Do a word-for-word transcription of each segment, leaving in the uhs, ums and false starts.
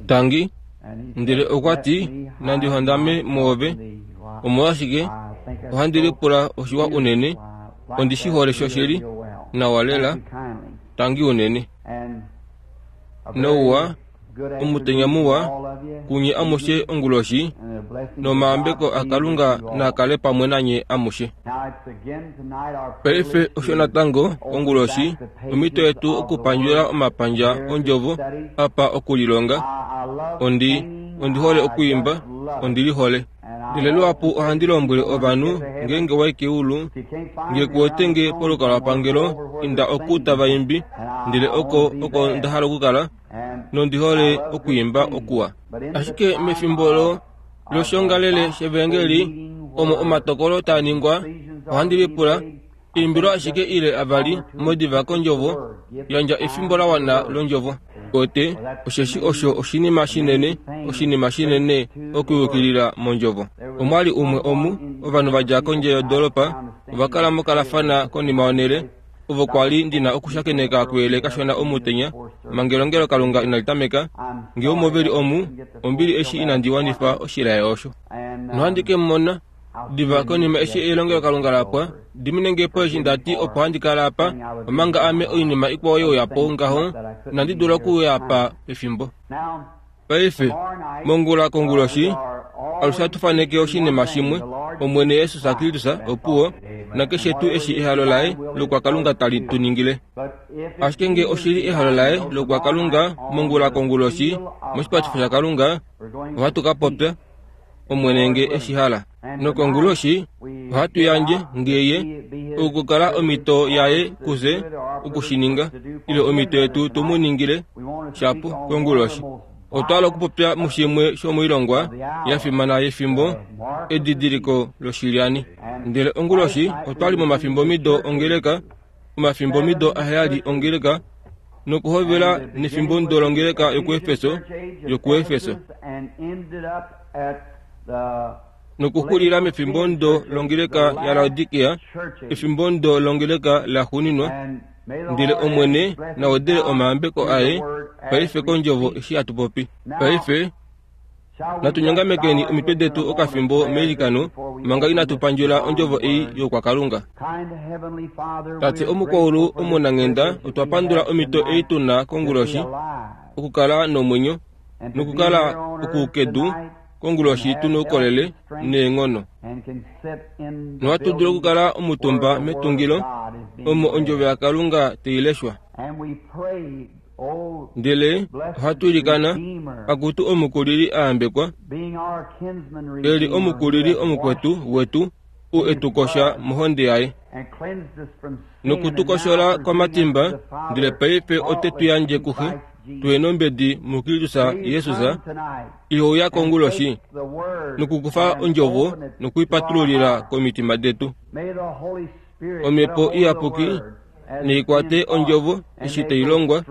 Tangi, ndele okwa ti, Nandi hondame mwoove. Omolwashike, ohandi lipula oshiwa unene. Ondi shi hole shoshili, nawa lela. Tangi unene. Nouwa, omutenya muwa, kunye amushe onguloshi, nomayambeko aKalunga naa kale pamwe nanye amushe. Paife osho natango onguloshi omhito yetu okupandjula omapandja ondjovo apa okulilonga. Ondi, ondi hole okwiimba, ondi lihole. Ndele luhapu ohandi lombwele ovanhu ngeenge wa i keulu, nge ku wete nge polukalwapangelo, inda oku tava imbi, ndele oko oko nda hala okukala, nondi hole okwiimba okuwa. Ashike mefimbo lo loshiongalele shevangeli, omo omatokolo taa ningwa, ohandi lipula, eimbilo ashike ile avali modiva kondjovo, yandja efimbo la wana londjovo. Ote, osheshi osho oshinima shinene, oshinima shinene okuyukilila mondjovo. Omwali umwe omu, ovanhu va dja kondje yodoolopa, ova kala mokalafana konima yonhele, ovo kwa li ndina okushakeneka kuyele kashona omutenya, manga elongelokalunga inali tameka. Ngee omo ve li omu, ombili eshi inandi wanifa oshilaye osho. Nohandi ke mu mona diva konima eshi elongelokalunga la pwa, dimine nge po eshi nda ti opo handi kala apa, omanga ame oinima ikwao ye uya po ngaho, inandi dula okuuya apa pefimbo. Paife, mongula konguloshi, alushe hatu faneke oshinima shimwe, Omwene Jesus Kristus opuwo, nakeshe tuu eshi ehalo laye lokwakalunga tali tu ningile. Ashike nge oshi li ehalo laye lokwakalunga mongula konguloshi, moshipatifo shaKalunga, ohatu ka popya, Omwene nge eshi hala. Nokonguloshi ohatu yandje nge ye okukala omhito yaye kufye oku shi ninga, ile omhito yetu tu mu ningile shapo konguloshi. Otwa hala okupopya mushimwe shomoilongwa ya fimana yefimbo, edidiliko loshilyani. Ndele onguloshi otwa li momafimbomido ongeleka, omafimbomido aheyali ongeleka, nokuhovela nefimbomudo longeleka yokuEfeso, yokuEfeso, nokuxulila mefimbomudo longeleka yaLaodikea, efimbomudo longeleka laxuuninwa. Ndele Omwene na wedele omayambeko aye paife kondjovo eshi hatu popi. Paife natu nyongamekeni omitwe detu okafimbo meilikano manga inatu pandjula ondjovo ei yokwakalunga. Tate omukwaulu omunanghenda, otwa pandula omhito ei tu na konguloshi okukala nomwenyo nokukala okukedu konguloshi tu noukolele neenghono. Nohatu dulu okukala omutumba metungilo omo ondjovo yaKalunga tai leshwa. Ndele ohatu ilikana, Akutu omukulili a yambekwa, e li omukulili omukwetu wetu, u e tu kosha mohonde yaye, noku tu koshola komatimba, ndele paife ote tu yandje kuXe, tu enombedi muKristus Jesus, ihouya konguloshi, nokukufa ondjovo nokuipatululila komitima detu. Omhepo Iyapuki nei kwate ondjovo eshi tai longwa,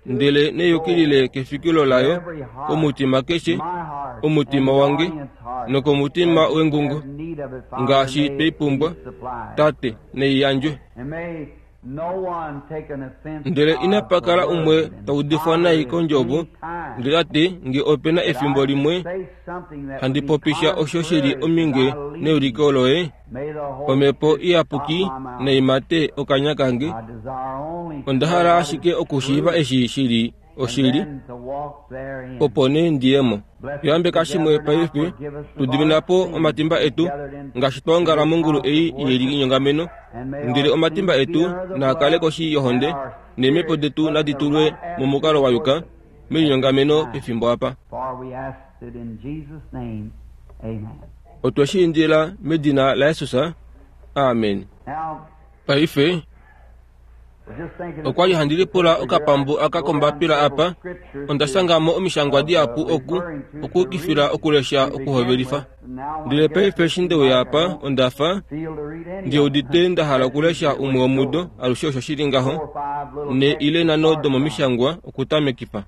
ndele neyukilile kefikilo layo komutima keshe, omutima wange nokomutima wengungo, ngaashi twei pumbwa, Tate, nei yandjwe. Ndele inapa kala umwe ta udifwa nai kondjovo, ndele ta ti, nge ope na efimbo limwe handi popisha osho shi li ominge neuliko loye, Omhepo Iyapuki nai mate okanya kange. Onda hala ashike okushiiva eshi shi li oshili, opo nee ndi ye mo. Yambeka shimwe paife, tu dimina po omatimba etu, ngaashi twa ongala mongulu ei yelinyongameno, ndele omatimba etu naa kale koshi yohonde, neemhepo detu nadi tulwe momukalo wa yuka melinyongameno pefimbo apa. Otwe shi indila medina laJesus. Amen. Paife, okwa li handi lipula okapambu aka kombapila apa, onda shanga mo omishangwa dihapu oku, okuukifila okulesha okuhovelifa. Ndele paife eshi nde uya apa, onda fa ndi udite nda hala okulesha umwe womudo, alushe osho shi li ngaho, ne ile nhano domomishangwa okutamekifa.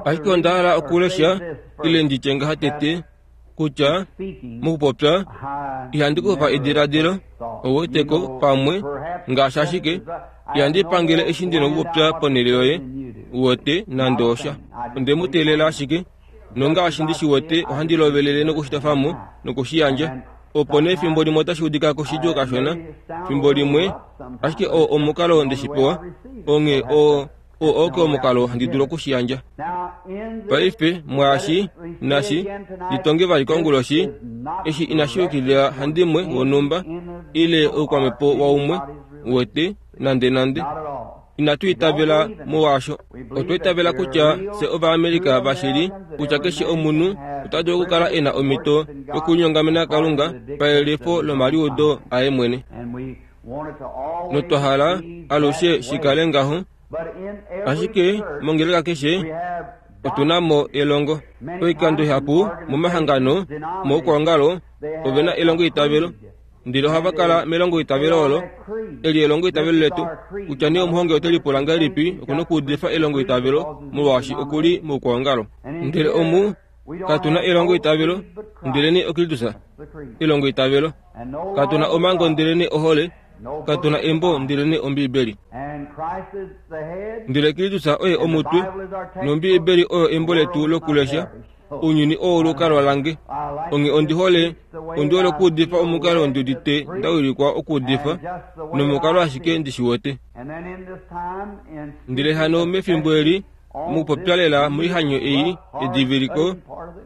Ashike onda hala okulesha, ile ndi tye ngaha tete, Kutya mokupopya ihandi kufa ediladilo ouweteko pamwe ngaashi ashike ihandi pangele eshi ndina okupopya ponhele yoye uwete nande osha. Onde mu teelela ashike nongaashi ndi shi wete ohandi lovelele nokushitafamo nokushiyandja. Opo nee fimbo limwe otashi udika koshidjuu kashona fimbo limwe ashike oo omukalo ndeshi pewa onghee oo oo oke omukalo handi dulu okushiyandja. Paife mwaashi nashi litonge vali konguloshi eshi inashi yukilila handimwe wonhumba ile oukwamhepo waumwe wete nande nande. Inatu itavela molwaasho. Otwa itavela kutya fye Ovaamerica vashili kutya keshe omunhu ota dulu okukala e na omhito yokulinyongamena Kalunga payelifo lomaliudo aye mwene. Notwa hala alushe shikale ngaho. Ashike mongeleka keshe otu na mo elongo. Oikando ihapu momahangano moukwaongalo ove na elongo itavelo. Ndele ohava kala melongo itavelo olo eli elongo itavelo letu kutya nee omuhongi ote lipula ngahelipi okuna okuudifa elongo itavelo molwaashi okuli moukwaongalo. Ndele omu katu na elongo itavelo ndele nee oKristus elongo itavelo. Katu na omhango ndele nee ohole. Katu na embo ndele nee Ombiibeli. Ndele Kristus oye omutwe nOmbiibeli oyo embo letu lokulesha. Ounyuni oo olukalwa lange. Onghee ondi hole ondi hole okuudifa omukalo ndi udite nda wilikwa okuudifa nomukalo ashike ndi shi wete. Ndele hano mefimbo eli mokupopya lela moihanyo ei ediviliko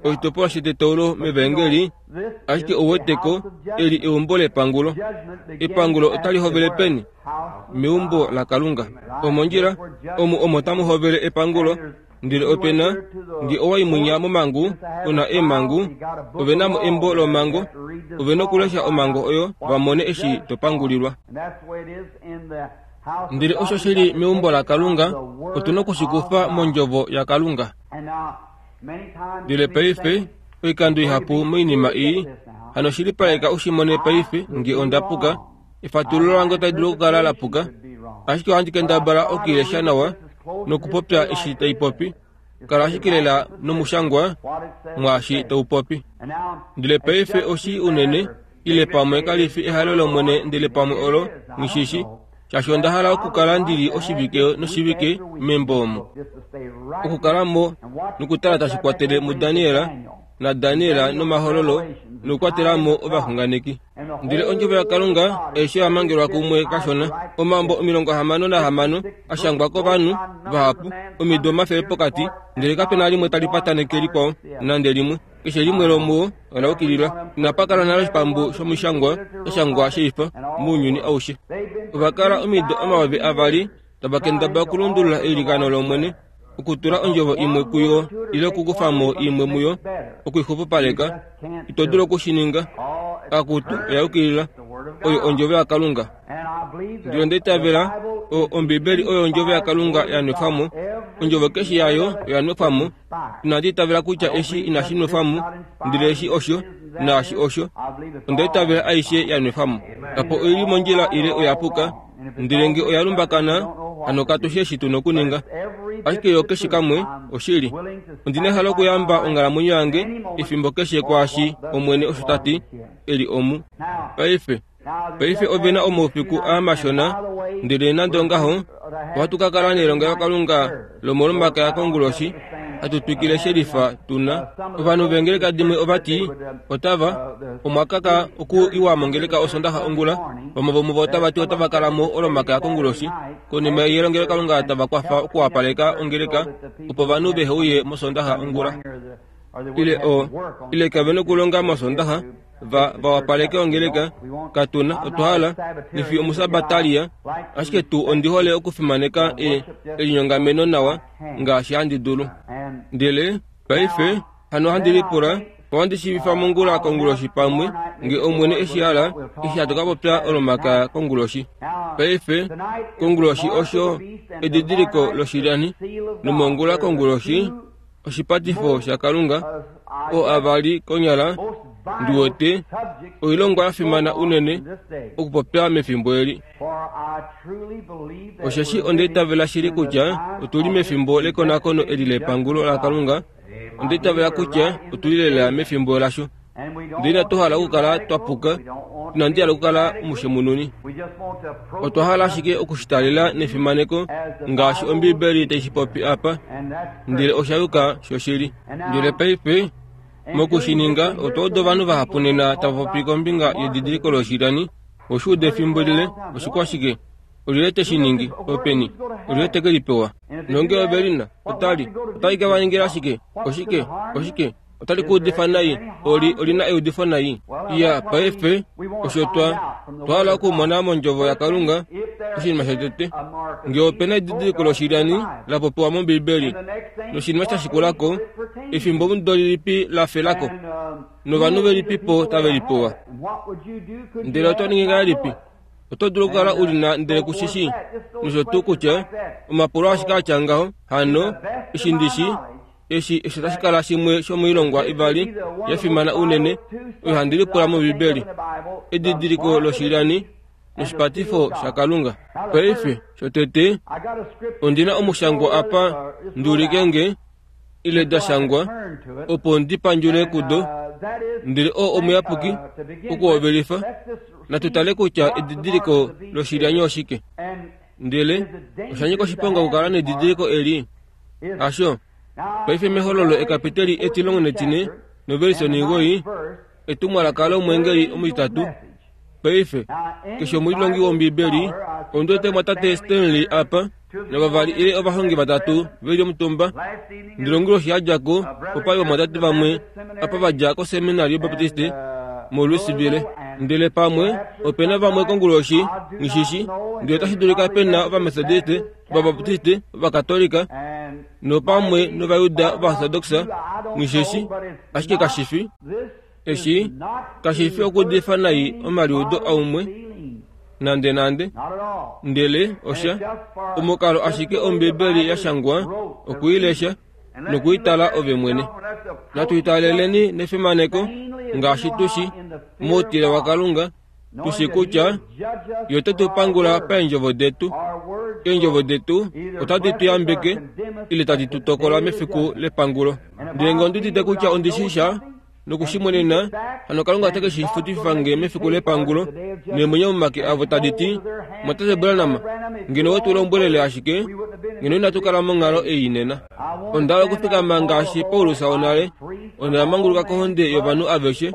oshitopolwa shetetaulo mevangeli ashike ouweteko eli eumbo lepangulo. Epangulo otali hovele peni? Meumbo laKalunga. Omondjila omu omo tamu hovele epangulo. Ndele opena nge owaimunya momangu una eemangu ove namo embo lomango ove nokulesha omango oyo vamone eshi topangulilwa. Ndele osho shili meumbo laKalunga otuna okushikufa mondjovo yaKalunga. Ndele paife oikando ihapu moinima ei hano shilipaleka ushimone paife nge ondapuka efatululo lange otali dulu okukala lapuka ashike ohandi kendabala okuilesha nawa nokupopya eshi taipopi. Kala ashike lela nomushangwa mwaashi taupopi. Ndele paife oshi unene ile pamwe kalifi ehalo lOmwene ndele pamwe olo ngishishi shaashi onda hala okukala ndili oshivike noshivike membo omo. Okukala mo nokutala tashi kwatele muDaniel naDaniel nomahololo nokukwatela mo ovaxunganeki. Ndele ondjovo yaKalunga aishe ya mangelwa kumwe kashona. Omambo omilongo hamano nahamano ashangwa kovanhu vahapu omido omafele pokati ndele kapena limwe tali pataneke likwao nande limwe. Keshe limwe lomuwo ola ukilila. Inapa kala nale oshipambu shomishangwa shashangwa sheifa mounyuni aushe. Ova kala omido omayovi avali tava kendabala okulundulula eilikano lOmwene okutula ondjovo imwe kuyo ile okukufamo imwe muyo okuixupupaleka. Ito dulu okushininga. Akutu oya ukilila oyo ondjovo yaKalunga. Ndele onda itavela Ombiibeli oyo ondjovo yaKalunga ya nwefwamo. Ondjovo keshe yayo oya nwefwamo. Inandi itavela kutya eshi inashi nwefwamo ndele eshi osho naashi osho. Onda itavela aishe ya nwefwamo. Apo oili mondjila ile oya puka ndele nge oya lumbakana hano katu shi eshi tuna okuninga. Ashike yo keshe kamwe oshili. Ondi na ehalo okuyamba onghalamwenyo yange efimbo keshe kwaashi Omwene osho tati eli omu. Paife paife ove na omaufiku aamashona ndele nande ongaho ohatu ka kala nelongelokalunga lomolomakaya konguloshi hatu twikile shelifa tuna. Ovanhu vengeleka dimwe ovati otava omwakaka oku iwa mongeleka osondaxa ongula. Vamwe vomuvo otava ti otava kala mo olomakaya konguloshi konima yelongelokalunga tava kwafa okuwapaleka ongeleka opo ovanhu veheuye mosondaxa ongula. Ile o ile kave nokulonga mosondaxa va vawapaleke ongeleka katuna otwa hala nifi omusabatalia ashike tuu ondi hole okufimaneka e elinyongameno nawa ngaashi handi dulu. Ndele paife hano handi lipula ohandi shiivifa mongula konguloshi pamwe nge Omwene eshi hala eshi hatu ka popya olomakaya konguloshi. Paife konguloshi osho edidiliko loshilyani nomongula konguloshi oshipatifo shaKalunga oo avali konyala ndiwete oilongwa ya fimana unene okupopya mefimbo eli. Osheshi onda itavela shili kutya otuli mefimbo lekonakono eli lepangulo laKalunga. Onda itavela kutya otuli lela mefimbo lasho. Ndele inatu hala okukala twa puka, inandi hala okukala omushemununi. Otwa hala ashike okushitalela nefimaneko ngaashi Ombibeli tai shi popi apa, ndele osha yuka shoshili. Ndele paife mokushininga otwa uda ovanhu vahapu nena tava popi kombinga yedidiliko loshilyani. Oshi uda efimbo lile, oshikwashike? Olyelye te shi ningi? Openi? Olyelye te ke li pewa? Nonge ove li na, otali otali ke va ningila shike? Oshike? Oshike? Otali ku udifa nai, oli oli na eudifo nai. Iya, paife osho twa twa hala okumona mondjovo yaKalunga oshinima shotete. Ngee ope na edidiliko loshilyani la popiwa mOmbibeli, noshinima sha shikulako, efimbo omudo lilipi la felako, novanhu velipipo tave li pewa. Ndele oto ningi ngahelipi? Oto dulu okukala u li na ndele ku shi shii, nosho tuu kutya omapulo ashike atya ngaho. Hano eshi ndi shi eshi osho tashi kala shimwe shomoilongwa ivali ya fimana unene oyo handi lipula mOmbibeli, edidiliko loshilyani noshipatifo shaKalunga. Paife shotete ondi na omushangwa apa ndi ulike nge ile da shangwa opo ndi pandjule kudo, ndele oo omuyapuki okuhovelifa. Natu tale kutya edidiliko loshilyani oshike. Ndele osha nyika oshiponga okukala nedidiliko eli. Hasho. Paife mehololo ekapiteli etilongo netine novelise onhimugoi, etumwalaka lomweengeli omutitatu. Paife keshe omulilongi wOmbibeli, ondi wete mwatate Stanley apa, navavali ile ovahongi vatatu ve li omutumba. Ndilongile oshi ya dja ko, opa li ovamwatate vamwe apa va dja koseminari yObaptiste moLouisville. Ndele pamwe ope na vamwe konguloshi, nghishishi, ndele otashi dulika pe na Ovametodiste, Ovabaptiste, Ovakatolika, nopamwe nOvayuda Ovaortodoxa, nghishishi, ashike kashi fi eshi kashi fi okuudifa nai omaliudo aumwe nande nande, ndele osha omukalo ashike Ombibeli ya shangwa okuilesha nokuitala ove mwene. Natu italeleni nefimaneko ngaashi tu shi moutile waKalunga, tu shi kutya Ye ote tu pangula paendjovo detu. Eendjovo detu otadi tu yambeke ile tadi tu tokola mefiku lepangulo. Ndele ngee ondi udite kutya ondi shi sha nokushimonena, hano Kalunga ote ke shi futififa nge mefiku lepangulo, neemwenyo momake avo tadi ti, Mwatate Branham, ngeno we tu lombwelele ashike, ngeno inatu kala monghalo ei nena. Onda hala okufikama ngaashi Paulus wonale, onda manguluka kohonde yovanhu aveshe,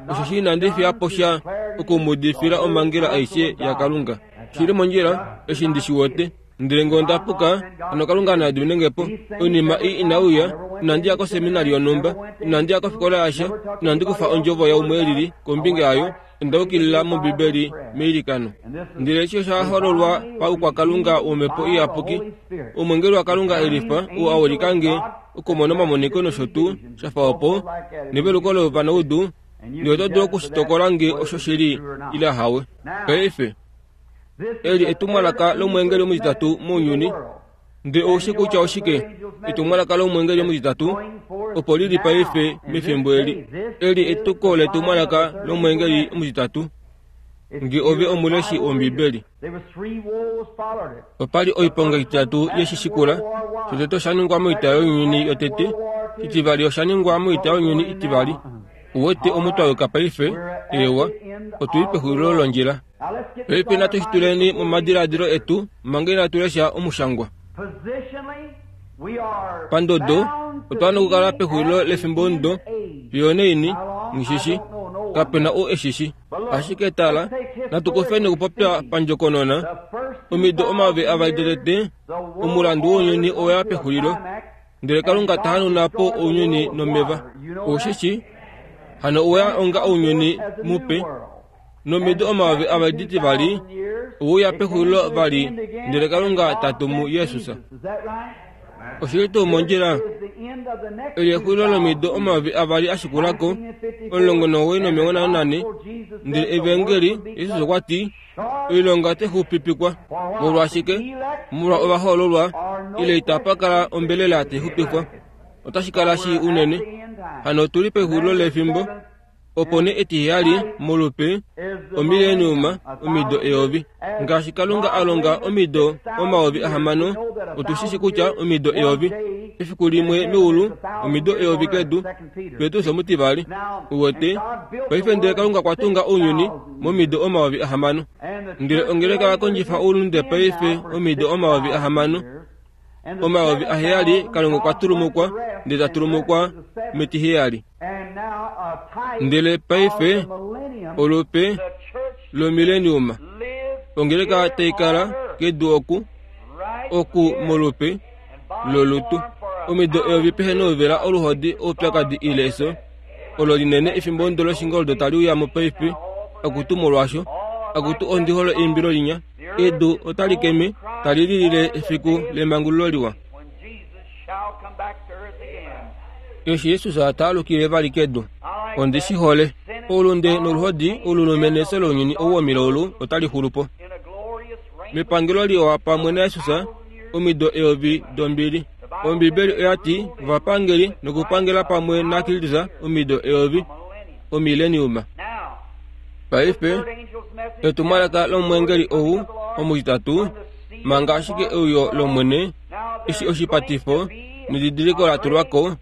osheshi inandi fiya po sha okumuudifila omhangela aishe yaKalunga. Shi li mondjila, eshi ndi shi wete. Ndele ngee onda puka, hano Kalunga na dimine nge po. Oinima ii inai uya, inandi ya koseminari yonhumba, inandi ya kofikola yasha, inandi kufa ondjovo yaumwe elili kombinga yayo, onda yukilila mOmbibeli meilikano. Ndele eshi osha hololwa paukwakalunga wOmhepo Iyapuki, omwengeli waKalunga elifa oo a ulika nge okumona omamoniko nosho tuu sha fa opo, neveluko lovanaudu, ndele oto dulu okushitokola nge osho shili ile ahawe. Paife eli etumwalaka lomwengeli omutitatu mounyuni. Ndele ou shi kutya oshike etumwalaka lomwengeli omutitatu opo li li paife mefimbo eli. Eli etuko letumwalaka lomwengeli omutitatu. Nge ove omuleshi wOmbibeli, opa li oiponga itatu ye shi shikula. Shotete osha ningwa moita younyuni yotete, shitivali osha ningwa moita younyuni itivali. Uwete omu twa yuka paife? Eewa, otu li pexulilo londjila. Paife natu shi tuleni momadiladilo etu manga inatu lesha omushangwa. Pandodo, otwa wana okukala pexulilo lefimbomudo fiyo onaini, nghishishi, kape na ou e shi shi. Ashike tala, natu kufeni okupopya pandjokonona, omido omayovi avali dotete, omulandu wounyuni owa ya pexulilo, ndele Kalunga ta hanauna po ounyuni nomeva. Ou shi shi? Hano owa onga ounyuni mupe, nomido omayovi avali ditivali, ouya pexulilo vali, ndele Kalunga ta tumu Jesus. Oshili tuu mondjila? Eli exulilo lomido omayovi avali a shikula ko, omulongo nomugoi nomilongo nhano nane, ndele Evangeli, Jesus okwa ti, oilonga otai xupipikwa. Molwashike? Molwa ovahoololwa, ile itapa kala ombelela tai xupifwa. Otashi kala shii unene. Hano otu li pexulilo lefimbo. Opo nee etiheyali molupe omileniuma omido eyovi. Ngaashi Kalunga a longa omido omayovi ahamano, otu shi shi kutya omido eyovi efiku limwe meulu, omido eyovi kedu. Petrus omutivali. Uwete paife ndele Kalunga okwa tunga ounyuni momido omayovi ahamano. Ndele ongeleka ya kondjifa oulunde paife omido omayovi ahamano. Omayovi aheyali Kalunga okwa tulumukwa ndele ta tulumukwa metiheyali. Ndele paife olupe lomileniuma ongeleka tai kala kedu oku oku molupe lolutu. Omido eyovi pehe nouvela oluhodi oupyakadi ile efyo olo linene efimbo ndo loshingoldo tali uya mo paife akutu molwaasho akutu ondi hole eimbilo linya. Edu otali keme tali lilile efiku lemangululo liwa. Eshi Jesus ta alukile vali kedu, ondi shi hole. Oulunde noluhodi olulume nefyo lounyuni ou womilaulu otali xulu po. Mepangelo liwa pamwe naJesus omido eyovi dombili. Ombibeli oya ti ovapangeli nokupangela pamwe naKristus omido eyovi omileniuma. Paife etumwalaka lomweengeli ou omutitatu manga ashike euyo lOmwene eshi oshipatifo nedidiliko la tulwa ko.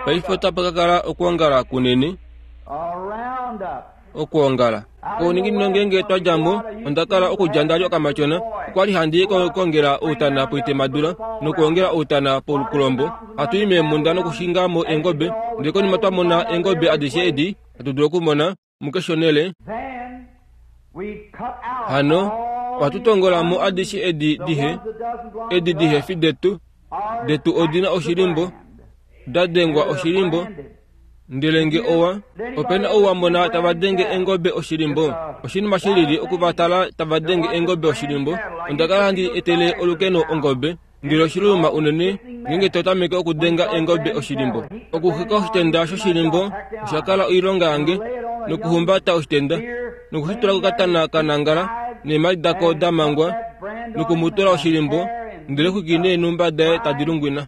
Paife otapa ka kala okwoongala kunene. Okwoongala kouninginino ngeenge twa dja mo, onda kala okudja nda li okamatyona. Okwa li handi kongela outana poitemadula nokwoongela outana polukulombo. Hatu i meemhunda nokushinga mo eengobe, ndele konima twa mona eengobe adishe edi hatu dulu okumona mukeshe onhele. Hano ohatu tongola mo adishe edi dihe edi dihe fi detu. Detu odina oshilimbo, da dengwa oshilimbo. Ndele nge owa opena ou wa mona tava denge engobe oshilimbo. Oshinima shilili okuvatala tava denge engobe oshilimbo. Onda kala handi etele olukeno ongobe, ndele oshiluluma unene ngeenge to tameke okudenga engobe oshilimbo. Okuxeka oshitenda shoshilimbo osha kala oilonga yange, nokuhumbata oshitenda nokushitula kokatana kanangala neemhadi dako da mangwa nokumutula oshilimbo, ndele xwiki neenhumba daye tadi lungwina.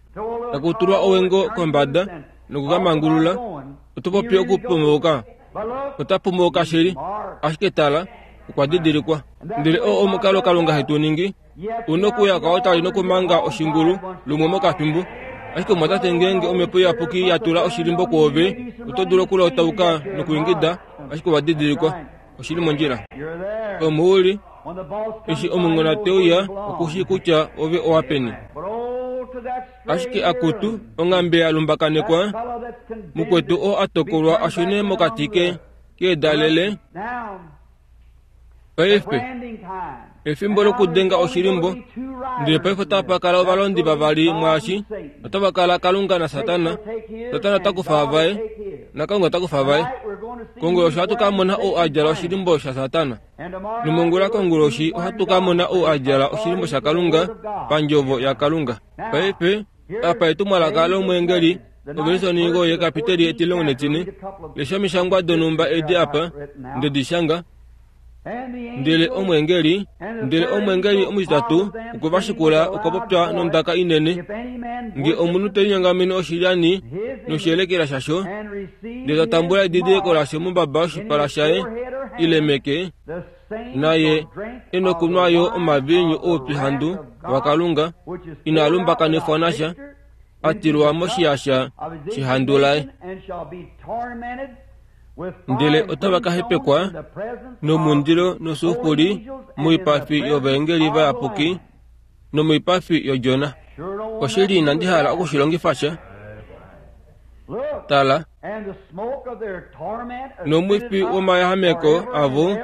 Takutulwa owengo kombada nokukamangulula. Oto popi okupumauka, ota pumauka shili, ashike tala okwa didilikwa. Ndele oo omukalo Kalunga hetu ningi. Una okuya kwaotali nokumanga oshingulu lumwe mokafimbo. Ashike omwatate ngeenge omhepo iyapuki ya tula oshilimbo kwoove, oto dulu okulotauka nokuingida, ashike owa didilikwa. Oshili mondjila. Omuuli eshi omungona te uya okushi kutya ove owa peni. Ashike akutu onghambe ya lumbakanekwa mukwetu oo a tokolwa a shune mokati ke keedalele. Paife efimbo lokudenga oshilimbo, ndele paife otapa kala ovalondi vavali mwaashi. Otava kala Kalunga naSatana. Satana ota kufa vaye naKalunga ota kufa vaye. Konguloshi ohatu ka mona ou a djala oshilimbo shaSatana, nomongula konguloshi ohatu ka mona ou a djala oshilimbo shaKalunga pandjovo yaKalunga. Paife apa etumwalaka lomweengeli ovelisonigo yekapiteli etilongo netine. Lesha omishangwa donhumba edi apa ndedi shanga. Ndele omweengeli ndele omweengeli omutitatu okwe va shikula okwa popya nondaka inene, nge omunhu te linyongamene oshilyani noshiyelekela shasho, ndele ta tambula edidiliko lasho mombaba yoshipala shaye ile meke, naye e nokunwa yo omaviinyu oupyuhandu waKalunga inaa lumbakanifwa nasha, a tilwa moshiyaxa shehandu laye. Ndele otava ka hepekwa nomundilo nosulfuri moipafi yovaengeli vayapuki nomoipafi yOdjona. Oshili inandi hala okushilongifa sha. Tala, nomwifi womayahameko avo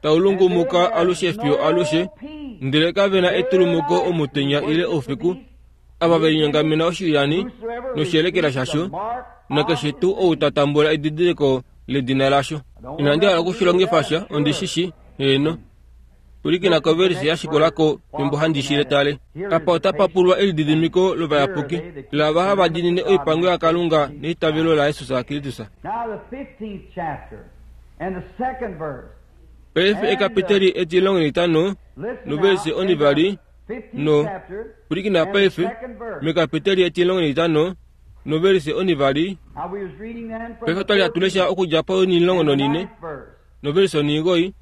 tau lungumuka alushe fiyo alushe, ndele kave na etulumuko omutenya ile oufiku, ava ve linyongamena oshilyani noshiyelekela shasho, nakeshe tuu ou ta tambula edidiliko ledina lasho. Inandi hala okushilongifa sha, ondi shi shi, heeno. Pwilikina kovelise ya shikulako fimbo handi shi tale. Apa otapa pulwa elididimiko lovayapuki lava hava diinine oipango yaKalunga neitavelo laJesus Kristus. Paife ekapiteli etilongo netitano novelise onivali no pwilikina paife mekapiteli etilongo netitano Novelise onivali. Paife otwali hatu lesha okudja ponimulongo nonine novelise onigoi.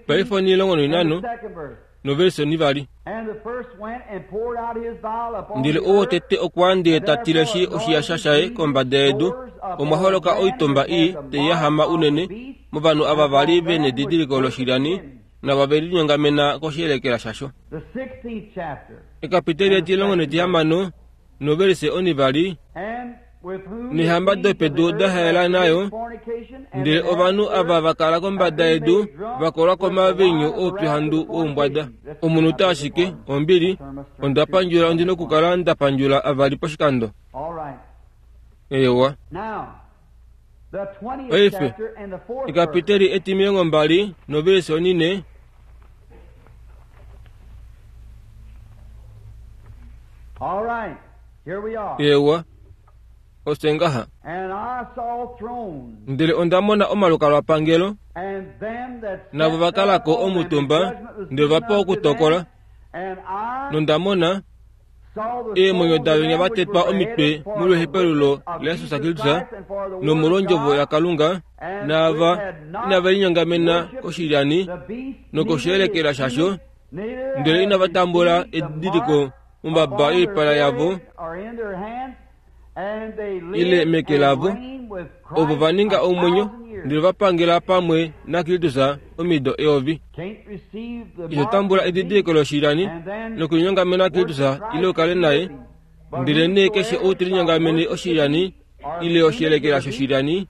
Paife onimulongo noinano novelise onivali. Ndele ou wotete okwa ndee ta tileshi oshiyasha shaye kombada yedu, omwa holoka oitomba ii tai yahama unene movanhu ava vali ve nedidiliko loshilyani nava ve linyongamena koshiyelekela shasho. Ekapiteli etilongo netihamano novelise onivali. Neehamba dopedu da haela nayo, ndele ovanhu ava va kala kombada yedu va kolwa komaviinyu oupyuhandu woumbwada. Omunute ashike, ombili, onda pandjula ondi nokukala nda pandjula avali poshikando. Ewa. Paife, ekapiteli etimilongo mbali novelise onine. Ewa. Osengaha. Ndele onda mona omalukalwapangelo, navo va kalako omutumba, ndele va pewa okutokola. Nonda mona eemwenyo davenya va tetwa omitwe molwehepelulo laJesus Kristus nomolwondjovo yaKalunga, naava inave linyongamena koshilyani nokoshiyelekela shasho, ndele inava tambula edidiliko mombaba yoipala yavo ile meke lavo, ovo va ninga omwenyo ndele va pangela pamwe naKristus omido eyovi. Ito tambula edidiliko loshilyani nokulinyongamena Kristus ile ukale naye, ndele nee keshe ou te linyongamene oshilyani ile oshiyelekela shoshilyani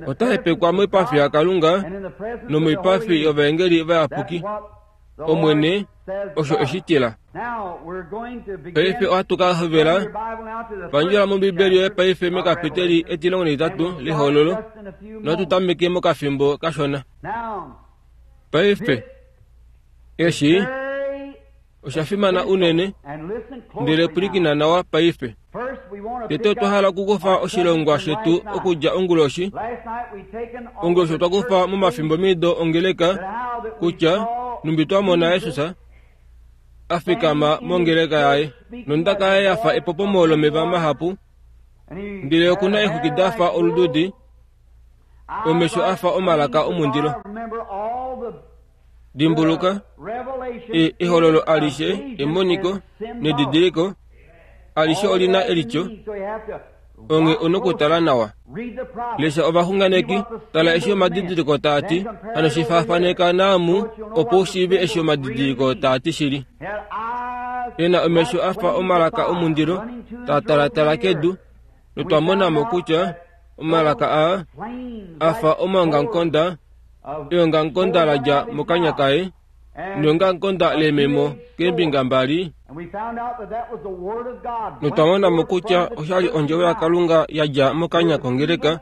ota hepekwa moipafi yaKalunga nomoipafi yovaengeli vayapuki. Omwene osho eshi tila. Paife ohatu ka hovela pandjula mOmbibeli yoye paife mekapiteli etilongo netitatu lehololo, nohatu tameke mokafimbo kashona. Paife eshi osha fimana unene, ndele pwilikina nawa paife. Tete otwa hala okukufa oshilongwa shetu okudja onguloshi. Onguloshi otwa kufa momafimbo mido ongeleka kutya numbi twa mona Jesus a fikama mongeleka yaye, nondaka yaye yafa epopomo lomeva mahapu, ndele okuna eexwiki dafa olududi, omesho afa omalaka omundilo. Dimbuluka, ehololo alishe, emoniko nedidiliko alishe olina elityo, onge onokutala nawa. Lesha ovaxunganeki, tala eshi omadidiliko taati, hano shifaafaneka naamu opo ushiive eshi omadidiliko taati shili. Ena omesho afa omalaka omundilo taa talatala kedu, notwa monamo kutya omalaka aa afa omaongamukonda, eongamukonda la dja mokanya kaye neongamukonda leememo keembinga mbali. Notwa monamo kutya oshali ondjovo yaKalunga ya dja mokanya kongeleka,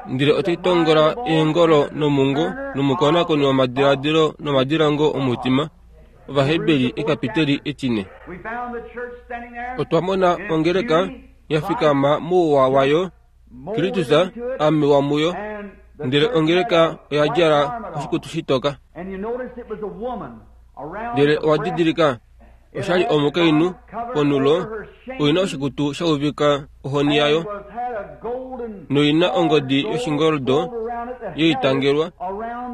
ndele otai tongola eengolo nomungo nomukonakoni womadiladilo nomadilongo omutima. Ovaheberi ekapiteli etine. Otwa mona ongeleka ya fikama mouwa wayo, Kristus amewa muyo, ndele ongeleka oya djala oshikutu shitoka. Ndele owa didilika oshali omukainhu ponulo oina oshikutu sha uvika ohoni yayo, noina ongodi yoshingoldo yeitangelwa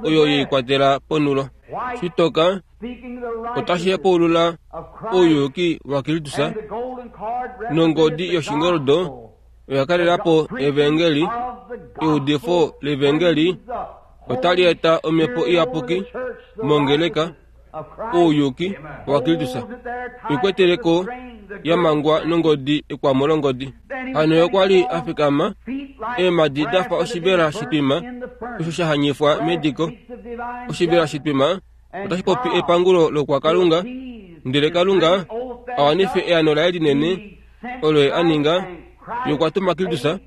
oyo yeikwatela ponulo. Shitoka otashi hepaulula ouyuki waKristus, nongodi yoshingoldo oya kalelapo evangeli. Eudifo levangeli otali eta omhepo iyapuki mongeleka, ouyuki waKristus ikweteleko yamangwa nongodi ekwamo longodi. Hano ye okwa li a fikama eemhadi dafa oshivela shitwima osho sha hanyifwa mediko. Oshivela shitwima otashi popi epangulo lokwakalunga, ndele Kalunga a wanife eano laye linene olo ye a ninga. Ye okwa tuma Kristus,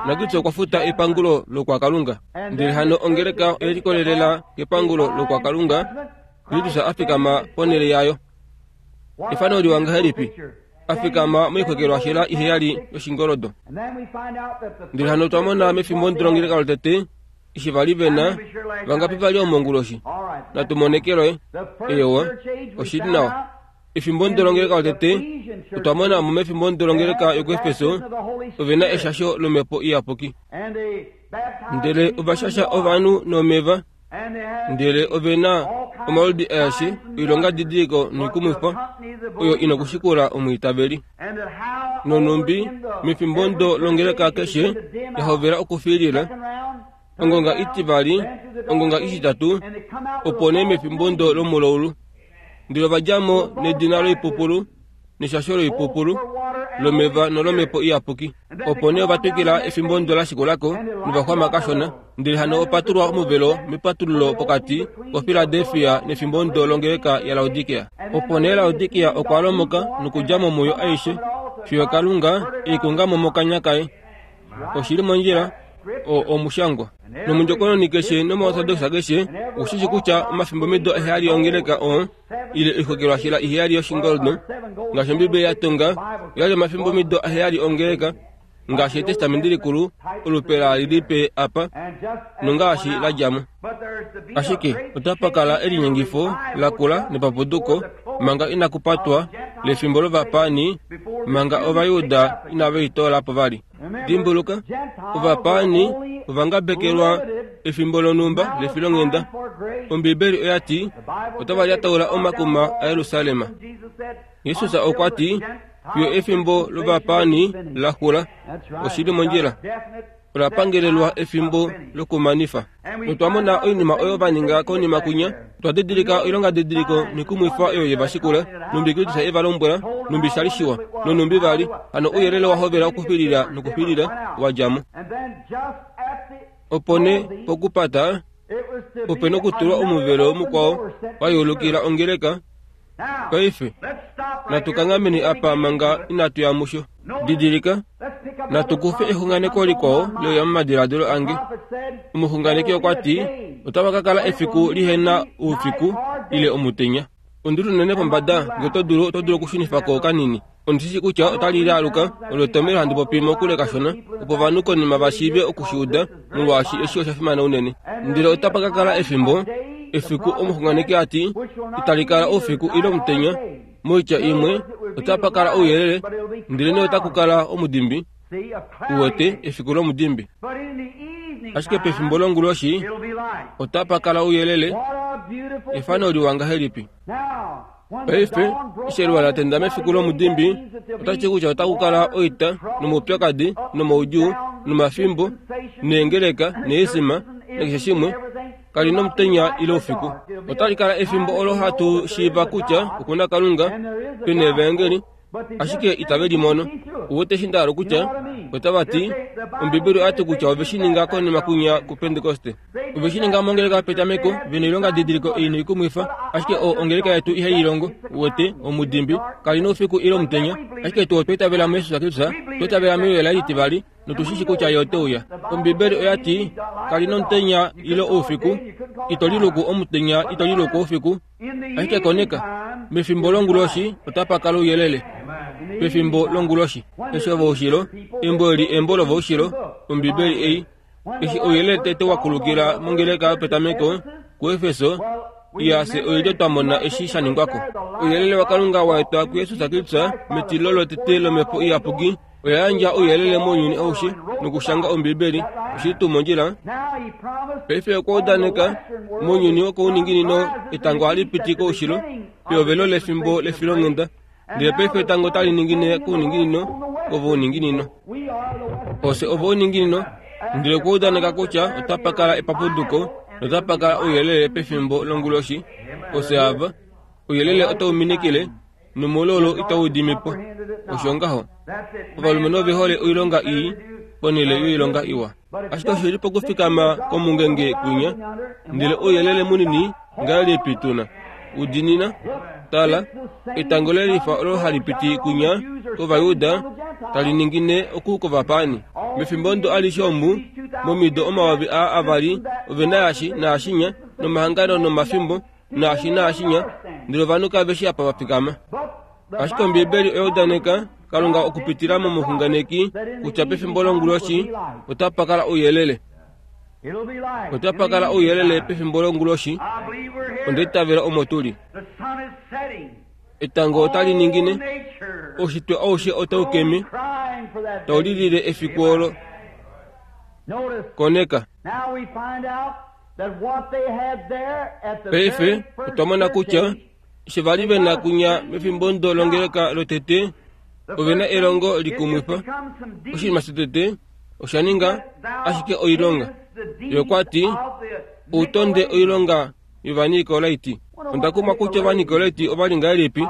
na Kristus okwa futa epangulo lokwakalunga. Ndele hano ongeleka oye likolelela kepangulo lokwakalunga, Kristus a fikama ponhele yayo. Efano liwa ngahelipi a fikama moikwekelwashela iheyali yoshingoldo. Ndele hano otwa mona mefimbo ndilongeleka lotete eshi vali vena vangapi vali omonguloshi. Natu monekelwe. Eyowa, oshili nawa. Efimbo ndolongeleka lotete otwa mona mo mefimbo ndolongeleka yokuEfeso ove na eshasho lomhepo iyapuki. Ndele ovashasha ovanhu nomeva, ndele ove na omaludi aeshe oilonga didiliko noikumwifa oyo ina okushikula omwiitaveli. Nonumbi mefimbo ndo longeleka keshe yahovela okufiilila ongonga itivali, ongonga ititatu, opo nee mefimbo ndo lomulaulu. Ndele ova mo nedina loipupulu neshasho loipupulu lomeva nolomhepo iyapuki. Opo nee ova twikila efimbo ndo la shikulako novaxwama kashona. Ndele hano opatulwa omuvelo mepatululo pokati koFiladelfia nefimbo ndo longeleka yaLaodikea. Opo nee Laodikea okwa lomoka nokudja mo muyo aishe fiyo Kalunga eikunga mo mokanya kaye. Oshili mondjila o omushangwa. Nomundjokononi keshe nomaortodoxa keshe okushishi kutya omafimbo mido eheyali ongeleka o ile oixokelwashila iheyali yoshingoldo ngaashi Ombibeli ya tonga oyali omafimbo mido aheyali ongeleka ngaashi Etestamenti likulu olupe laali lipe apa nongaashi la dja mo. Ashike otapa kala elinyengifo lakula nepapuduko manga inakupatwa lefimbo lovapaani manga Ovajuda inave litoola po vali. Dimbuluka, ovapaani ovangabekelwa efimbo lonhumba lefilonghenda. Ombibeli oya ti otava lyataula omakuma aYerusalem. Jesus okwa ti fiyo efimbo lovapaani la xula. Oshili mondjila. Ola pangelelwa efimbo lokumanifa. Notwa mona oinima oyo va ninga konima kunya. Otwa didilika oilonga didiliko noikumwifa oyo ye va shikula. Numbi Kristus e va lombwela, numbi sha li shiwa, nonumbi vali. Hano ouyelele wa hovela okufilila nokufilila wa dja mo. Opo nee pokupata ope nokutulwa omuvelo mukwao wa yeulukila ongeleka. Paife natu kangameni apa manga inatu ya musho. Didilika, natu kufe exunganeko likwao leuya momadiladilo ange. Omuxunganeki okwa ti otava ka kala efiku lihena oufiku ile omutenya. Ondulu unene pombada, ngee oto dulu oto dulu okushunifa ko kanini. Ondishishi kutya otali lialuka olo etomhelo handi popi mokule kashona opo ovanhu konima va shiive okushiuda, molwaashi eshi osha fimana unene. Ndele otapa ka kala efimbo efiku omuxunganeki a ti itali kala oufiku ile omutenya. Moitya imwe otapa kala ouyelele, ndele nee otaku kala omudimbi. Uwete efiku lomudimbi. Ashike pefimbo longuloshi otapa kala ouyelele. Efano liwa ngahelipi? Paife eshi eluwa la tenda mefiku lomudimbi otashi ti kutya otaku kala oita nomaupyakadi nomaudjuu nomafimbo neengeleka neesima nakeshe shimwe. Kali nomutenya ile oufiku. Otali kala efimbo olo hatu shiiva kutya okuna Kalunga pena evangeli, ashike itave limono. Uwete eshi nda hala kutya otava ti Ombibeli oya ti kutya ove shi ninga konima kunya kuPentekoste. Ove shi ninga mongeleka yopetameko vena oilonga didiliko ei noikumwifa, ashike o ongeleka yetu ihai longo. Uwete omudimbi kali noufiku ile omutenya, ashike tuu otwa itavela muJesus Kristus, otwa itavela meuyela litivali notushishi kutya ye ote uya. Ombibeli oya ti kali nomutenya ile oufiku, ito liluku omutenya ito liluku oufiku. Ashike koneka, mefimbo longuloshi otapa kala ouyelele. Pefimbo longuloshi eshi ovoushilo, embo eli embo lovoushilo, Ombibeli ei eshi ouyelele tete wa kulukila mongeleka yopetameko kuEfeso, iyase oilyo twa mona eshi sha ningwako. Ouyelele waKalunga wa etwa kuJesus Kristus metilo lotete lomhepo iyapuki oya yandja ouyelele mounyuni aushe nokushanga Ombibeli. Oshili tuu mondjila? Paife okwa udaneka mounyuni wokouninginino etango ohali piti koushilo pehovelo lefimbo lefilonghenda, ndele paife etango otali ningine kouninginino kovouninginino. Ofye ovouninginino, ndele okwa udaneka kutya otapa kala epapuduko notapa kala ouyelele pefimbo longuloshi. Ofye ava, ouyelele otau minikile nomololo itau dimi po. Osho ngaho. Ovalumenhu ove hole oilonga ii ponhele yoilonga iwa. Ashike osho li pokufikama komungenge kwinya, ndele ouyelele munini ngahelipi tuna udinina. Tala, etango lelifa olo hali piti kwinya kOvajuda tali ningine oku kovapaani. Mefimbo ndo alishe omu momido omayovi aa avali ove na yashi naashinya nomahangano nomafimbo naashi naashinya, ndele ovanhu kave shi apa va fikama. Ashike Ombibeli oya udaneka Kalunga okupitila momuxunganeki kutya pefimbo longuloshi otapa kala ouyelele. Otapa kala ouyelele pefimbo longuloshi. Onda itavela omo tuli. Etango otali ningine, oushitwe aushe otau keme, tau lilile efiku olo. Koneka. Paife otwa mona kutya eshi vali ve na kunya mefimbo longeleka lotete, ove na elongo likumwifa. Oshinima shotete osha ninga ashike oilonga. Ye okwa ti, outonde oilonga yOvanikolaiti. Onda kumwa kutya Ovanikolaiti ova li ngahelipi.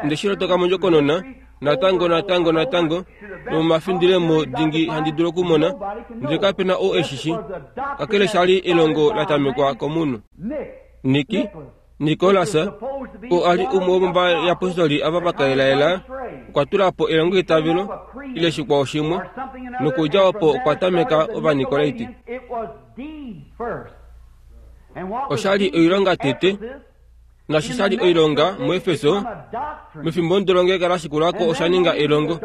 Onde shi lotoka mondjokonona, natango natango natango, nomomafindilemo dingi handi dulu okumona, ndele kape na ou eshi shi. Kakele sha li elongo la tamekwa komunhu. Niki, Nikolas, oo a li umwe womovayapostoli ava va kaelaela, okwa tula po elongoitavelo ile shikwao shimwe, nokudja opo okwa tameka Ovanikolaiti. Osha li oilonga tete, nashi sha li oilonga muEfeso, mefimbo longeleka la shikulako osha ninga elongo.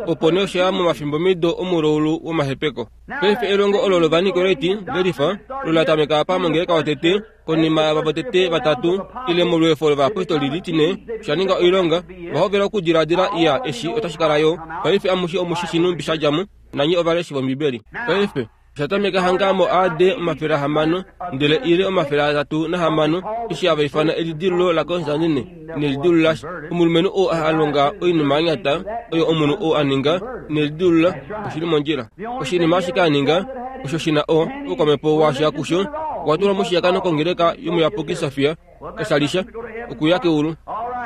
Opo nee osha ya momafimbomido omuloulu womahepeko. Paife elongo olo lOvanikolaiti lelifa olo la tameka apa mongeleka yotete, konima yava votete vatatu ile molweefo lovayapostoli litine, osha ninga oilonga. Va hovela okudiladila iya eshi otashi kala yo. Paife amushe omushi shinumbi sha dja mo, nanye ovaleshi vOmbibeli. Paife osha tameka hanga mo A D omafele ahamano ndele ile omafele atatu nahamano, eshi hava ifana elidilululo laKonstantine nelidilulula. Omulumenhu oo a longa oinima ya nyata oyo omunhu oo a ninga nelidilulula oshili mondjila. Oshinima ashike a ninga osho shi na o oukwamhepo washa kusho, okwa tulwa moshiyakano kongeleka yomuyapuki Sofia kashalisha okuya keulu.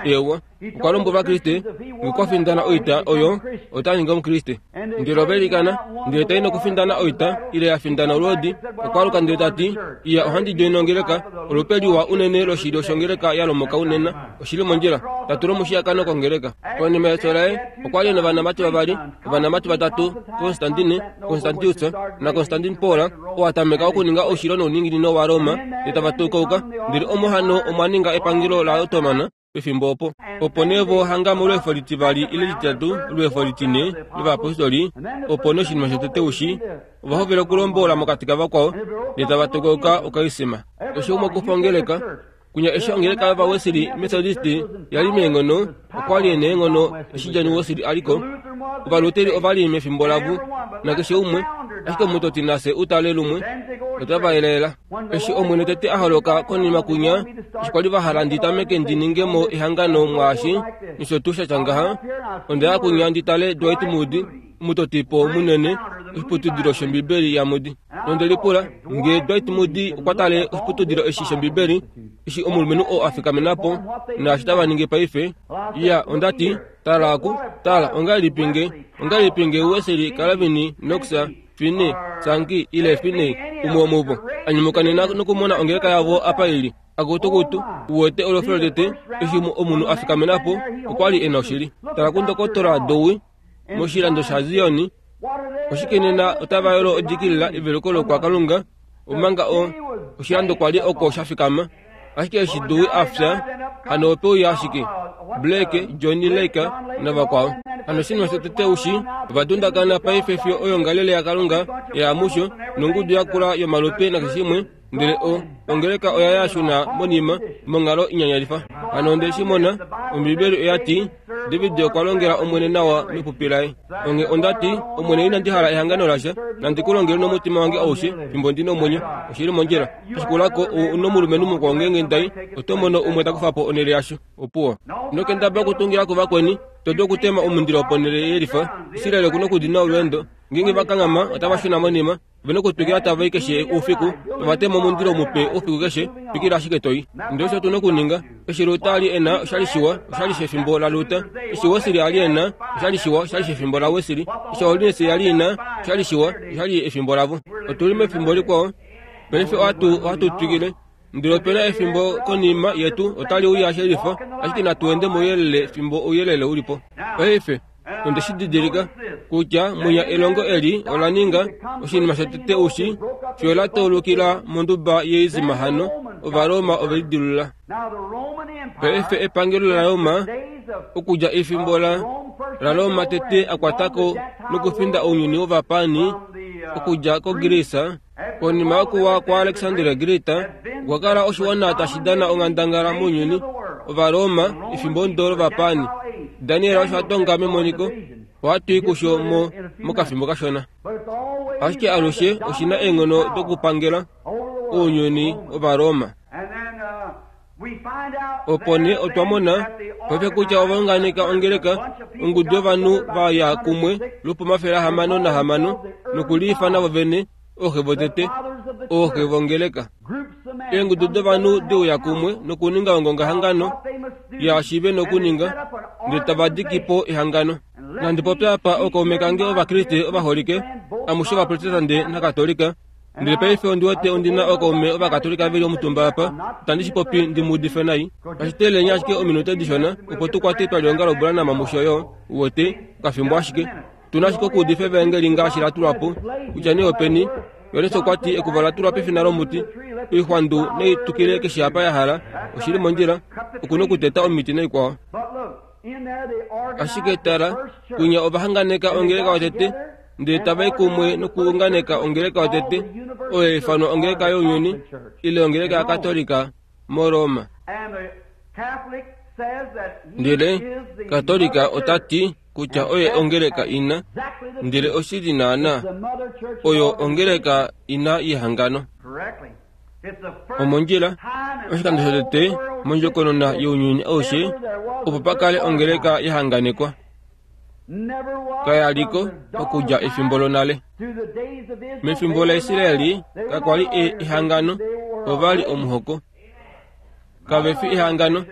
Ewa, okwa lombwela Ovakriste okwa findana oita oyo ota ningi Omukriste. Ndele ova ilikana, ndele tai nokufindana oita ile ya findana olwoodi. Okwa aluka ndele ta ti, iya ohandi joina ongeleka, olupe liwa unene loshilyo shongeleka ya lomoka unene, oshili mondjila. Ta tulwa moshiyakano kongeleka. Konima yefyo laye okwa li novanamati vavali, ovanamati vatatu, Constantine, Constantius naConstantine Paul, oo a tameka okuninga oushilo nouninginino waRoma, ndele tava tukauka. Ndele omo hano omwa ninga epangelo laOttoman pefimbo opo. Opo nee vo hanga molweefo litivali ile lititatu, olweefo litine lovayapostoli, opo nee oshinima shotete ushi, ova hovela okulombola mokati kavakwao, ndele tava tukauka okaisima. Eshi umwe okufa ongeleka, kunya eshi ongeleka yOvawesili Methodist ya li meenghono, okwa li neenghono eshi John Wesley a li ko. Ovaluteri ova li mefimbo lavo, nakeshe umwe, ashike omutoti nase utale lumwe, otava elaela. Eshi Omwene tete a holoka konima kunya, eshi kwali va hala ndi tameke ndi ninge mo ehangano mwaashi, nosho tuu sha tya ngaha, onda ya kunya ndi tale Dwight Moody, omutotipo munene oshiputudilo shOmbibeli yaMoody. Nonde lipula ngee Dwight Moody okwa tale oshiputudilo eshi shOmbibeli, eshi omulumenhu oo a fikamena po, naashi tava ningi paife. Iya, onda ti, tala aku, tala, ongahelipi nge, ongahelipi nge Wesley, Calvin, Knox, Finney, Sankey ile Finney, umwe womuvo, a nyumuka nena nokumona ongeleka yavo apa ili. Akutukutu, uwete olofelo lotete, eshi omunhu a fikamena po, okwa li e na oshili. Tala kundokotola Dowie, moshilando shaZion, oshike nena otava yolo odikilila eveluko lokwakalunga, omanga o oshilando kwa li oko sha fikama. Ashike eshi Dowie a fya, hano ope uya ashike Blake, Johnny Lake navakwao. Hano oshinima shotete ushi, ova dundakana paife fiyo oyongalele yaKalunga ya musho, nongudu yakula yomalupe nakeshe shimwe, ndele o ongeleka oya yashuna monima monghalo inyanyalifa. Hano onde shi mona, Ombibeli oya ti, David okwa longela Omwene nawa mepupi laye. Onge onda ti, Omwene inandi hala ehangano lasha, nandi ku longele nomutima wange aushe fimbo ndi nomwenyo. Oshili mondjila. Oshikulako nomulumenhu mukwao ngeenge ndai, oto mono umwe ta kufa po onhele yasho. Opuwo. Nokendaba okutungila kuvakweni, to dulu okutema omundilo ponhele yelifa. Israel oku nokudina olweendo. Ngeenge va kanghama, otava shuna monima. Ove nokutwikila tava i keshe oufiku, tava tema omundilo mupe oufiku keshe, twikila ashike toi. Ndele osho tu nokuninga. Eshi Luther a li e na oshali shiwa, oshali shefimbo laLuther. Eshi Wesley a li e na oshali shiwa, oshali shefimbo laWesley. Eshi Holiness ya li i na oshali shiwa, oshali efimbo lavo. Otu li mefimbo likwao. Paife ohatu ohatu twikile. Ndele ope na efimbo konima yetu otali uya shelifa, ashike natu ende mouyelele fimbo ouyelele u li po. Paife onde shi didilika kutya munya elongo eli ola ninga oshinima shotete ushi, fiyo la taulukila monduba yeizima hano, Ovaroma ove lidilulula. Paife epangelo laRoma, okudja efimbo la laRoma tete a kwatako nokufinda ounyuni wovapani, okudja koGreece, konima yokuwa kwaAlexander Great, okwa kala oshiwana tashi dana onghandangala mounyuni. Ovaroma efimbo ndolo vapani. Daniel osho atonga memoniko ohatu i kusho mo mokafimbo kashona. Ashike alushe oshina eenghono dokupangela ounyuni Ovaroma. Opo nee otwa mona paife kutya ovaunganeka ongeleka ongudu yovanhu va ya kumwe lwopomafele ahamano nahamano nokuliifana vovene ooxe votete ooxe vongeleka. Eengudu dovanhu deuya kumwe nokuninga ongongahangano yaashi ve nokuninga ndele tava diki po ehangano. Nandi popya apa ookaume kange Ovakriste ovaholike amushe Ovaprotestante naKatolika. Ndele paife ondi wete ondina ookaume Ovakatolika veli omutumba apa, itandi shi popi ndi mu udife nai. Ashiteleni ashike ominute dishona opo tu kwate twalionga Branham musho yo uwete okafimbo ashike. Tuna ashike okuudifa evangeli ngaashi la tulwa po, kutya nee openi. Johannes okwa ti ekuva la tulwa pefina lomuti, oixwandu neitukile keshe apa ya hala, oshili mondjila, okuna okuteta omiti naikwao. Ashike tala, kunya ovahanganeka ongeleka yotete, ndele tava i kumwe nokuunganeka ongeleka yotete, oyo ya ifanwa ongeleka younyuni, ile ongeleka yaKatolika moRoma. Ndele Katolika ota ti kutya oye ongeleka ina, ndele oshili naana oyo ongeleka ina yehangano. Omondjila, oshikando shotete mondjokonona younyuni aushe opo pa kale ongeleka yahanganekwa. Kayaliko okudja efimbo lonale. Mefimbo laIsraeli kakwali ehangano, ovali omuhoko. Kave fi ehangano,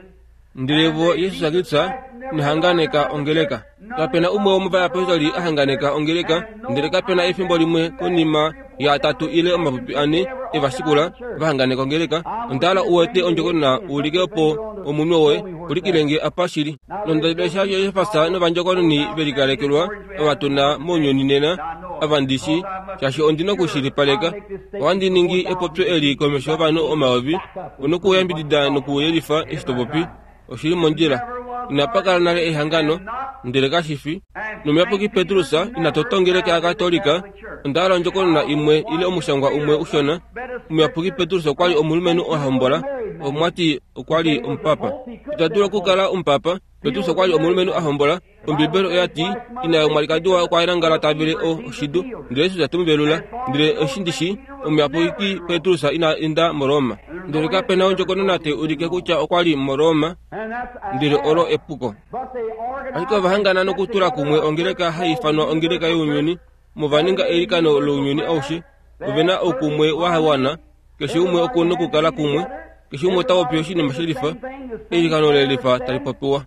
ndele vo Jesus Kristus inahanganeka ongeleka. Kapena umwe womovayapostoli ahanganeka ongeleka, ndele kapena efimbo limwe konima ya atatu ile omapupi ane evashikula vahanganeka ongeleka. Ondala uwete ondjokonona ulike opo omunwe woye ulikilenge apa shili. Nondalesha Josefas novandjokononi velikalekelwa avatuna mounyuni nena avandishi shaashi ondina okushilipaleka. Ohandi ningi epopyo eli komesho yovanhu omayovi onokuyambidida nokuyelifa eshi to popi. Oshili mondjila. Inapa kala nale ehangano, ndele kashifi. Nomuyapuki Petrus ina tota ongeleka yaKatolika. Onda ondjokonona imwe ile omushangwa umwe ushona. Omuyapuki Petrus okwa li omulumenhu a hombola, omwati okwa li omupapa. Ita dulu okukala omupapa. Petrus okwa li omulumenhu a hombola. Ombibeli oya ti ina yomwalikadi waye okwa nangala ta vele oshidu, ndele Jesus te mu velula. Ndele eshi ndishi omuyapuki Petrus ina enda moRoma. Ndele kapena ondjokonona te ulike kutya okwa li moRoma, ndele olo epuko. Ashike ovahangana nokutula kumwe ongeleka hai ifanwa ongeleka younyuni, movaninga eilikano lounyuni aushe. Ovena oukumwe wa wana, keshe umwe okuna okukala kumwe, keshe umwe ota popi oshinima shelifa, eilikano lelifa tali popiwa.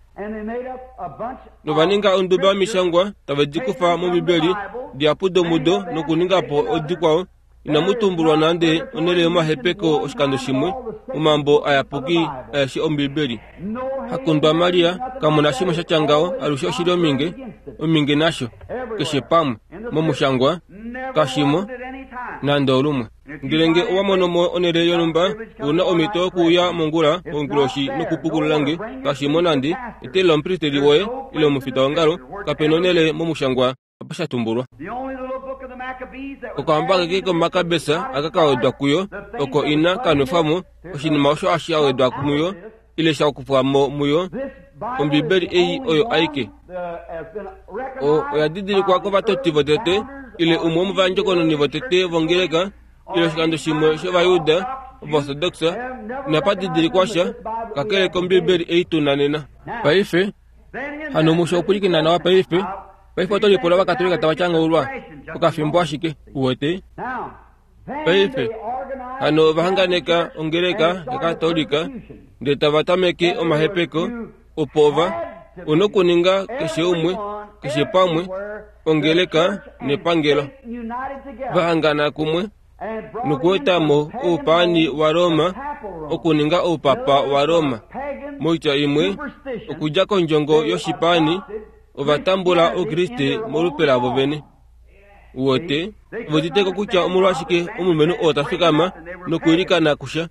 Novaninga onduba yomishangwa tave di kufa mOmbibeli dihapu domudo nokuninga po odikwao. Inamu tumbulwa nande onhele yomahepeko oshikando shimwe omambo ayapuki aeshe Ombibeli. Hakundwa Maria kamuna shimwe sha tya ngaho, alushe oshili ominge, ominge nasho keshe pamwe momushangwa kashimo nande olumwe. Ndele nge owa mono mo onhele yonhumba una omhito yokuuya mongula onguloshi nokupukulula nge kashimo nande etele lomupristeli woye ile omufitaongalo, kapena onhele momushangwa apa sha tumbulwa. Okahamba keke komakabesa aka kawedwa kuyo oko ina kanwefwamo oshinima osho hashi awedwa muyo ile sha kufwamo muyo. Ombibeli ei oyo aike o oya didilikwa kovatoti votete ile umwe womovandjokononi votete vongeleka ile oshikando shimwe shovayuda ovaorthodoxa inapa didilikwa sha kakele kombibeli ei tuna nena. Paife hano musho okwilikina nawa paife. Paife oto lipula Ovakatolika tava tyangaulwa okafimbo ashike uwete. Paife hano ovahanganeka ongeleka yaKatolika ndele tava tameke omahepeko opo ova onokuninga keshe umwe keshe pamwe ongeleka nepangelo vahangana kumwe nokuetamo oupaani waRoma okuninga oupapa waRoma. Moitya imwe okudja kondjongo yoshipaani ovatambula Oukriste molupe lavo vene. Uwete voditeko kutya omolwashike omulumenhu oo ta fikama nokuilikana kusha.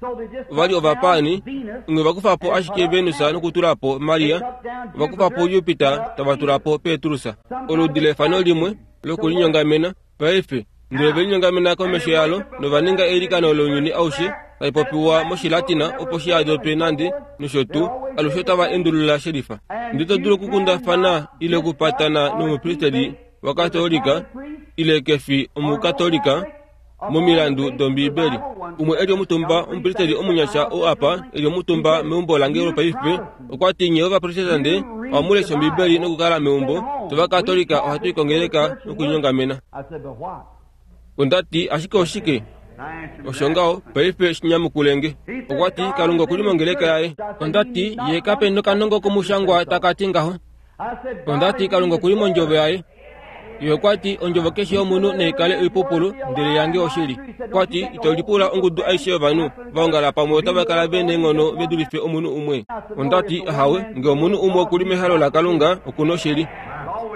Ovali ovapaani onge vakufa po ashike Venus nokutula po Maria, ovakufa po Jupiter tava tula po Petrus. Oludi lefano limwe lokulinyongamena paife, ndele velinyongamena komesho yalo novaninga eilikano lounyuni aushe Tai popiwa moshilatina opo shi adope nande nosho tuu alushe otava endulula shelifa. Ndele to dulu okukundafana ile okupatana nomupristeli wakatolika ile kefi omukatolika momilandu dombiibeli. Umwe eli omutumba omupristeli omunyasha oo apa eli omutumba meumbo lange lopaife okwa ti nye ovaprotestante ohamu lesha ombiibeli nokukala meumbo tovakatolika ohatu ikongeleka nokuinyongamena. Onda ti ashike oshike? Osho ngaho paife shinyamukulenge. Okwa ti Kalunga okuli mongeleka yaye. Onda ti ye kape nokanongo komushangwa taka ti ngaho. Onda ti Kalunga okuli mondjovo yaye. Ye okwa ti ondjovo keshe yomunhu naikale oipupulu ndele yange oshili. Okwa ti ito lipula ongudu aishe yovanhu vaongala pamwe otava kala ve neenghono ve dulife omunhu umwe. Onda ti ahawe ngee omunhu umwe okuli mehalo laKalunga okuna oshili.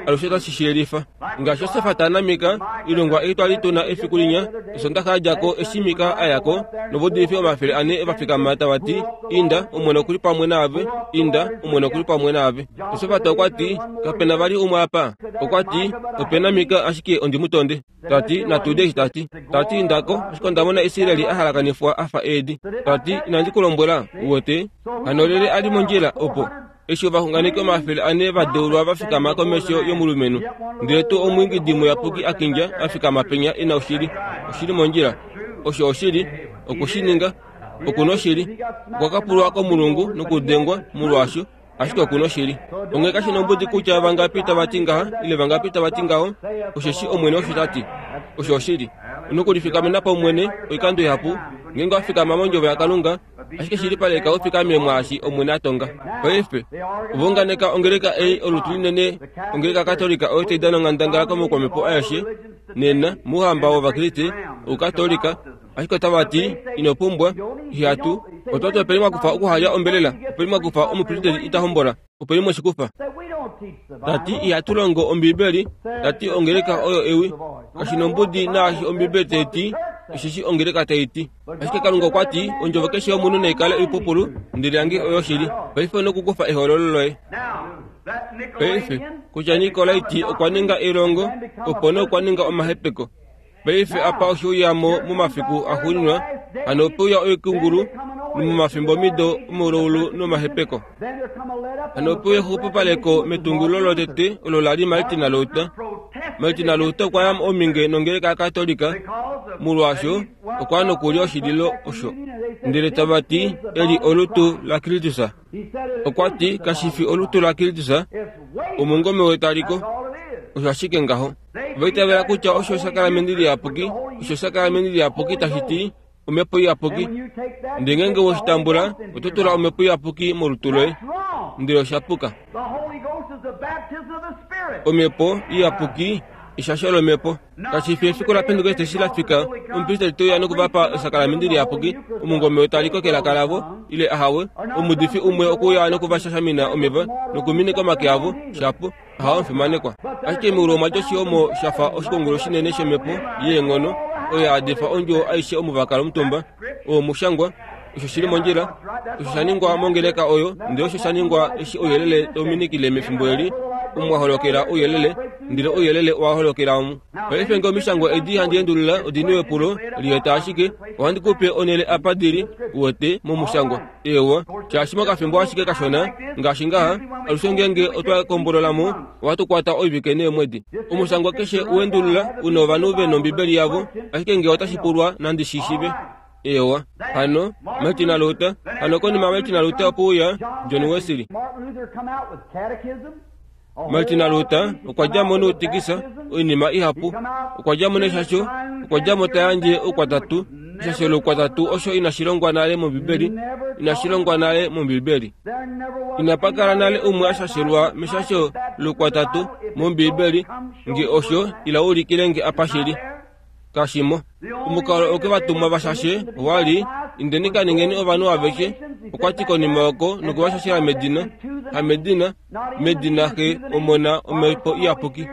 Alushe otashi shiyelifa. Ngaashi Josef tanamika ilongwa ei twali tuna efiku linya osondaxa yadjako eshi Mika ayako novaudilifi omafele ane vafikama tava ti inda Omwene okuli pamwe naave inda Omwene okuli pamwe naave. Josef okwa ti kapena vali umwe apa. Okwa ti opena Mika ashike ondi mu tonde. Tati natuude eshi tati. Tati indako ashike onda mona Israeli a halakanifwa afa eedi. Tati inandi ku lombwela uwete hano lyelye ali mondjila opo eshi ovaxunganeki omafele ane vadeulwa vafikama komesho yomulumenhu ndele tuu omwiingidi muyapuki a kindja a fikama penya ena oshili. Oshili mondjila. Osho oshili okushininga okuna oshili. Okwa kapulwa komulungu nokudengwa molwaasho ashike okuna oshili. Onghee kashi nombudi kutya vangapi tava ti ngaha ile vangapi tava ti ngaho osheshi Omwene osho ta ti. Osho oshili. Onokulifikamena paumwene oikando ihapu ngeenge wa fikama mondjovo yaKalunga ashike shilipaleka ufikame mwaashi Omwene a tonga. Paife ova unganeka ongeleka ei olutu linene ongeleka katolika oyo tai dana onghandangala komaukwamhepo aeshe nena mouhamba wovakriste oukatolika ashike otava ti ino pumbwa ihatu otwati openi mwakufa okuhalya ombelela openi mwakufa omupristeli ita hombola openi mweshikufa. Tati ihatu longo ombiibeli tati ongeleka oyo ewi kashi nombudi naashi ombiibeli tai ti osheshi ongeleka tai ti. Ashike Kalunga okwa ti ondjovo keshe yomunhu naikale oipupulu ndele yange oyo oshili. Paife onokukufa ehoololo loye. Paife kutya Nikolaiti okwa ninga elongo opo nee okwa ninga omahepeko. Paife apa osheuyamo momafiku axuuninwa hano opeuya oikungulu nomomafimbomido omaulaulu nomahepeko. Hano opeuya exupipaleko metungululo lotete olo lali Martin Luther. Martin Luther okwa ya ominge nongeleka yakatolika molwaasho okwa nokulya oshililo osho. Ndele tava ti eli olutu laKristus. Okwa ti kashi fi olutu laKristus omungome wetaliko. Osho ashike ngaho. Ova itavela kutya osho esakalamende liyapuki osho esakalamende liyapuki tashi ti omhepo iyapuki. Ndele ngeenge weshi tambula oto tula omhepo iyapuki molutu loye. Ndele osha puka. Omhepo iyapuki eshasho lomhepo. Kashi fi efiku laPentekoste eshi la fika omupristeli teuya nokuvapa esakalamende liyapuki omungome wetaliko kelaka lavo ile ahawe omuudifi umwe okuya nokuvashashamina omeva nokuminika omake avo shapo ahawe omufimanekwa. Ashike meulu omwa dja oshihomo shafa oshikungulu shinene shomhepo yeenghono oyo ya hadifa ondjuwo aishe omo vakala omutumba. Oo omushangwa osho shili mondjila osho sha ningwa mongeleka oyo ndele osho sha ningwa eshi ouyelele tauminikile mefimbo eli omu wa holokela ouyelele ndele ouyelele owa holokela omu. Paife ngee omishangwa edi handi endulula odini wepulo lieta ashike ohandi kupe onhele apa dili uwete momushangwa. Eewa shaashi mokafimbo ashike kashona ngaashi ngaha alushe ngeenge otwa kombololamo ohatu kwata oivike neemwedi. Omushangwa keshe uendulula una ovanhu vena ombibeli yavo ashike ngee otashi pulwa nandi shi shiive. Eewa hano Martin Luther hano konima Martin Luther opeuya John Wesley. Martin Luther okwa djamo noutikisa oinima ihapu okwa djamo neshasho okwa djamo ta yandje oukwatatu eshasho loukwatatu osho inashi longwa nale mombibeli inashi longwa nale mombibeli. Inapa kala nale umwe a shashelwa meshasho loukwatatu mombibeli nge osho ila ulikile nge apa shili. Kashimo. Omukalo oke vatumwa vashashe owali indeni ka ningeni ovanhu aveshe okwa ti konima oko nokuvashashela medina hamedina medina xe omona omhepo iyapuki.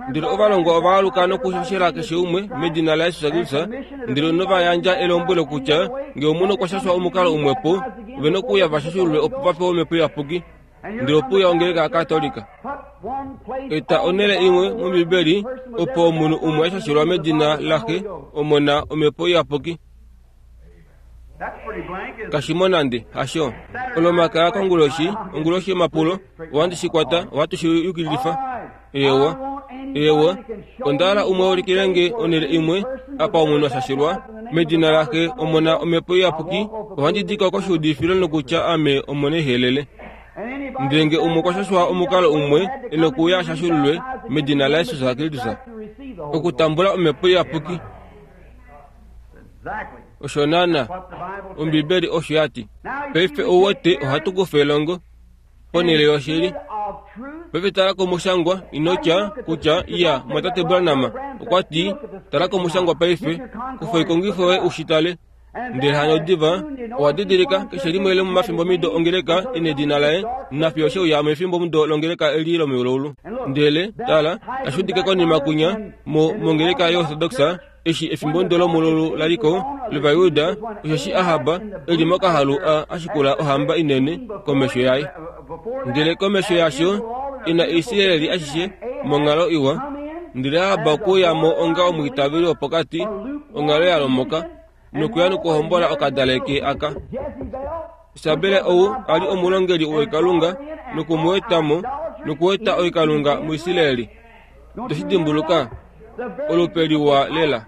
Ndele ovalongwa ova aluka nokushashela keshe umwe medina laJesus Kristus ndele nova yandja elombwelo kutya ngee omunhu okwa shashwa omukalo umwepo ovena okuuya vashashululwe opo va pewe omhepo iyapuki. Ndele opeuya ongeleka yakatolika. Eta onhele imwe mombibeli opo omunhu umwe a shashelwa medina laxe omona omhepo iyapuki. Kashimo nande hasho. Olomakaya konguloshi, onguloshi yomapulo, ohandi shi kwata, ohatu shi yukililifa. Ewa, ewa, onda umwe ulikilenge onhele imwe apa omunhu ashashilwa medina laxe omona omhepo iyapuki, ohandi dika koshiudifilo nokutya ame omona ehelele. Ndenge umwe okwa shashwa omukalo umwe enokuuya ashashululwe medina laJesus Kristus okutambula omhepo iyapuki. Osho naana Ombibeli osho yati. Paife ouwete ohatu kufa elongo ponhele yoshili. Paife tala komushangwa inotya kutya iya mwatate Branham okwa ti tala komushangwa paife kufa oikongifo yoye ushitale. Ndele hano diva owa didilika keshe limwe lomomafimbomido ongeleka ina edina laye nafiyo sheuya mefimbomudo longeleka eli lomeululu. Ndele tala tashi udike konima kunya mo mongeleka yoorthodoxa eshi efimbomudo lomululu laliko lOvayuda osheshi Ahab eli mokahalu a ashikula ohamba inene komesho yaye. Ndele komesho yasho ina Israeli ashishe monghalo iwa. Ndele Ahab okuya mo onga omwiitaveli wopokati onghalo ya lomoka nokuya nokuhombola okadaleke aka. Isabel ou ali omulongeli woikalunga nokumuetamo nokueta oikalunga muIsraeli. Toshi dimbuluka olupe liwa lela.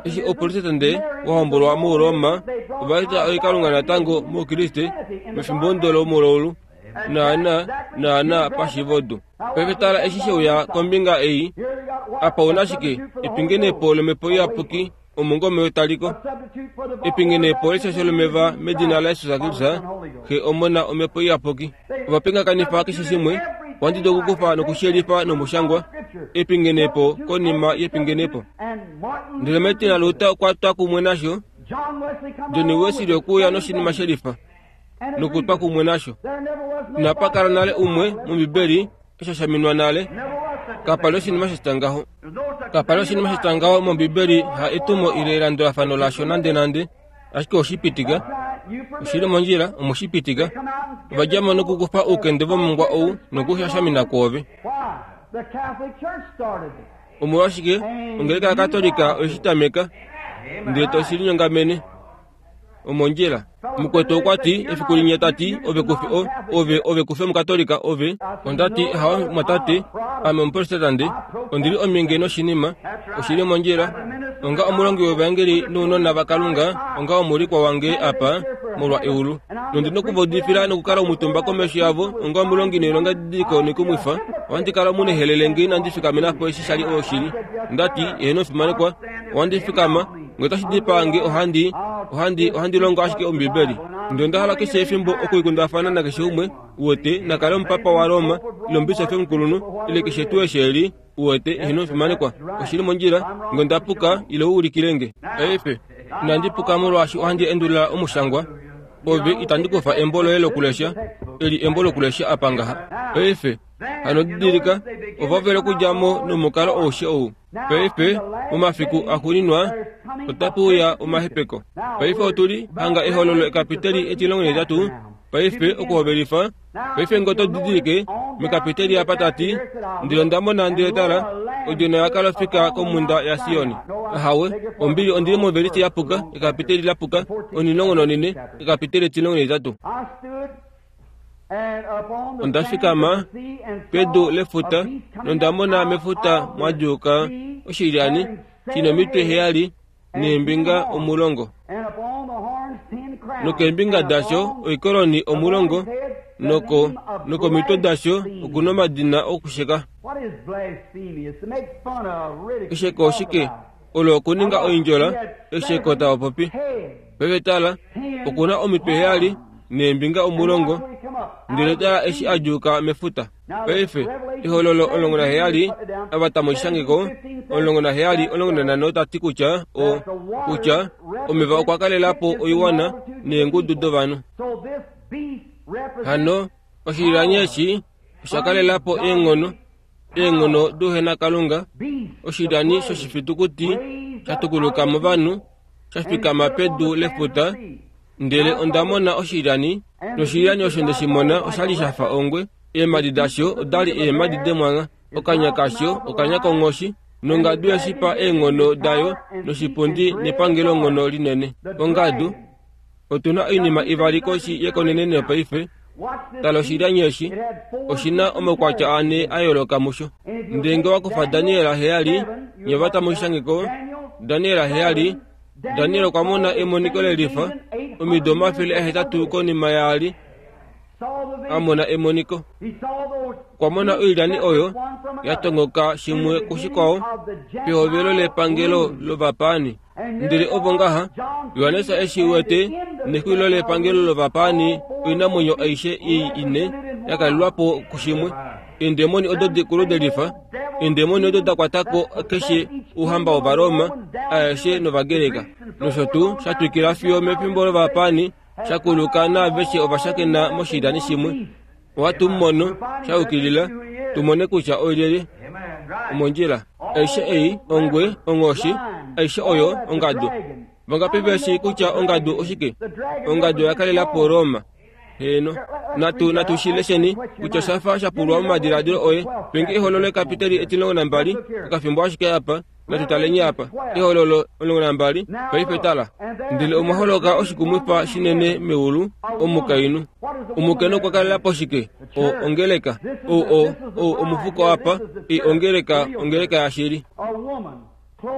Eshi oprotestante wahombolwa muRoma ovaeta oikalunga natango moukriste mefimbomudo lomululu naana naana pashivodu. Paife tala eshi sheuya kombinga ei apa una shike epingenepo lomhepo iyapuki omungome wetaliko epingenepo leshasho lomeva medina laJesus Kristus xe omona omhepo iyapuki. Ovapingakanifa keshe shimwe ohandi dulu okukufa nokushiyelifa nomushangwa epingenepo konima yepingenepo. Ndele Martin Luther okwa twa kumwe nasho, John Wesley okuya noshinima shelifa nokutwa kumwe nasho. Inapa kala nale umwe mOmbibeli eshashaminwa nale. Kapali oshinima sha tya ngaho. Kapali oshinima sha tya ngaho mOmbibeli ha etumo ile elandulafano lasho nande nande, ashike oshipitika. Oshili mondjila omushipitika. Ovadjamo nokukufa oukende vomongwa ou nokushashamina kwoove. Omolwashike ongeleka yaKatolika oyeshi tameka ndele toshi linyongamene. Omondjila. Mukwetu okwa ti efiku linya tati ove kufi o ove ove kufi omukatolika ove. Ondati hawa mwatate ame omuprotestante ondili ominge noshinima oshili mondjila onga omulongi wevangeli nounona vaKalunga onga omuulikwa wange apa molwa eulu. Nondi nokuvaudifila nokukala omutumba komesho yavo onga omulongi noilonga didiliko noikumwifa. Ohandi kala omunehelele ngee inandi fikamenapo eshi shali oshili. Ondati eheno fimanekwa ohandi fikama ngee otashi dipaa nge ohandi ohandi ohandi longo ashike Ombibeli. Ndele onda hala keshe efimbo okuikundafana nakeshe umwe uwete nakale omupapa waRoma ile omubisofi omukulunhu ile keshe tuu eshi eli uwete eheno fimanekwa oshili mondjila ngee onda puka ile u ulikile nge. Paife inandi puka molwaashi ohandi endulula omushangwa. Ove itandi kufa embo loye lokulesha eli embo lokulesha apa ngaha. Paife hano didilika ova vele okudja mo nomukalo aushe ou. Paife momafiku axuuninwa otape uya omahepeko. Paife otuli hanga ehololo ekapiteli etilongo netatu. Paife okuhovelifa. Paife ngee oto didilike mekapiteli apa tati ndele onda mona ndele tala odjona yakala ofika komhunda yaSioni. Ahawe ombili ondili movelisi yapuka ekapiteli lapuka onilongo nonine ekapiteli etilongo netatu. Onda fikama pedu lefuta nonda mona mefuta mwadjuuka oshilyani shina omitwe heyali neembinga omulongo nokeembinga dasho oikoloni omulongo noko nokomitwe dasho okuna omadina okusheka. Esheko oshike? Olo okuninga oindjola esheko tavapopi. Paife tala okuna omitwe heyali neembinga omulongo ndele tala eshi adjuuka mefuta. Paife ehololo omulongo naheyali ava tamu shangeko omulongo naheyali omulongo nanhano tati kutya o kutya omeva okwa kalelapo oiwana neengudu dovanhu. Hano oshilyani eshi osha kalelapo eenghono eenghono douhenakalunga. Oshilyani shoshifitukuti sha tukuluka movanhu sha fikama pedu lefuta. Ndele onda mona oshilyani noshilyani osho ndeshi mona oshali shafa ongwe. Eemhadi dasho odali eemhadi demwangha, okanya kasho okanya konghoshi, nongadu yeshipa eenghono dayo noshipundi nepangelonghono linene. Ongadu Otuna oinima ivali koshi yekoneneno paife. Tala oshilyani eshi oshina omaukwatya ane a yooloka musho. Ndele nge wa kufa Daniel heyali, nye vata moshishangeko Daniel heyali, Daniel okwa mona emoniko lelifa omido omafele ahetatu konima yaali a mona emoniko. Okwa mona oilyani oyo ya tongoka shimwe kushikwao pehovelo lepangelo lovapaani. Ndele ovo ngaha Johannes eshi wete nexulilo lepangelo lovapaani oinamwenyo aishe ei ine ya kalelwapo kushimwe. Eendemoni odo dikulu delifa, eendemoni odo da kwatako keshe ouhamba wOvaroma aeshe nOvagreka nosho tuu sha twikila fiyo mefimbo lovapaani sha kuluka naaveshe ovashakena moshilyani shimwe. Ohatu mono sha yukilila tumone kutya olyelye omondjila. Aishe ei ongwe, onghoshi, aishe oyo ongadu. Vangapi veshi kutya ongadu oshike? Ongadu oya kalela po Roma. Heno, natu natu shilesheni kutya oshafa sha pulwa momadiladilo oye. Penge ehololo ekapiteli etimulongo nambali okafimbo ashike apa. Natu taleni apa ehololo omulongo nambali paife tala. Ndele omwa holoka oshikumwifa shinene meulu, omukainhu. Omukainhu okwa kalela po shike? O ongeleka. O o o omufuko apa i ongeleka, ongeleka yashili.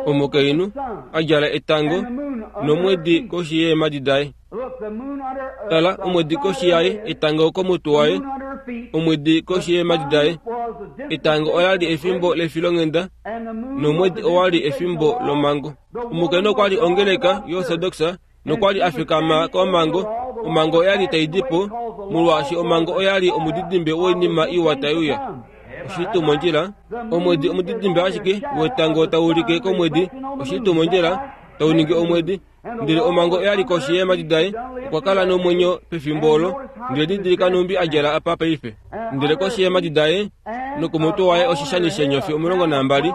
Omukainhu a djala etango nomwedi koshi yeemhadi daye. Tala, omwedi koshi yaye, etango komutwe waye, omwedi koshi yeemhadi daye. Etango ola li efimbo lefilonghenda nomwedi owa li efimbo lomhango. Omukainhu okwa li ongeleka yoorthodox nokwa li a fikama komhango. Omhango oya li tai di po, molwaashi omhango oya li omudidimbe woinima iwa tai uya. Oshili tuu mondjila? Omwedi omudidimbe ashike wetango tau ulike komwedi. Oshili tuu mondjila? Tau ningi omwedi. Ndele omhango oya li koshi yeemhadi daye. Okwa kala nomwenyo pefimbo olo. Ndele didilika nhumbi a djala apa paife. Ndele koshi yeemhadi daye nokomutwe waye oshishani sheenyofi omulongo nambali.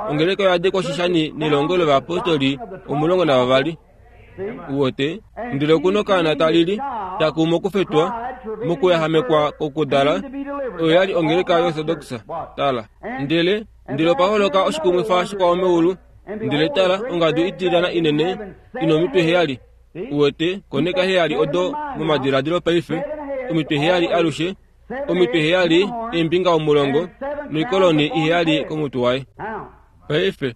Ongeleka oya dikwa oshishani nelongo lovayapostoli omulongo navavali. Uwote, ndele okuna okaana talili taku mokufetwa mokuyahamekwa kokudala. Oyo ya li ongeleka yoorthodox. Tala, ndele ndele opa holoka oshikumwifa shikwao meulu. Ndele tala, ongadu itilyana inene ina omitwe heyali. Uwete, koneka heyali odo momadiladilo paife. Omitwe heyali alushe, omitwe heyali eembinga omulongo noikoloni iheyali komutwe waye. Paife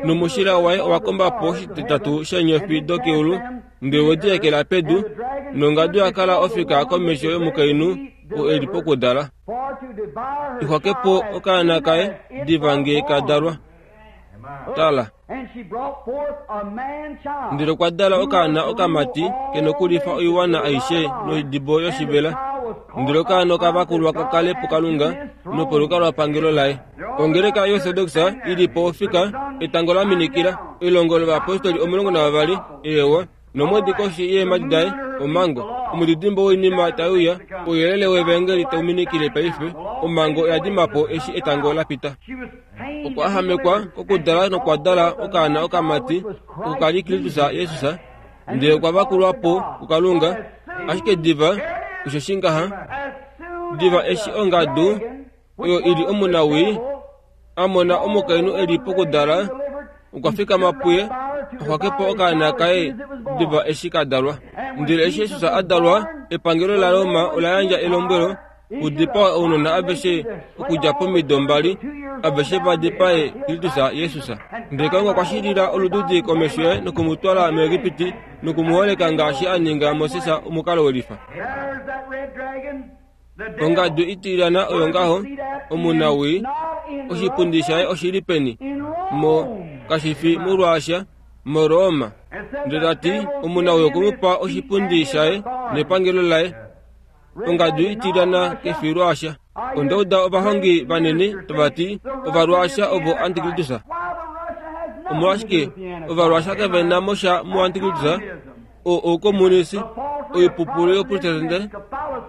nomushila waye owa komba po oshititatu sheenyofi dokeulu, ndele we di ekela pedu, nongadu ya kala ofika komesho yomukainhu oo e li pokudala. Ixwake po okaana kaye diva nge ka dalwa. Tala, ndele okwa dala okaana okamati ke nokulifa oiwana aishe noidibo yoshivela. Ndele okaana oka vakulwa ka kale puKalunga nopolukalwapangelo laye. Ongeleka yoorthodox ili po ofika, etango la minikila, elongo lovayapostoli omulongo navavali, eewa, nomwedi koshi yeemhadi daye, omhango, omudidimbe woinima tai uya, ouyelele wevangeli tau minikile paife. Omhango oya dima po eshi etango la pita. Okwa ahamekwa kokudala nokwa dala okaana okamati, oko ka li Kristus Jesus, ndele okwa vakulwa po kuKalunga. Ashike diva, osho ngaha, diva eshi ongadu oyo ili omunawii a mona omukainhu e li pokudala, okwa fikama puye axwake po okaana kaye diva eshi ka dalwa. Ndele eshi Jesus a dalwa, epangelo laRoma ola yandja elombwelo kudipawe ounona aveshe okudja pomido mbali, aveshe va dipae Kristus Jesus. Ndele Kalunga okwa shilila olududi komesho yaye nokumutwala muEgipiti nokumuholeka ngaashi a ninga Moses omukalo welifa. Ongadu itilyana oyo ngaho, omunawii, oshipundi shaye oshi li peni? Mo kashifi muRussia, moRoma. Ndele ta ti omunawii okwe mu pa oshipundi shaye nepangelo laye. Ongadu itilyana kefi Russia. Onda uda ovahongi vanini tava ti Ovarussia ovo Antikristus. Omolwashike Ovarussia kave na mo sha muAntikristus? O oukomunisi, oipupulu yoprotestante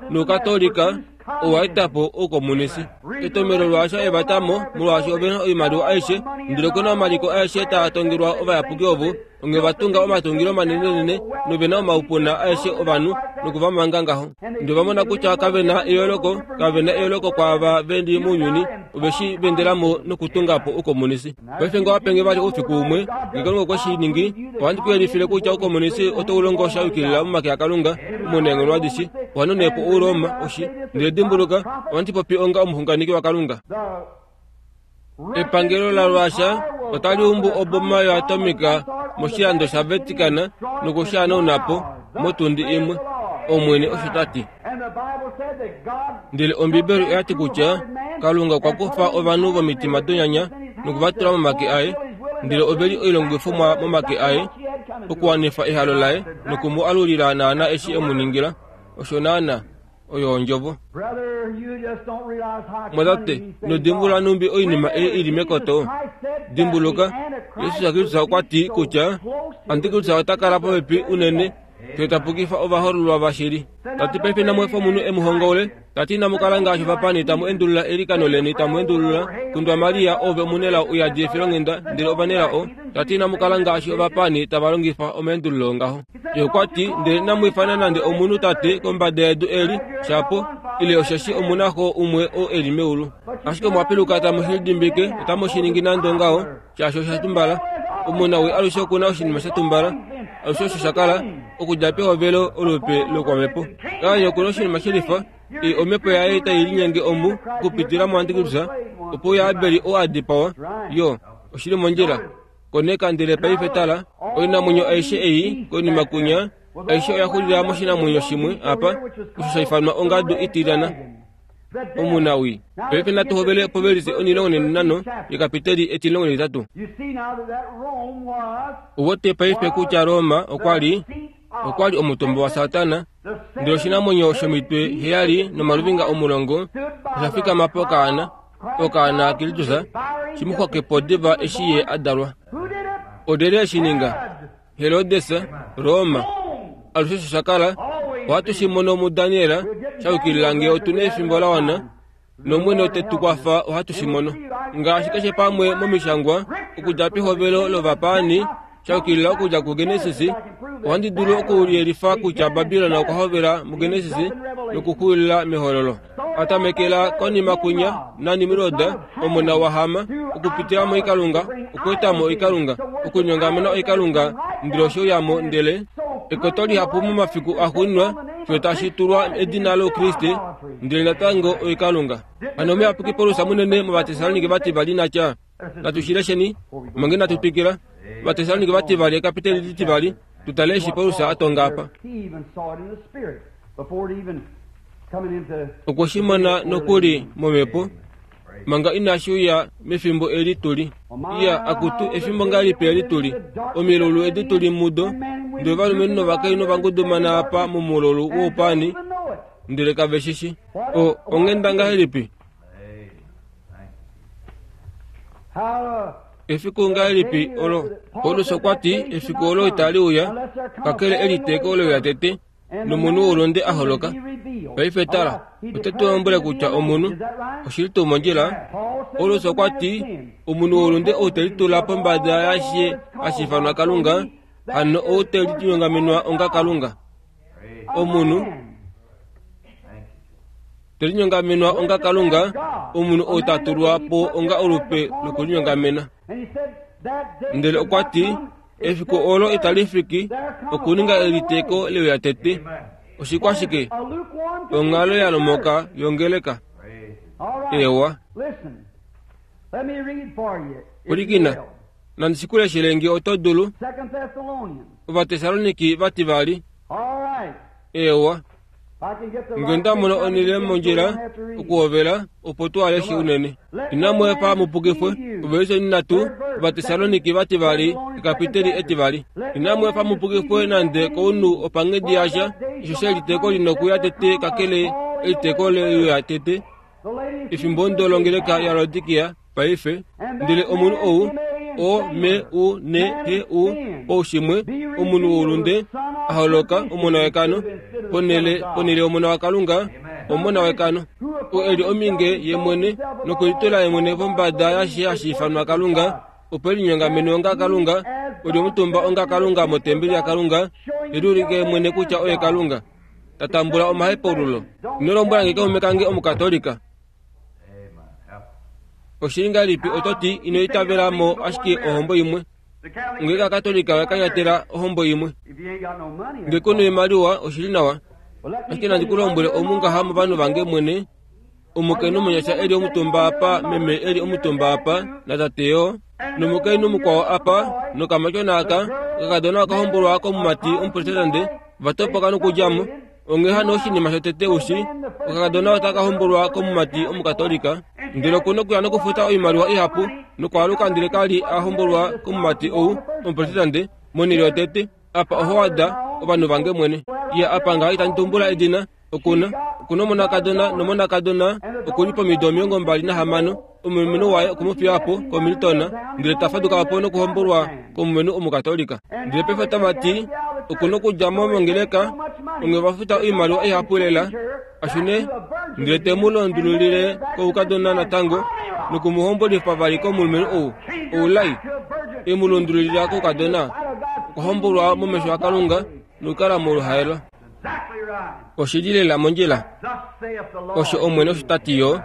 noukatolika Owa eta po oukomunisi. Etomelo lwaasha evatamo molwaashi ovena oimaliwa aishe, ndele okuna omaliko aeshe taa tongelwa ovayapuki ovo, onge vatunga omatungilo manenenene novena omaupuna aeshe ovanhu nokuvamanga ngaho. Ndele vamona kutya kavena eyooloko, kavena eyooloko kwaava veli mounyuni, oveshi vendelamo nokutunga po oukomunisi. Paife nga wapenge vali oufiku umwe, ngee Kalunga okwe shi ningi, ohandi ku yelifile kutya oukomunisi otau longo sha yukilila momake aKalunga omunaenghono adishe, ohanone po Ouroma oshi. Ndele dimbuluka, ohandi popi onga omuxunganeki waKalunga. Epangelo laRussia otali umbu oboma yoatomika moshilando shaVatican nokushihanauna po motundi imwe, Omwene osho ta ti. Ndele Ombibeli oya ti kutya Kalunga okwa kufa ovanhu vomitima donyanya nokuvatula momake aye, ndele ove li oilongifomwa momake aye okuwanifa ehalo laye noku mu alulila naana eshi e mu ningila. Osho naana oyo ondjovo. Mwatate, nodimbulula numbi oinima ei ili mekoto. Dimbuluka, Jesus Kristus okwa ti kutya Antikristus ota kala popepi unene fiyo ta pukifa ovahoololwa vashili. Tati paife inamu efa omunhu e mu hongaule, tati inamu kala ngaashi ovapani tamu endulula eilikano leni tamu endulula kundwa Maria ove omunelao uyadi efilonghenda ndele ovanelao, tati inamu kala ngaashi ovapani tava longifa omaendululo ngaho. Ye okwa ti ndele inamu ifana nande omunhu tate kombada yedu eli shapo ile osheshi omunaxo umwe oo eli meulu. Ashike omwa piluka tamu shi lidimbike, otamu shi ningi nande ongaho, shaashi osha tumbala. Omunawii alushe okuna oshinima sha tumbala, alushe osho sha kala okudja pehovelo olupe lokwamhepo. Kain okuna oshinima shelifa, ei omhepo yaye tai linyenge omu okupitila muAntikristus, opo uya Abel oo a dipawa, yo oshili mondjila. Koneka ndele paife tala, oinamwenyo aishe ei konima kunya, aishe oya xulila moshinamwenyo shimwe apa, osho sha ifanwa ongadu itilyana. Omunawii. Paife natu hovele povelise onilongo nenhano yekapiteli etilongo netitatu. Uwete paife kutya Roma okwa li okwa li omutumba waSatana, ndele oshinamwenyo shomitwe heyali nomaluvinga omulongo osha fikama pokaana, okaana Kristus, shi mu xwake po diva eshi ye a dalwa. Olyelye eshi ninga? Herodes, Roma. Alushe osho sha kala, ohatu shi mono muDaniel, sha yukilila ngee otu na efimbo la wana, nOmwene ote tu kwafa ohatu shi mono. Ngaashi keshe pamwe momishangwa, okudja pehovelo lovapaani, sha yukilila okudja kuGenesis, ohandi dulu okuyelifa kutya Babilon okwa hovela muGenesis nokuxulila mehololo. Atamekela konima kunya naNimrod, omona waHam, okupitila moikalunga, okweetamo oikalunga, okunyongamena oikalunga, ndele osho yamo ndele ekoto lihapu momafiku axuuninwa fiyo tashi tulwa edina loukriste, ndele natango oikalunga. Hano omuyapuki Paulus munene mOvatesalonike vativali natya, natu shi lesheni mange natu twikila. Ovatesalonike vativali ekapiteli litivali, tutale eshi Paulus a tonga apa. Okwe shi mona nokuli momhepo manga inashi uya mefimbo eli tuli. Iya akutu efimbo ngahelipi eli tuli, omilulu edi tuli mudo, ndele ovalumenhu novakainhu vangudumana apa momululu woupani, ndele kave shi shi. O onghenda ngahelipi? Efiku ngahelipi olo? Paulus okwa ti efiku olo itali uya kakele eliteeko olo ya tete nomunhu woulunde a holoka. Paife tala, ote tu lombwele kutya omunhu oshili tuu mondjila. Paulus okwa ti omunhu woulunde ou te litula pombada yaashe hashi ifanwa Kalunga, hano ou te linyongamenwa onga Kalunga. Omunhu te linyongamenwa onga Kalunga, omunhu ou ta tulwa po onga olupe lokulinyongamena. Ndele okwa ti efiku olo itali fiki okuninga eliteeko leuya tete. Oshikwashike? Onghalo ya lomoka yongeleka. Ewa. Pwilikina, nandi shi ku leshele nge oto dulu. Ovatesaloniki vativali. Ewa. Nge nda mona onhele mondjila okuhovela opo tu aleshe unene. Inamu efa mu pukifwe. Ovelise nhatu, Ovatesaloniki vativali, ekapiteli etivali. Inamu efa mu pukifwe nande kounhu opanghedi yasha, osho sheliteeko lina okuya tete kakele eliteeko leuya tete. Efimbo ndo longeleka yaLaodikia paife, ndele omunhu ou O M U N H U poushimwe, omunhu woulunde a holoka omona wekano ponhele ponhele yomona waKalunga, Omona wekano. O eli ominge ye mwene nokulitula ye mwene pombada yashi hashi ifanwa Kalunga, opo elinyongamene onga Kalunga, oli omutumba onga Kalunga motembeli yaKalunga, eliulike mwene kutya oye Kalunga. Tatambula omahepaululo. Ino lombwela nge kaume kange Omukatolika. Oshili ngahelipi oto ti ino itavela mo ashike ohombo imwe? Nge Kakatolika wakanyatela ohombo imwe. Nge kuna oimaliwa oshili nawa. Ashike nandi ku lombwele omu ngaha movanhu vange mwene, omukainhu omunyasha eli omutumba apa, meme eli omutumba apa, natate yo, nomukainhu mukwao apa, nokamatyona aka, okakadona okahombolwa komumati omuprotestante, vatopoka nokudja mo. Onghee hano oshinima shotete ushi, okakadona otaka hombolwa komumati omukatolika, ndele okuna okuya nokufuta oimaliwa ihapu, nokwaaluka ndele kali a hombolwa komumati ou omuprotestante, monhele yotete, apa oho wada ovanhu vange mwene. Ye apa ngaha itandi tumbula edina, okuna okuna omonakadona nomonakadona okuli pomido omilongo mbali nahamano, omulumenhu waye okumufiya po koMilton, ndele ta faduka po nokuhombolwa komulumenhu omukatolika. Ndele paife otava ti okuna okudja mo mongeleka, onge va futa oimaliwa ihapu lela, ashune ndele te mu londululile koukadona natango, nokumuhombolifa vali komulumenhu ou oulai, e mu lundululila koukadona, okuhombolwa momesho aKalunga nokukala moluhaelo. Oshili lela mondjila. Osho Omwene osho ta ti yo,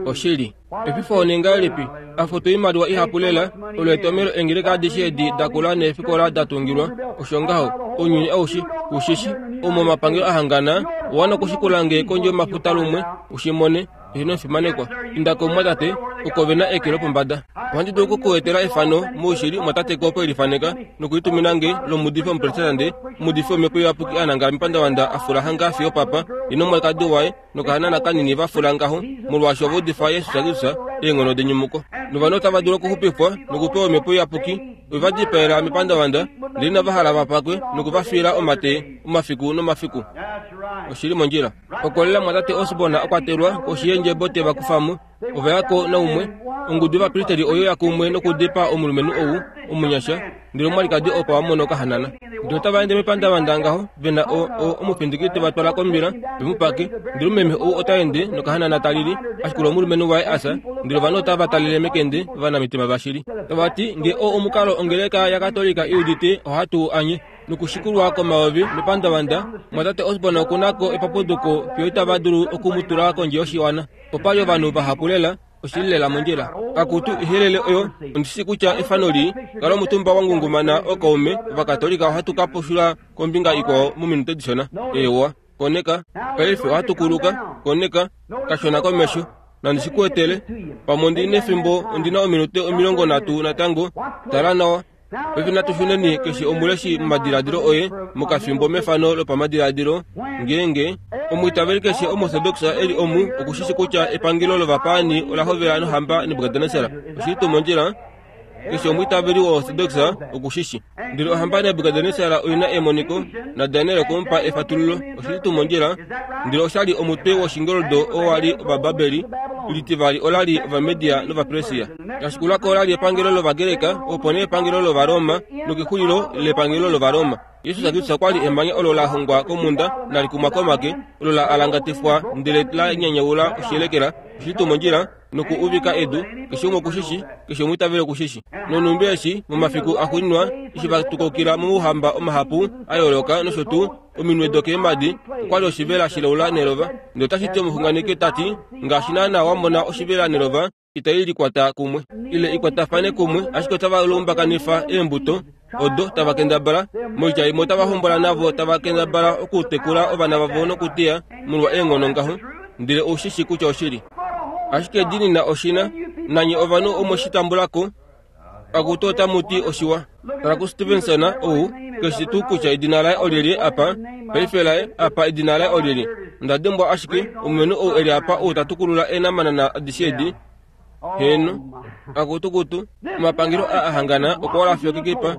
oshili. Efifo onengahelipi afuta oimaliwa ihapu lela, olo etomelo eengeleka adishe edi dakula neefikola da tungilwa. Osho ngaho, ounyuni aushe ushishi, omo omapangelo a hangana, owa nokushikula nge kondje yomafuta lumwe, ushimone, eheno omufimanekwa. Inda komumwatate, oko ve na eke lopombada. Ohandi dulu okukuetela efano moushili omwatate kopo elifaneka nokulitumina nge lomuudifi omuprotestante, omuudifi womhepo iyapuki a nangala mepandavanda a fula hanga fiyo papa, ye nomwalikadi waye nokahanana kanini va fula ngaho, molwaashi ova udifa Jesus Kristus eenghono denyumuko. Novanhu otava dulu okuxupifwa nokupewa omhepo iyapuki, ove va dipaela mepandavanda, ndele inava hala va pakwe noku va fiila omate omafiku nomafiku. Oshili mondjila. Okolela mwatate Osborne a kwatelwa koshi yeendjebo te va kufa mo, ova ya ko naumwe. Ongudu yovapristeli oyo ya kumwe nokudipaa omulumenhu ou omunyasha, ndele omwalikadi opo a mona okahanana. Ndele otava ende mepandavanda ngaho, ve na o, o, omufindiki te va twala kombila, ve mu pake. Ndele omumeme ou ota ende nokahanana ta lili, ashikula omulumenhu waye a fya, ndele ovanhu otava talele mekende ovanamitima vashili. Tava ti, nge oo omukalo ongeleka yaKatolika i udite, ohatu u anye. Nokushikulwa komayovi mepandavanda, mwatate Osborne okuna ko epapuduko fiyo itava dulu oku mu tula kondje yoshiwana. Opa li ovanhu vahapu lela, oshili lela mondjila. Akutu ihelele oyo, ondishi kutya efano lii, kala omutumba wa ngungumana okaume Ovakatolika ohatu ka pushula kombinga ikwao mominute dishona. Eewa, koneka, paife ohatu kuluka, koneka, kashona komesho. Nandi shi kuetele, pamwe ondi nefimbo, ondi na ominute omilongo nhatu natango, tala nawa. Paife natu shuneni keshe omuleshi momadiladilo oye mokafimbo mefano lopamadiladilo, ngeenge omwiitaveli keshe omuortodox eli omu okushishi kutya epangelo lovapaani ola hovela nohamba Nebukadnesar. Oshili tuu mondjila? Keshe omwiitaveli woortodox okushishi. Ndele ohamba Nebukadnesar oina emoniko, naDaniel okwe mu pa efatululo. Oshili tuu mondjila? Ndele osha li omutwe woshingoldo oo wa li Ovababeli, litivali ola li Ovamedia nOvapersia. Lashikulako ola li epangelo lOvagreka, opo nee epangelo lOvaroma, nokexulilo lepangelo lOvaroma. Jesus Kristus okwa li emanya olo la hongwa komhunda nali kumwa komake, olo la alangatifwa ndele la nyanyaula oshiyelekela. Oshili tuu mondjila? Noku uvika edu, keshe umwe okushishi, keshe omwiitaveli okushishi. Nonhumbi eshi momafiku axuuninwa eshi va tukukila mouhamba omahapu a yooloka nosho tuu ominwe dokeemhadi, okwa li oshivela shilaula nelova. Ndele otashi ti omuxunganeki ta ti, ngaashi naanaa wa mona oshivela nelova itai likwata kumwe ile ikwatafane kumwe, ashike otava lumbakanifa eembuto odo tava kendabala. Moitya imwe otava hombola navo tava kendabala okutekula ovana vavo nokuteya molwa eenghono ngaho, ndele oushishi kutya oshili. Ashike diinina oshina, nanye ovanhu omwe shi tambula ko, akutu otamu ti oshiwa. Tala kuStevenson ou, keshi tuu kutya edina laye olyelye apa, paife laye apa edina laye olyelye. Onda dimbwa ashike, omulumenhu ou eli apa ou ta tukulula eenamanana adishe edi. Heeno, akutukutu, omapangelo a ahangana okwa wala fiyo kekipa.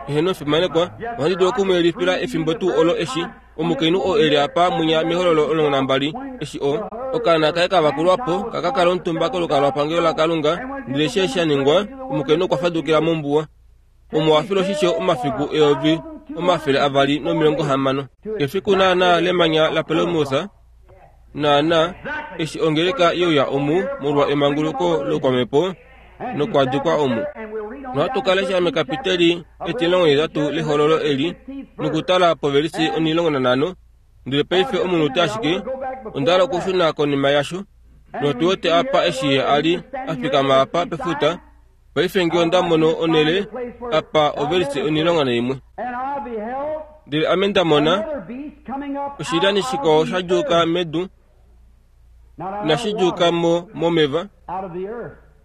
Heeno fimanekwa, ohandi dulu oku mu yelifila efimbo tuu olo eshi omukainhu oo eli apa munya mehololo omulongo nambali, eshi o okaana kaye ka vakulwa po ka ka kala omutumba kolukalwapangelo laKalunga, ndele eshi sha ningwa, omukainhu okwa fadukila mombuwa. Omo wa fila oshisho omafiku eyovi omafele avali nomilongo hamano. Kefiku naanaa lemanya laPelomousa, Naana eshi ongeleka yeuya omu molwa emanguluko lokwamhepo nokwadikwa omu. Nohatu ka lesha mekapiteli etimulongo nahetatu lehololo eli nokutala povelisi omulongo nanhano. Ndele paife omunute ashike onda hala okushuna konima yasho. Notu wete apa eshi ye a li a fikama apa pefuta. Paife nge onda mono onhele apa ovelisi omulongo naimwe. Ndele ame nda mona oshilyani shikwao sha djuuka medu, inashi djuuka mo momeva,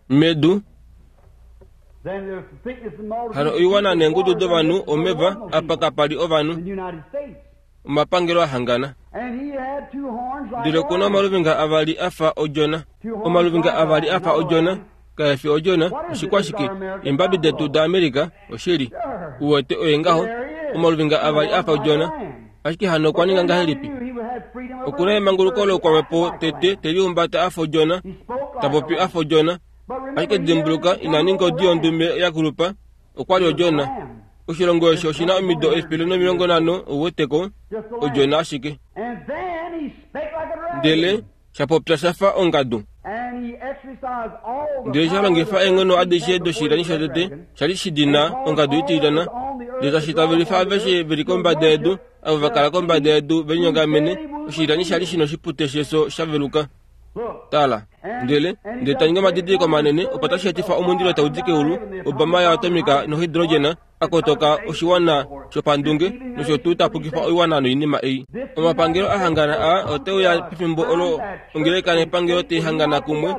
medu. Hano oiwana neengudu dovanhu omeva apa kapa li ovanhu, omapangelo a hangana. Ndele okuna omaluvinga avali a fa odjona, omaluvinga avali a fa odjona, kae fi odjona, oshikwashike? Eembabi detu daAmerika, oshili. Uwete oye ngaho, omaluvinga avali a fa odjona. Ashike hano okwa ninga ngahelipi? Okuna emanguluko lokwamhepo tete te lihumbata a fa odjona, ta popi a fa odjona. Ashike dimbuluka, ina ninga odi yondume ya kulupa, okwa li odjona. Oshilongo eshi oshina omido efele nomilongo nhano, ouweteko, odjona ashike. Ndele sha popya sha fa ongadu. Ndele sha longifa eenghono adishe doshilyani shotete sha li shidina ongadu itilyana, ndele tashi tavelifa aveshe ve li kombada yedu, avo va kala kombada yedu ve linyongamene. Oshilyani sha li shina oshipute shefyo sha veluka. Tala, ndele ndele ta ningi omadidiliko manene opo tashi etifa omundilo tau di keulu, obama yaatomica nohidrogena, a kotoka oshiwana shopandunge nosho tuu ta pukifa oiwana noinima ei. Omapangelo a hangana a ote uya pefimbo olo ongeleka nepangelo tai hangana kumwe,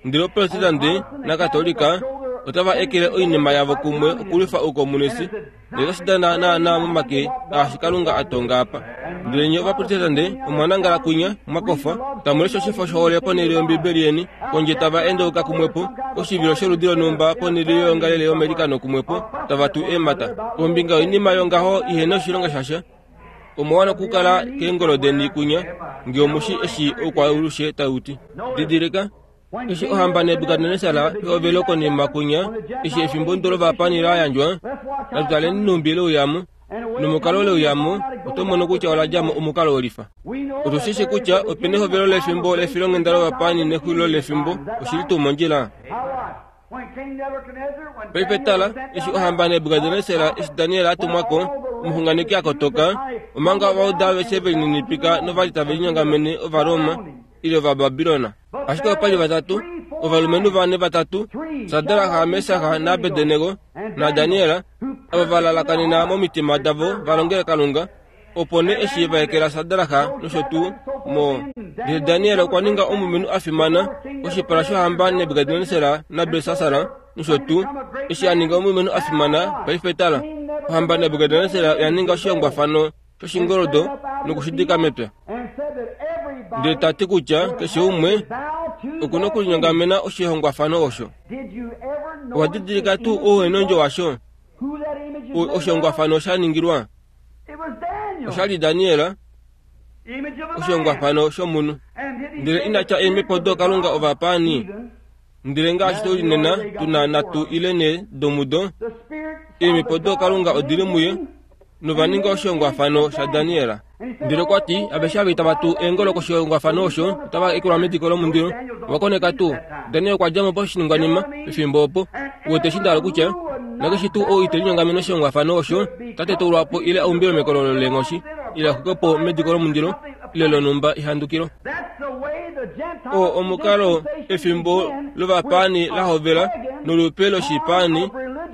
ndele opresidente nakatolika otava ekele oinima yavo kumwe okulwifa oukomunisi, ndele otashi dana naana momake aashi Kalunga a tonga apa. Ndele nye ovaprotestante omwa nangala kunya mwakofa, tamu lesha oshifo shohole ponhele yOmbibeli yeni, kondje tava endauka kumwepo oshivilo sholudi lonhumba ponhele yoyoongalele yomailikano kumwepo, tava tu eemhata kombinga yoinima yongaho ihena oshilonga shasha. Omwa wana okukala keengolo deni kunya nge omushi eshi oukwaalushe tau ti. Didilika, eshi ohamba Nebukadnesar yehovelo konima kunya, eshi efimbo lovapaani la yandjwa, natu taleni nhumbi leuyamo nomukalo leuyamo, oto mono kutya ola dja mo omukalo welifa. Otu shi shi kutya opena ehovelo lefimbo lefilonghenda lovapaani nexulilo lefimbo, oshili tuu mondjila? Paife tala, eshi ohamba Nebukadnesar, eshi Daniel a tumwa ko, omuxunganeki a kotoka, omanga Ovajuda aveshe ve lininipika novali tave linyongamene Ovaroma ile Ovababilona. Ashike opa li vatatu, ovalumenhu vane vatatu, Sadraka, Mesaka naAbednego naDaniel, ava va lalakanena momitima davo va longele Kalunga. Opo nee eshi va ekela Sadraka nosho tuu mo, ndele Daniel okwa ninga omulumenhu a fimana koshipala shohamba Nebukadnesar naBelsasar nosho tuu. Eshi a ninga omulumenhu a fimana, paife tala, ohamba Nebukadnesar oya ninga oshihongwafano shoshingoldo nokushidika mepya. Ndele ta ti kutya keshe umwe okuna okulinyongamena oshihongwafano osho. Owa didilika tuu ouhenondjo washo? Oshihongwafano sha ningilwa osha li Daniel, oshihongwafano shomunhu. Ndele ina tya eemhepo dookalunga ovapaani, ndele ngaashi tuli nena tuna nhatu ile nhe domudo, eemhepo dookalunga odili muye, nova ninga oshihongwafano shaDaniel. Ndele okwa ti aveshe ava itava tu eengolo koshihongwafano osho otava ekelwa mediko lomundilo. Owa koneka tuu? Daniel okwa dja mo poshiningwanima pefimbo opo. Uwete eshi nda hala okutya? Nakeshe tuu ou ite linyongamene oshihongwafano osho ota tetulwa po ile a umbilwe mekololo leenghoshi ile a xwikwe po mediko lomundilo ile lonhumba ehandukilo. Oo omukalo efimbo lovapaani la hovela nolupe loshipaani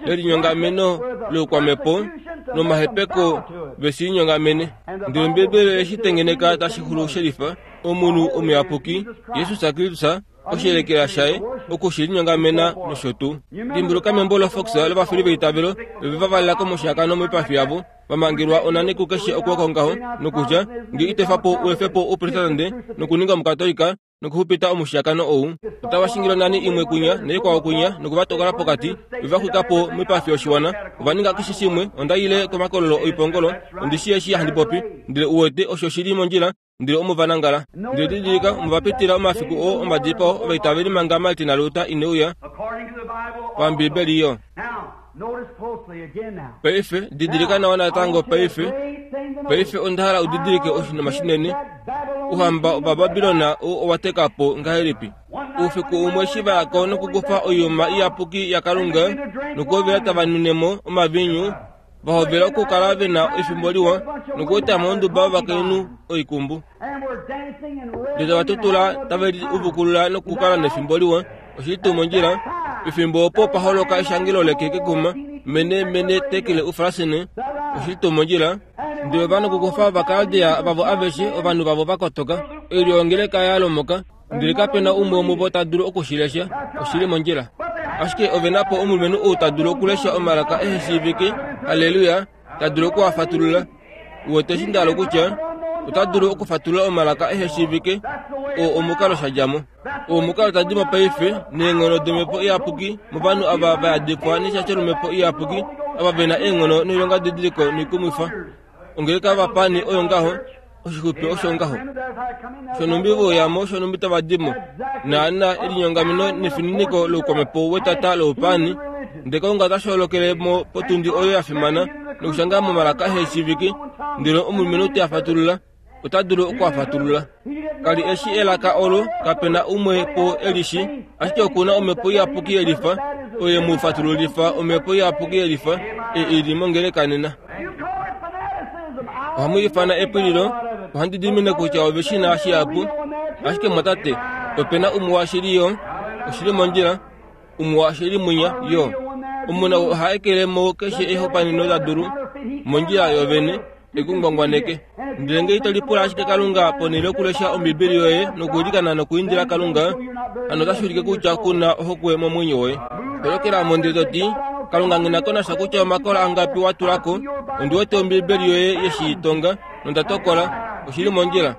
lelinyongameno loukwamhepo nomahepeko ve shi linyongamene. Ndele Ombibeli oye shi tengeneka tashi xulu shelifa omunhu omuyapuki Jesus Kristus oshiyelekela shaye oku shi linyongamena nosho tuu. Dimbuluka membo loFox lovafili veitavelo ove va valela komushiyakano moipafi yavo, va mangelwa onani kukeshe okwooko ngaho, nokutya nge ito efa po u efe po ouprotestante nokuninga omukatolika nokuxupita omushiyakano ou, otava shingile onani imwe kunya naikwao kunya noku va tokola pokati, ove va xwika po moipafi yoshiwana. Ova ninga keshe shimwe. Onda ile komakololo oipongolo, ondi shii eshi handi popi, ndele uwete osho shili mondjila, ndele omo va nangala. Ndele didilika, omo va pitila omafiku oo omadipao ovaitaveli manga Martin Luther ine uya paMbibeli yo. Paife didilika nawa natango paife. Paife onda hala u didilike oshinima shinene. Ouhamba Ovababilona owa teka po ngahelipi? Oufiku umwe eshi va yako nokukufa oiyuma iyapuki yaKalunga nokuhovela tava nunemo omaviinyu, vahovela okukala vena efimbo liwa nokueta mo onduba yovakainhu oikumbu. Ndele tava tutula tave liuvukulula nokukala nefimbo liwa. Oshili tuu mondjila, pefimbo opo pa holoka eshangelo leke kekuma, mene mene tekele ufarasine. Oshili tuu mondjila, ndele ova nokukufa Ovakaldea vavo aveshe, ovanhu vavo va kotoka, oilyo yongeleka ya lomoka, ndele kapena umwe womuvo ta dulu okushilesha. Oshili mondjila. Ashike ove na po omulumenhu ou ta dulu okulesha omalaka ehe shiivike, halleluya, ta dulu okuafatulula. Uwete eshi nda hala okutya? Ota dulu okufatulula omalaka ehe shiivike, oo omukalo sha dja mo. Oo omukalo tadi mo paife neenghono domhepo iyapuki movanhu ava va yadifwa neshasho lomhepo iyapuki, ava ve na eenghono noilonga didiliko noikumwifa. Ongeleka yovapani oyo ngaho, oshixupe osho ngaho. Shonumbi vouyamo, shonumbi tava di mo. Naana elinyongameno nefininiko loukwamhepo wetata loupani, ndele Kalunga ota shoolokele mo potundi oyo ya fimana nokushanga momalaka ehe shiivike, ndele omulumenhu te a fatulula, ota dulu okuafatulula. Kali eshi elaka olo, kapena umwe po e li shi, ashike oku na omhepo iyapuki yelifa, oyo ye mu fatululifa omhepo iyapuki yelifa e i li mongeleka nena. Ohamu ifana epwililo, ohandi dimine kutya ove shi na shihapu, ashike mwatate, ope na umwe washili yo, oshili mondjila, umwe washili mwinya yo. Omuna oha ekele mo keshe ehopaneno ta dulu mondjila yovene ekungwangwaneke. Ndele ngee ito lipula ashike Kalunga ponhele yokulesha Ombibeli yoye nokuilikana nokuindila Kalunga, hano otashi ulike kutya ku na ohokwe momwenyo woye. Tolokela mo ndele to ti, Kalunga nghi na ko nasha kutya omakola angapi wa tula ko, ondi wete Ombibeli yoye ye shi tonga nonda tokola, oshili mondjila.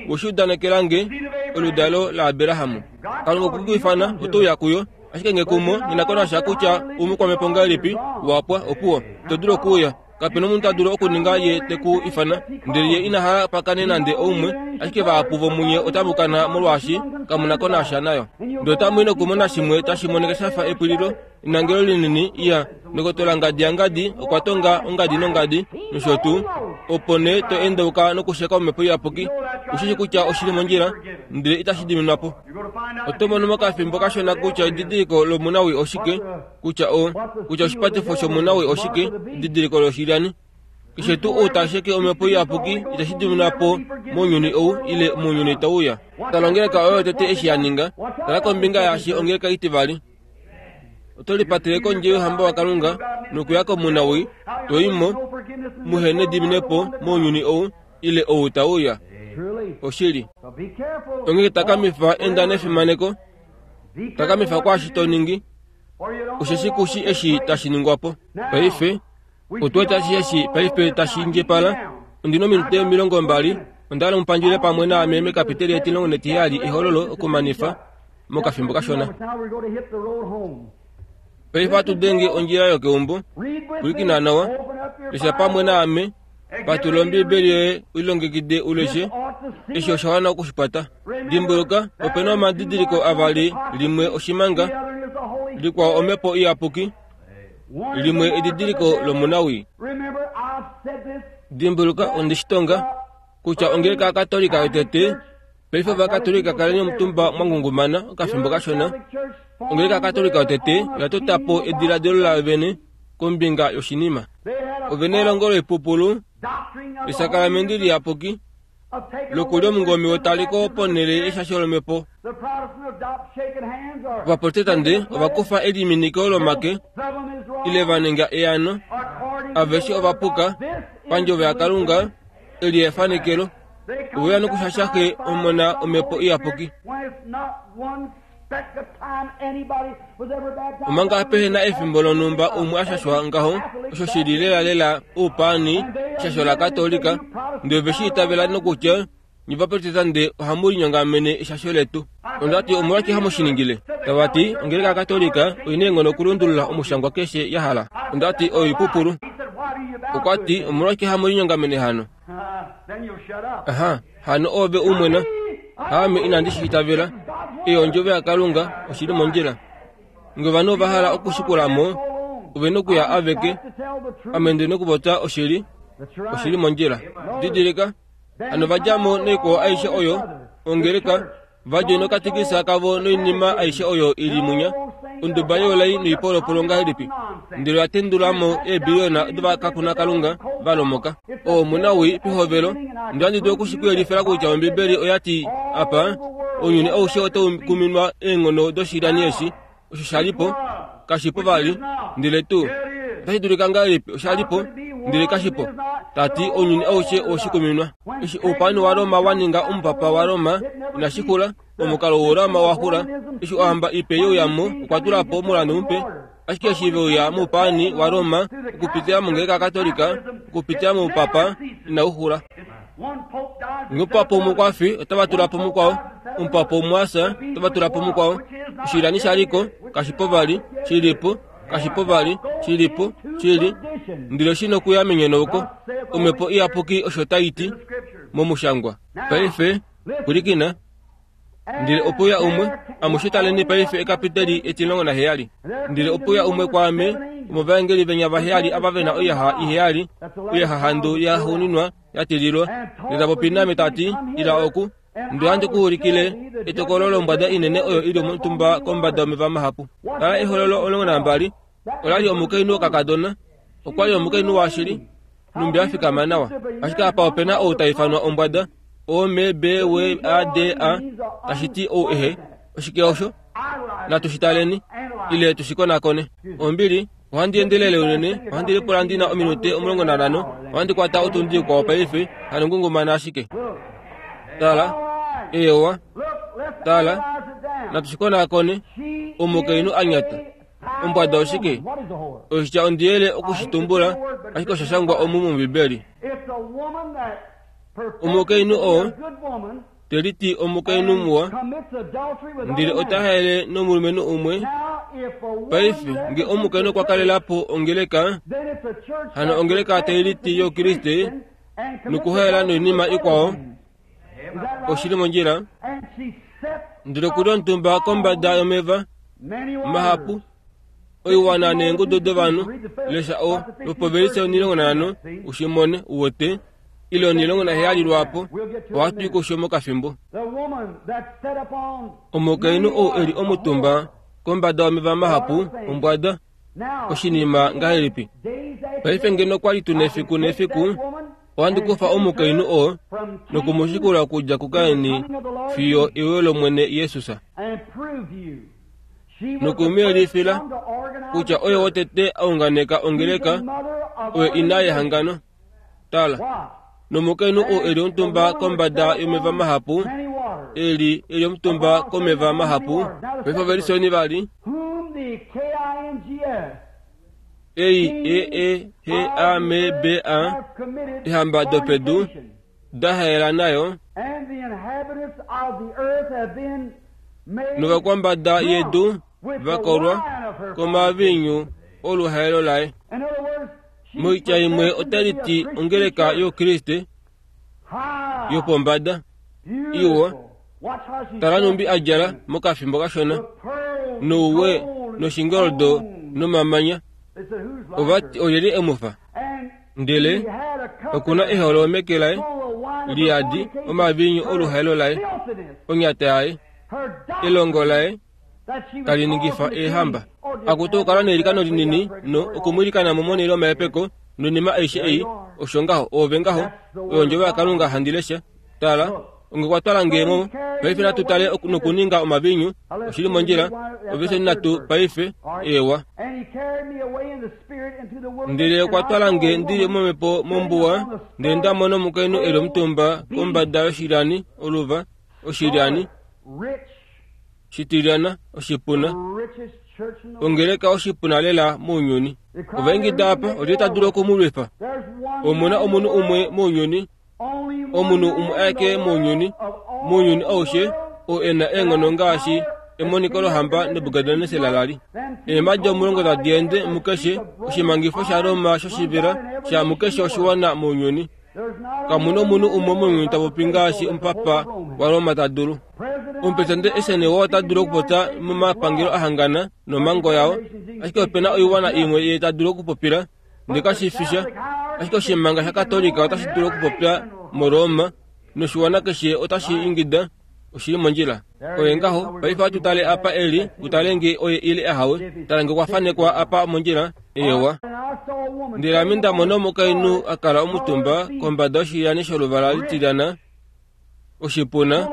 We shi udanekela nge, oludalo laAbraham. Kalunga okwe ku ifana, oto uya kuyo. Ashike nge kumo, nghi na ko nasha kutya oumukwamhepo ngahelipi, wa pwa, opuwo. Ito dulu okuuya. Kapena omunhu ta dulu okuninga ye te ku ifana, ndele ye ina hala pakane nande oumwe, ashike vahapu vomunye otamu kana molwaashi kamu na ko nasha nayo. Ndele otamu i nokumona shimwe tashi monika sha fa epwililo, enangelo linini, iya, ndokotola ngadi yangadi okwa tonga ongadi nongadi, nosho tuu, opo nee to endauka nokusheka omhepo iyapuki. Ou shi shii kutya oshi li mondjila, ndele itashi diminwa po. Oto mono mokafimbo kashona kutya edidiliko lomunawii oshike, kutya o kutya oshipatifo shomunawii oshike, edidiliko loshilyani. Keshe tuu ou ta sheke omhepo iyapuki itashi diminwa po mounyuni ou ile mounyuni tau uya. Tala ongeleka oyo yotete eshi ya ninga, tala kombinga yaashi ongeleka itivali. Oto lipatele kondje youhamba waKalunga nokuya komunawii, to i mo, muhe nediminepo mounyuni ou ile ou tau uya. Oshili. Onghee takamifa enda nefimaneko, takamifa kwaashi to ningi, osheshi ku shi eshi tashi ningwa po. Paife, otu wete ashishe eshi paife tashi indjipala. Ondi na ominute omilongo mbali, onda hala mu pandjule pamwe naame mekapiteli etimulongo netiheyali ehololo okumanifa mokafimbo kashona. Paife ohatu denge ondjila yokeumbo. Pwilikina nawa, lesha pamwe naame, patulula Ombibeli yoye u lilongekide u leshe. Eshi osha wana oku shi kwata. Dimbuluka, ope na omadidiliko avali, limwe oshimanga, likwao omhepo iyapuki, limwe edidiliko lomunawii. Dimbuluka, onde shi tonga, kutya ongeleka yaKatolika yotete, paife Ovakatolika kaleni omutumba mwa ngungumana okafimbo kashona, ongeleka yaKatolika yotete oya tota po ediladilo layo vene kombinga yoshinima. Ove na elongo loipupulu, esakalamende liyapuki, lokulya omungome wetaliko ponhele yeshasho lomhepo. Ovaprotestante ova kufa eliminiko lomake ile va ninga eano, aveshe ova puka pandjovo yaKalunga, eli efanekelo, ove uya nokushasha Xe, Omona, Omhepo Iyapuki. Omanga pehe na efimbo lonhumba umwe a shashwa ngaho, osho shi li lelalela oupaani, eshasho laKatolika, ndele ove shi itavela nokutya nye Ovaprotestante ohamu linyongamene eshasho letu. Onda ti, Omolwashike hamu shi ningile? Tava ti, Ongeleka yaKatolika oi na eenghono okulundulula omushangwa keshe ya hala. Onda ti, Oyo oipupulu. Okwa ti, Omolwashike hamu linyongamene hano? Aha, hano ove u mwena. Aame inandi shi itavela. Ei ondjovo yaKalunga, oshi li mondjila. Nge ovanhu ova hala okushikula mo, ove nokuya aveke. Ame ndi nokupopya oshili, oshi li mondjila. Didilika, Hano va dja mo noikwao aishe oyo, ongeleka, va dja nokatikisa kavo noinima aishe oyo ili munya, onduba youlai noipolopolo ngahelipi, ndele oya tendula mo eebiliyona dovakakuna kalunga va lomoka. Oo omunawii pehovelo, ndele ohandi dulu okushikuyelifila kutya Ombibeli oya ti apa, ounyuni aushe otau kuminwa eenghono doshilyani eshi, osho sha li po, kashi po vali, ndele tuu otashi dulika ngahelipi osha li po, ndele kashi po. Tati ounyuni aushe oweshikuminwa. Eshi oupani waRoma wa ninga omupapa waRoma inashi xula, omukalo woRoma wa xula. Eshi ohamba ipe yeuyamo okwa tula po omulandu mupe, ashike eshi veuya moupani waRoma okupitila mongeleka Katolika, okupitila moupapa, inau xula. Omupapa umwe okwa fi, otava tula po mukwao. Omupapa umwe asa, otava tula po mukwao. Oshilyani sha li ko, kashi po vali, shi li po, kashi po vali, shi li po, shi li. Ndele oshi nokuya menyonauko. Omhepo Iyapuki osho tai ti momushangwa. Paife, pwilikina. Ndele opuya umwe, amushe taleni paife ekapiteli etilongo naheyali. Ndele opuya umwe kwaame, omovaengeli venya vaheyali ava vena oiyaha iheyali, oiyahahandu yaxuuninwa ya tililwa. Ndele ta popi naame ta ti, ila oku, ndele ohandi ku ulikile etokolo lombwada inene oyo ili omutumba kombada yomeva mahapu. Tala ehololo omulongo nambali, ola li omukainhu wokakadona, okwa li omukainhu washili, numbi a fikama nawa. Ashike apa ope na ou ta ifanwa ombwada, O M B W A D A, tashi ti ou ehe. Oshike osho? Natu shi taleni, ile tu shi konakone. Ombili, ohandi endelele unene, ohandi lipula ndi na ominute omulongo nanhano, ohandi kwata otundi ikwao paife, hano ngungumana ashike. Tala, eewa, tala, natu shi konakone. Omukainhu a nyata. Ombwada oshike? Oshitya ondiyele okushitumbula, ashike osha shangwa omu mOmbibeli. Omukainhu oo te liti omukainhu muwa, ndele ota haele nomulumenhu umwe. Paife nge omukainhu okwa kalela po ongeleka, hano ongeleka tai liti youkriste nokuhaela noinima ikwao, oshili mondjila. Ndele okuli omutumba kombada yomeva mahapu, oiwana neengudu dovanhu. Lesha o lopovelise omilongo nanhano ushimone uwete, ile omilongo naheyali lwaapo, ohatu i kusho mokafimbo. Omukainhu ou eli omutumba kombada yomeva mahapu, ombwada, oshinima ngahelipi? Paife ngeno okwa li tuna efiku nefiku, ohandi kufa omukainhu oo nokumushikula okudja kuKaini fiyo euyo lOmwene Jesus. Nokumuyelifila kutya oye wotete a unganeka ongeleka, oye ina yehangano. Tala, nomukainhu oo eli omutumba kombada yomeva mahapu, eli eli omutumba komeva mahapu. Paife ovelisoni vali ei E E H A M B A, ehamba dopedu dahaela nayo, novakwambada yedu vakolwa komavinyu oluhaelo laye. Moitya imwe otali ti ongeleka youkriste yopombada iwa. Tala numbi a djala mokafimbo kashona, nouwe noshingoldo nomamanya. Ovati olyelye emufa? Ndele okuna eholo meke laye liyadi omavinyu oluhaelo laye, onyata yaye, elongo laye tali ningifa eehamba. Akutu okala neilikano linini no okumwilikana momonele omahepeko noinima aishe ei, osho ngaho, oove ngaho, oyo ondjovo yaKalunga handi lesha. Tala, onge kwa twala nge mo, paife natu tale nokuninga omavinyu, oshili mondjila, oveliseni nhatu paife, eewa. Ndele okwa twala nge ndili momhepo mombuwa, ndele nda mona omukainhu eli omutumba kombada yoshilyani oluva, oshilyani shitilyana, oshipuna, ongeleka oshipuna lela mounyuni. Ovaingida apa, olyelye ta dulu okumulwifa? Omuna omunhu umwe mounyuni, omunhu umwe aeke mounyuni, mounyuni aushe, oo e na eenghono ngaashi emoniko lohamba Nebukadnesar la li. Eemhadi omulongo tadi ende mukeshe oshimangifo shaRoma shoshivela sha mukeshe oshiwana mounyuni. Kamuna omunhu umwe mounyuni ta popi ngaashi omupapa waRoma ta dulu. Omupresidente Eisenhower ota dulu okupopya momapangelo ahangana nomhango yao, ashike ope na oiwana imwe ye ta dulu okupopila, ndele kashi fi sha. Ashike oshimanga shaKatolika otashi dulu okupopya moRoma Noshiwana keshe otashi ingida oshili mondjila. Oye ngaho, paife ohatu tale apa eli, utale nge oye ile ahawe, tala nge okwa fanekwa apa mondjila, eewa. Ndele ame nda mona omukainhu a kala omutumba kombada yoshilyani sholuvala litilyana, oshipuna,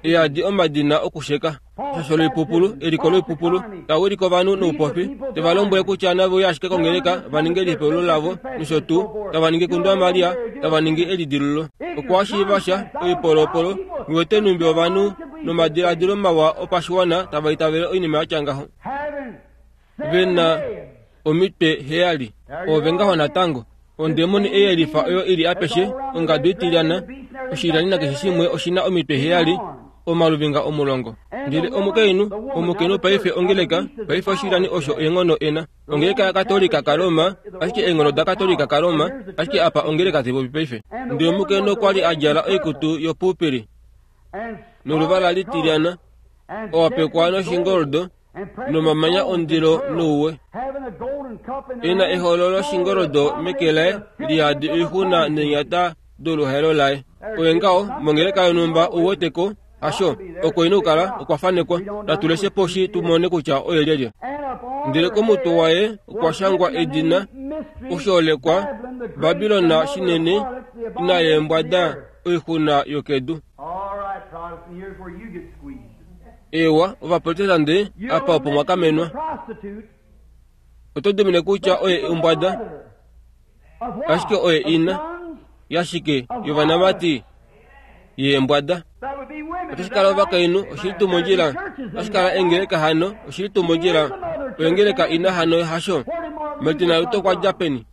eyadi omadina okusheka. Shasho loipupulu, eliko loipupulu, ta wilike ovanhu noupofi, te va lombwele kutya nave uye ashike kongeleka va ninge elihepululo lavo nosho tuu, tava ningi Kundwa Maria, tava ningi elidilulo. Okwa shiiva sha oipolopolo, ngiwete numbi ovanhu nomadiladilo mawa opashiwana tava itavele oinima yatya ngaho. Ve na omitwe heyali. Ove ngaho natango. Ondemoni eyelifa oyo ili apeshe, ongadu itilyana, oshilyani nakeshe shimwe oshina omitwe heyali, omaluvinga omulongo. Ndele omukainhu, omukainhu paife ongeleka, paife oshilyani osho eenghono ena. Ongeleka yaKatolika kaRoma, ashike eenghono daKatolika kaRoma, ashike apa ongeleka taipopi paife. Ndele omukainhu okwa li a djala oikutu yopurpuri noluvala litilyana, owapekwa noshingoldo nomamanya ondilo nouwe. Ena eholo loshingoldo meke laye liyadi oixuna neenyata doluhaelo laye. Oye ngaho mongeleka yonhumba ouweteko hasho oko ina okukala okwa fanekwa. Natu leshe poshi tu mone kutya oye lyelye. Ndele komutwe waye okwa shangwa edina oshoolekwa Babilona shinene ina yeembwada oixuna yokedu. Ewa, ovaprotestante apa opo mwakamenwa. Oto dimine kutya oye ombwada, ashike oye ina yashike yovanamati yeembwada. Otashi kala ovakainhu oshili tuu mondjila, otashi kala engeleka hano oshili tuu mondjila, oengeleka ina hano hasho. Martin Luther okwa dja peni?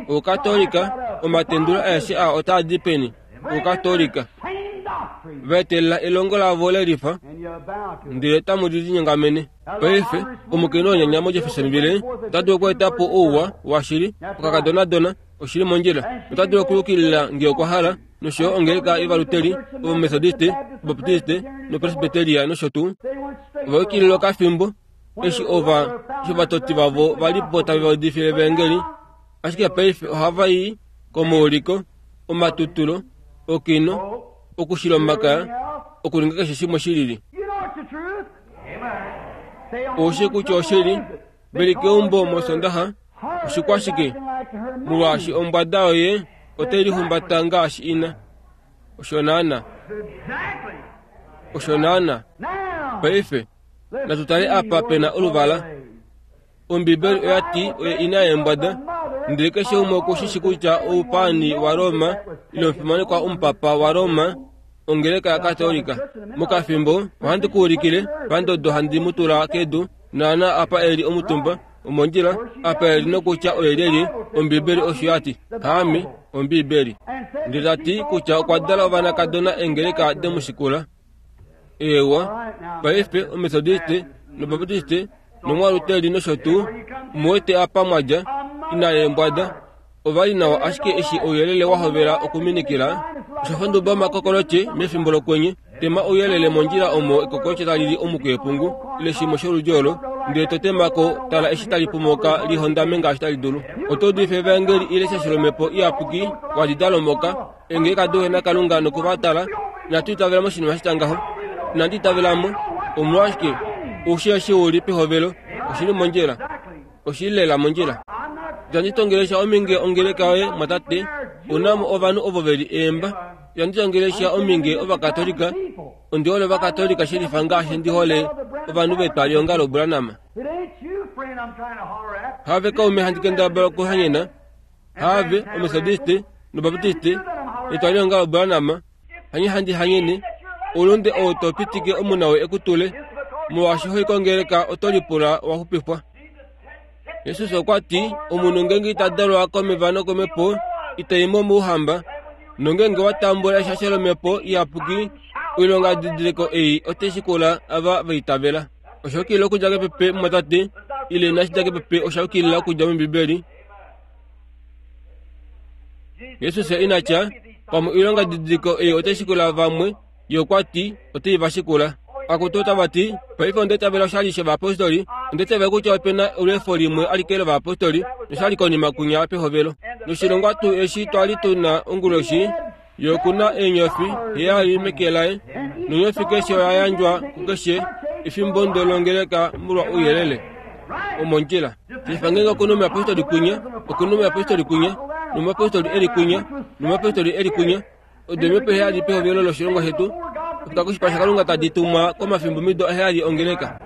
Oukatolika, omatendulo aeshe aa otaa di peni? Oukatolika. Vaetelela elongo lavo lelifa, ndele tamu li linyongamene. Paife, omukainhu wonyanya moJeffersonville ota dulu okweeta po ouwa washili, okakadonadona, oshili mondjila. Ota dulu okuyukilila nge okwa hala, nosho yo ongeleka yovaluteli, ovamethodiste, obaptiste nopresbyteria nosho tuu. Ova yukilila okafimbo eshi ova eshi ovatoti vavo va li po tave va udifile evangeli, ashike paife ohava i komauliko, omatutulo, okino, okushila omakaya, okuninga keshe shimwe shilili. Oushi kutya oshili, veli keumbo mosondaxa, oshikwashike, molwaashi ombwada yoye otai lihumbata ngaashi ina. Osho naana. Osho naana. Paife, natu tale apa pena oluvala. Ombibeli oya ti oye ina yeembwada, ndele keshe umwe okushishi kutya oupaani waRoma ile omufimanekwa omupapa waRoma ongeleka yaKatolika. Mokafimbo ohandi ku ulikile pandodo handi mu tula kedu, naana apa eli omutumba omondjila, apa eli nokutya oye lyelye. Ombibeli osho ya ti, haame Ombibeli. Ndele ta ti kutya okwa dala ovanakadona engeleka demushikula. Eewa, paife omethodiste nobaptiste nomwaluteli nosho tuu, omuwete apa mwadja ina yeembwada. Ova li nawa ashike eshi ouyelele wa hovela okuminikila, osha fa nduba omakokolotye mefimbo lokwenye. Tema ouyelele mondjila omo ekokolotye tali li omukweepungu ile shimwe sholudi olo, ndele to temako tala eshi tali pumoka lihondame ngaashi tali dulu. Oto udifa evangeli ile shasho lomhepo iyapuki wa dida lomoka, engeleka duhe naKalunga nokuvatala. Inatu itavela moshinima shitya ngaho. Inandi itavela mo. Omolwashike oushi eshi u li pehovelo, oshili mondjila. Oshili lela mondjila. Itandi tongelesha ominge ongeleka yoye mwatate, una mo ovanhu ovo ve li eemba. Itandi tongelesha ominge ovakatolika, ondi hole ovakatolika shelifa ngaashi ndi hole ovanhu vetwalihongalo Branham. Have kaume handi kendabala okuhanyena, have omethodiste nobaptiste etwalihongalo Branham, hanye handi hanyene oulunde ou to pitike omunawe ekutule, molwaashi hoi kongeleka oto lipula wa xupifwa. Jesus okwa ti, omunhu ngeenge ita dalwa komeva nokomhepo, ita i mo mouhamba. Nongeenge wa tambula eshasho lomhepo iyapuki, oilonga didiliko ei otai shikula ava va itavela. Osha yukilila okudja kepepe mumwatate, ile inashi dja kepepe osha yukilila okudja mOmbibeli. Jesus ina tya, pamwe oilonga didiliko ei otai shikula vamwe, ye okwa ti otai va shikula. Akutu otava ti, paife onda itavela oshali shovayapostoli, onda itavela kutya ope na olweefo limwe alike lovayapostoli, noshali konima kunya pehovelo. Noshilongwa tuu eshi twali tuna onguloshi, ye okuna eenyofi heyali meke laye, nonyofi keshe oya yandjwa kukeshe efimbo ndolongeleka molwa ouyelele. Omondjila. Shifa ngeenge okuna omuyapostoli kwinya, okuna omuyapostoli kwinya, nomuyapostoli eli kwinya, nomuyapostoli eli kwinya. Odo eemhepo heyali pehovelo loshilongo shetu, okufika koshipala shaKalunga tadi tumwa komafimbomido aheyali ongeleka.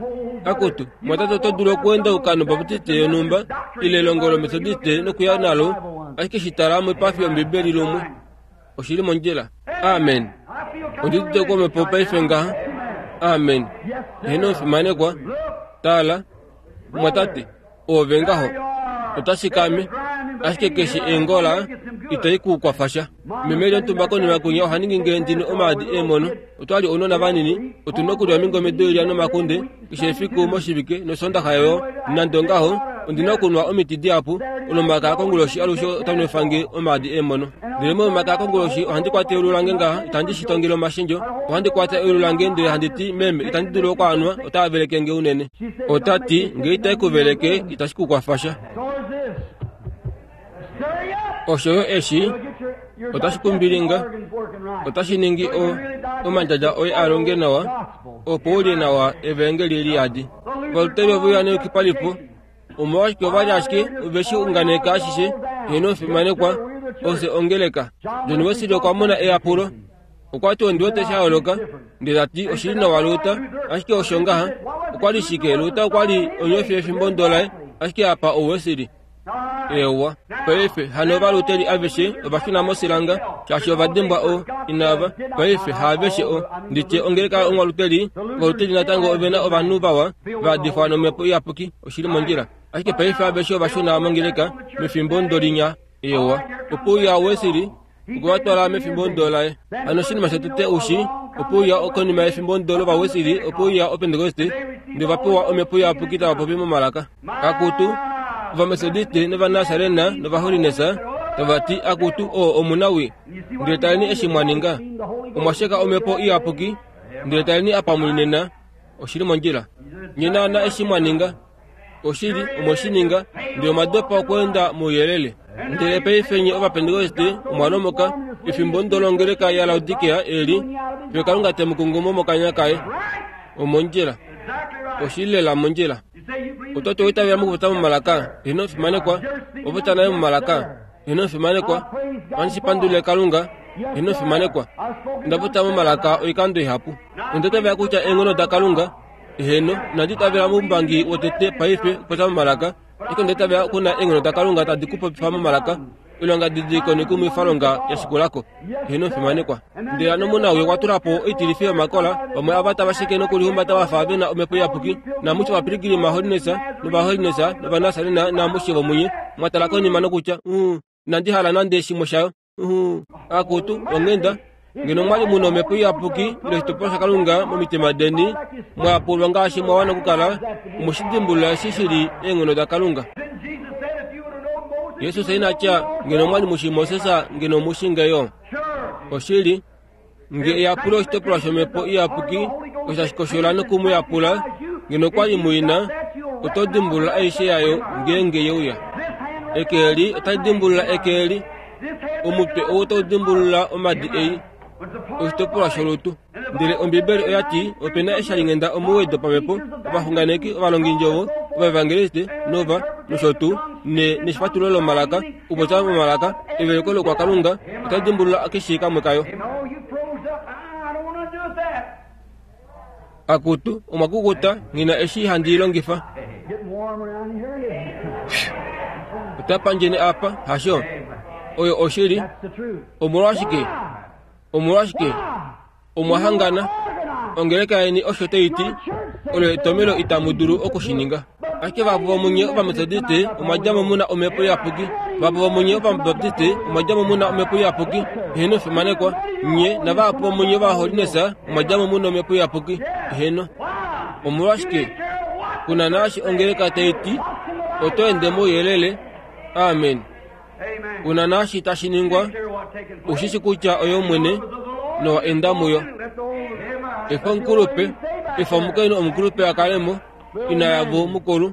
Akutu, mwatate oto dulu okuendauka nobaptiste yonhumba ile elongo lometodiste nokuya nalo, ashike shi tala moipafi yOmbibeli lumwe. Oshili mondjila. Amen. Ondi udite komhepo paife ngaha. Amen. Eheno omufimanekwa. Tala, mwatate, oove ngaho. Otashi kame, ashike keshe eengola itai ku kwafa sha. Meme lyontumba konima kwinya oha ningi nge ndine omaadi eemono. Otwali ounona vanini, otuna okulya omingome doilya nomakunde keshe efiku moshivike nosondaxa yo. Nande ongaho, ondina okunwa omiti dihapu. Olomakaya konguloshi alushe ota nwefa nge omaadi eemono. Ndele molomakaya konguloshi ohandi kwata eulu lange ngaha, itandi shi tongele omashendjo. Ohandi kwata eulu lange ndele handi ti, meme, itandi dulu okwaanwa, otaa veleke nge unene. Ota ti, nge itai ku veleke, itashi ku kwafa sha. Osho yo eshi, otashi kumbilinga, otashi ningi o, omandjadja oye a longe nawa, opo u lye nawa evangeli li yadi. Ovaluteri ove uya neyukipalifo, omolwashike ova li ashike ove shi unganeka ashishe, heno omufimanekwa, ofye ongeleka. John Wesley okwa mona eyapulo. Okwa ti ondi wete sha yooloka, ndele ta ti oshili nawa Luther, ashike osho ngaha. Okwa li shike? Luther okwa li onyofi yefimbo ndo laye, ashike apa oWesley. Ewa, paife hano ovaluteri aveshe ova shuna mosilanga, shaashi ova dimbwa o inava. Paife haaveshe o nditye ongeleka omwaluteri, ovaluteri natango ove na ovanhu vawa va difwa nomhepo iyapuki, oshili mondjila. Ashike paife aveshe ova shuna mongeleka mefimbo ndolinya. Ewa, opo uya Wesley okwe va twala mefimbo ndo laye. Hano oshinima shotete ushi, opo uya konima yefimbo ndo lOvawesili, opo uya Opentekoste, ndele va pewa omhepo iyapuki tava popi momalaka. Akutu, Ovametodiste nOvanasarena nOvaholinesa tava ti, akutu, oo omunawi. Ndele taleni eshi mwa ninga. Omwa sheka omhepo iyapuki, ndele taleni apa muli nena. Oshili mondjila. Nye naana eshi mwa ninga. Oshili, omwe shi ninga, ndele omwa dopa okweenda mouyelele. Ndele paife nye Ovapentekoste omwa lomoka, efimbo ndo longeleka yaLaodikea eli, fiyo Kalunga te mu kungumo mokanya kaye. Omondjila. Oshili lela mondjila. Oto ti oitavela mokupopya momalaka, eheno omufimanekwa, opopya naye momalaka, eheno omufimanekwa, ohandi shi pandulile Kalunga, eheno omufimanekwa. Onda popya momalaka oikando ihapu. Onda itavela kutya eenghono daKalunga, eheno, inandi itavela moumbangi wotete paife okupopya momalaka, ashike onda itavela okuna eenghono daKalunga tadi ku popifa momalaka, oilonga didiliko noikumwifalonga ya shikulako. Eheno omufimanekwa. Ndele hano omunawi okwa tula po oitilifi yomakola, vamwe ava tava sheke nokulihumbata vafa ve na omhepo iyapuki, namushe ovapilgrim holiness novaholiness novanasarena namushe vomunye mwa tala konima nokutya, uh, inandi hala nande shimwe shayo. Uh, akutu, onghenda, ngeno mwali muna omhepo iyapuki ile oshitopolwa shaKalunga momitima deni, mwa yapulwa ngaashi mwa wana okukala, omwe shi dimbulula eshi shili eenghono daKalunga. Jesus ina tya, ngeno mwali mushi Moses ngeno mushi ngeyo. Oshili, nge eyapulo oshitopolwa shomhepo iyapuki osho tashi koshola noku mu yapula, ngeno kwali muina, oto dimbulula aishe yayo ngeenge ye uya. Eke eli otali dimbulula eke eli, omutwe ou otau dimbulula omadi ei, oshitopolwa sholutu. Ndele Ombibeli oya ti ope na eshalinghenda omuwoi dopamhepo, ovaxunganeki, ovalongindjovo, ovaevangeliste, nova nosho tuu, ne neshifatululo lomalaka, okupopya momalaka, eveluko lokwakalunga, otali dimbulula keshe kamwe kayo. Akutu, omwa kukuta, nghina eshi handi i longifa. Ota pandjeni apa, hasho? Oyo oshili. Omolwashike? Omolwashike? Omwa hangana. Ongeleka yeni osho tai ti, olo etomelo itamu dulu oku shi ninga. Ashike vahapu vomunye Ovametodiste omwa dja mo mu na omhepo iyapuki. Vahapu vomunye Ovabaptiste omwa dja mo mu na omhepo iyapuki. Eheno fimanekwa. Nye navahapu vomunye Ovaholinesa omwa dja mo mu na omhepo iyapuki. Eheno. Omolwashike? Kuna naashi ongeleka tai ti, oto ende mouyelele. Amen. Kuna naashi tashi ningwa, ushishi kutya oyo Omwene nowa enda muyo. Efa omukulupe, efa omukainhu omukulupe a kale mo, ina yavo mukulu,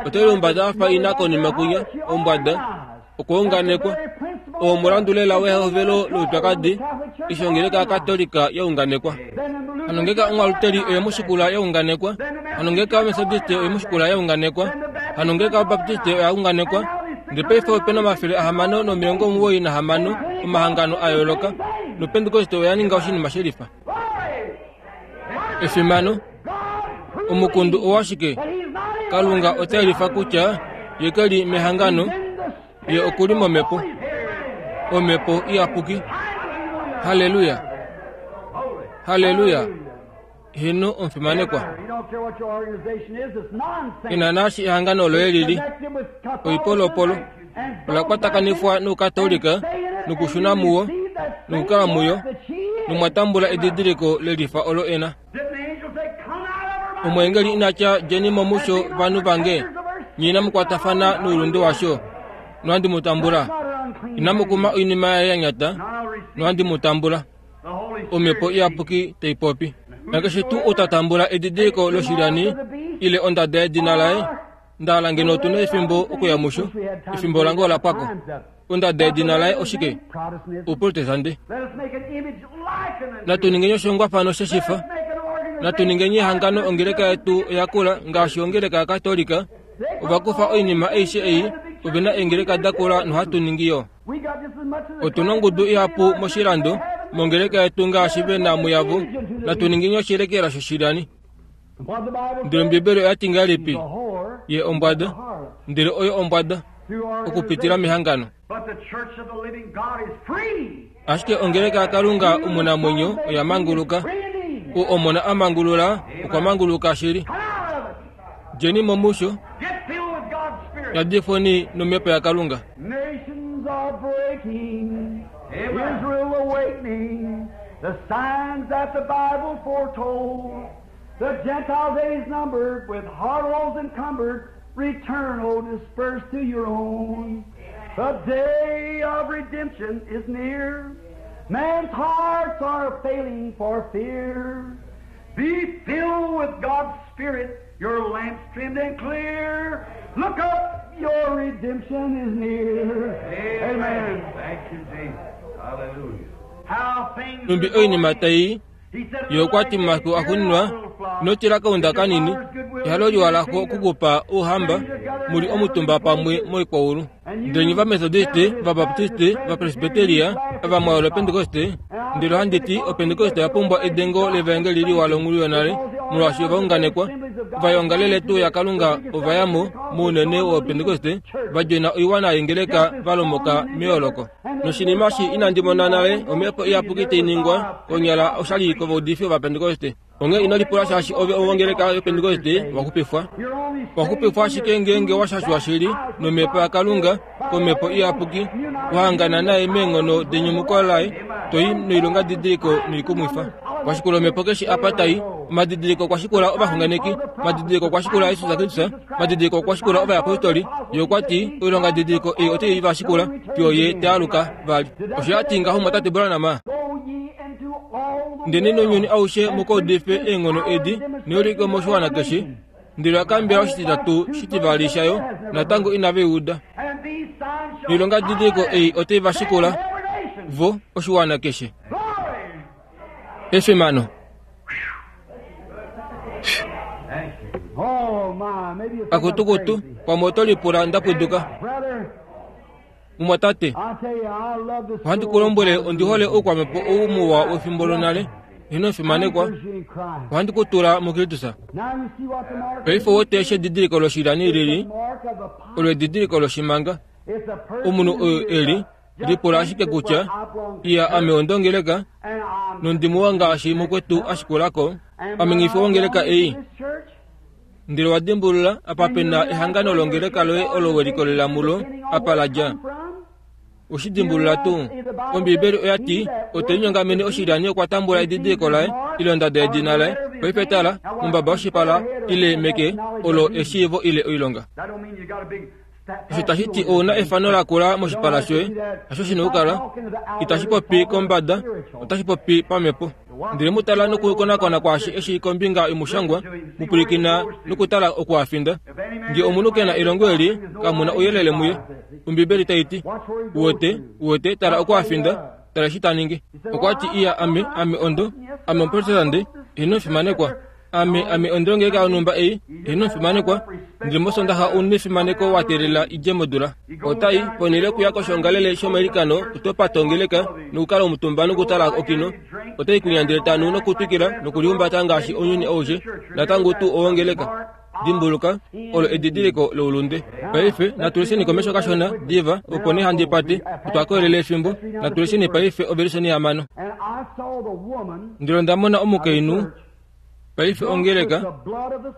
ote lihumbata a fa ina konima kwinya, ombwada, Okwa unganekwa. Oo omulandu lela wehovelo loupyakadi eshi ongeleka yaKatolika ya unganekwa. Hano ngenge omwaluteli oye mushikula ya unganekwa, hano ngenge omethodiste oye mushikula ya unganekwa, hano ngenge obaptiste oya unganekwa, ndele paife opena omafele ahamano nomilongo omuwoi nahamano omahangano a yooloka, nopentekoste oya ninga oshinima shelifa. Efimano, omukundu owashike? Kalunga ota yelifa kutya ye ke li mehangano, ye okuli momhepo, omhepo iyapuki. Halleluya, halleluya. Heno omufimanekwa. Ina naashi ehangano loye lili oipolopolo ola kwatakanifwa noukatolika nokushuna muwo nokukala muyo, nomwa tambula edidiliko lelifa olo ena. Omweengeli inatya djeni mo musho vanhu vange, nye inamu kwatafana noulunde washo, nohandi mu tambula. Inamu kuma oinima yaye ya nyata, nohandi mu tambula. Omhepo iyapuki tai popi. Nakeshe tuu ou ta tambula edidiliko loshilyani ile ondada yedina laye, ndahala ngeno otu na efimbo okuya musho, efimbo lange ola pwako. Ondada yedina laye oshike? Ouprotestante. Natu ningeni oshihongwafano sheshifa. Natu ningeni ehangano ongeleka yetu oya kula ngaashi ongeleka yaKatolika. Ova kufa oinima aishe ei, ove na eengeleka da kula nohatu ningi yo. Otu na ongudu ihapu moshilando mongeleka yetu ngaashi ve na muyavo. Natu ningeni oshilekela shoshilyani. Ndele Ombibeli oya ti ngahelipi? Ye ombwada, ndele oyo ombwada okupitila mehangano. Ashike ongeleka yaKalunga omunamwenyo oya manguluka. Ou Omona a mangulula okwa manguluka shili. Djeni mo musho, yadifweni nomhepo yaKalunga. Nations are breaking, Israel awakening, the signs that the Bible foretold. The Gentile days numbered, with harlots encumbered, return, O dispersed to your own. The day of redemption is near. Man's hearts are failing for fear. Be filled with God's Spirit, your lamps trimmed and clear. Look up, your redemption is near. Amen. Thank you, Jesus. Hallelujah. How things Numbi oinima tai ye okwa ti momafiku axuuninwa, ino tila kaunda kanini, ehalo liwa lako okukupa ouhamba, muli omutumba pamwe moikwaulu. Ndele nye vamethodiste, vabaptiste, vapresbiteria, avamwayo lopentekoste, ndele ohandi ti opentekoste oya pumbwa edengo levaengeli liwa longhulu yonale, molwaashi ovaunganekwa vayongalele tuu yaKalunga ova ya mo mounene wopentekoste, va djena oiwana yengeleka va lomoka meyooloko. Noshinima eshi inandi mona nale omhepo iyapuki tai ningwa konyala oshali kovaudifi vovapentekoste. Onghee ino lipula shaashi ove owongeleka yopentekoste wa xupifwa. Wa xupifwa ashike ngeenge wa shashwa shili nomhepo yaKalunga komhepo iyapuki, wa hangana naye meenghono denyumuko laye, to i noilongadidiliko noikumwifa. Kwashikula omhepo keshe apa tai, omadidiliko okwa shikula ovaxunganeki, omadidiliko okwa shikula Jesus Kristus, omadidiliko okwa shikula ovayapostoli. Ye okwa ti oilongadidiliko ei otai va shikula fiyo ye te aluka vali. Osho ya ti ngaho mwatate Branham. Ndele nounyuni aushe mukaudife eenghono edi neulike moshiwana keshe. Ndele oya oshititatu shitivali shayo natango inava uda. Noilongadidiliko ei otai va shikula vo oshiwana keshe. Efimano. Akutukutu pamwe oto lipula nda pwiduka. Mumwatate, ohandi ku lombwele ondi hole oukwamhepo ou muwa wefimbo lonale. Ino fimanekwa, ohandi ku tula muKristus. Paife wote eshi edidiliko loshilyani lili, olo edidiliko loshimanga. Omunhu oyo eli lipula ashike kutya iya ame ondongeleka nondimuwa ngaashi mukwetu ashikulako, ame nghifi wongeleka ei. Ndele wa dimbulula apa pena ehangano longeleka loye olo we likolelela mulo apa la dja. Oshidimbulula tuu. Ombibeli oya ti otelinyongamene oshilyani okwa tambula edidiliko laye ile ondada yedina laye. Paife tala, mombaba yoshipala ile meke olo eshiivo ile oilonga. Osho tashi ti ouna efano lakula moshipala shoye, hasho shina okukala. Itashi popi kombada, otashi popi pamhepo. Ndele mutala nokukonakona kwaashi eshi kombinga yomushangwa, mupwilikina nokutala okuafinda. Nge omunhu kena elongo eli, kamuna ouyelele muye. Ombibeli tai ti, uwete, uwete, tala okuafinda, tala eshi ta ningi. Okwa ti iya ame, ame ondo, ame omuprotestante, ino fimanekwa. Ame, ame ondongeleka yonhumba ei, ino fimanekwa. Ndele mosondaxa ouna efimaneko wa teelela idje modula. Otai ponhele okuya koshongalele shomailikano, oto pata ongeleka nokukala omutumba nokutala okino. Otai kunya ndele tanu nokutwikila nokulihumbata ngaashi ounyuni aushe, natango tuu owongeleka. Dimbuluka, olo edidiliko loulunde. Paife natulesheni komesho kashona diva, opo nee handi pate, otwa koelele efimbo. Natulesheni paife ovelisoni hamano. Ndele onda mona omukainhu paife ongeleka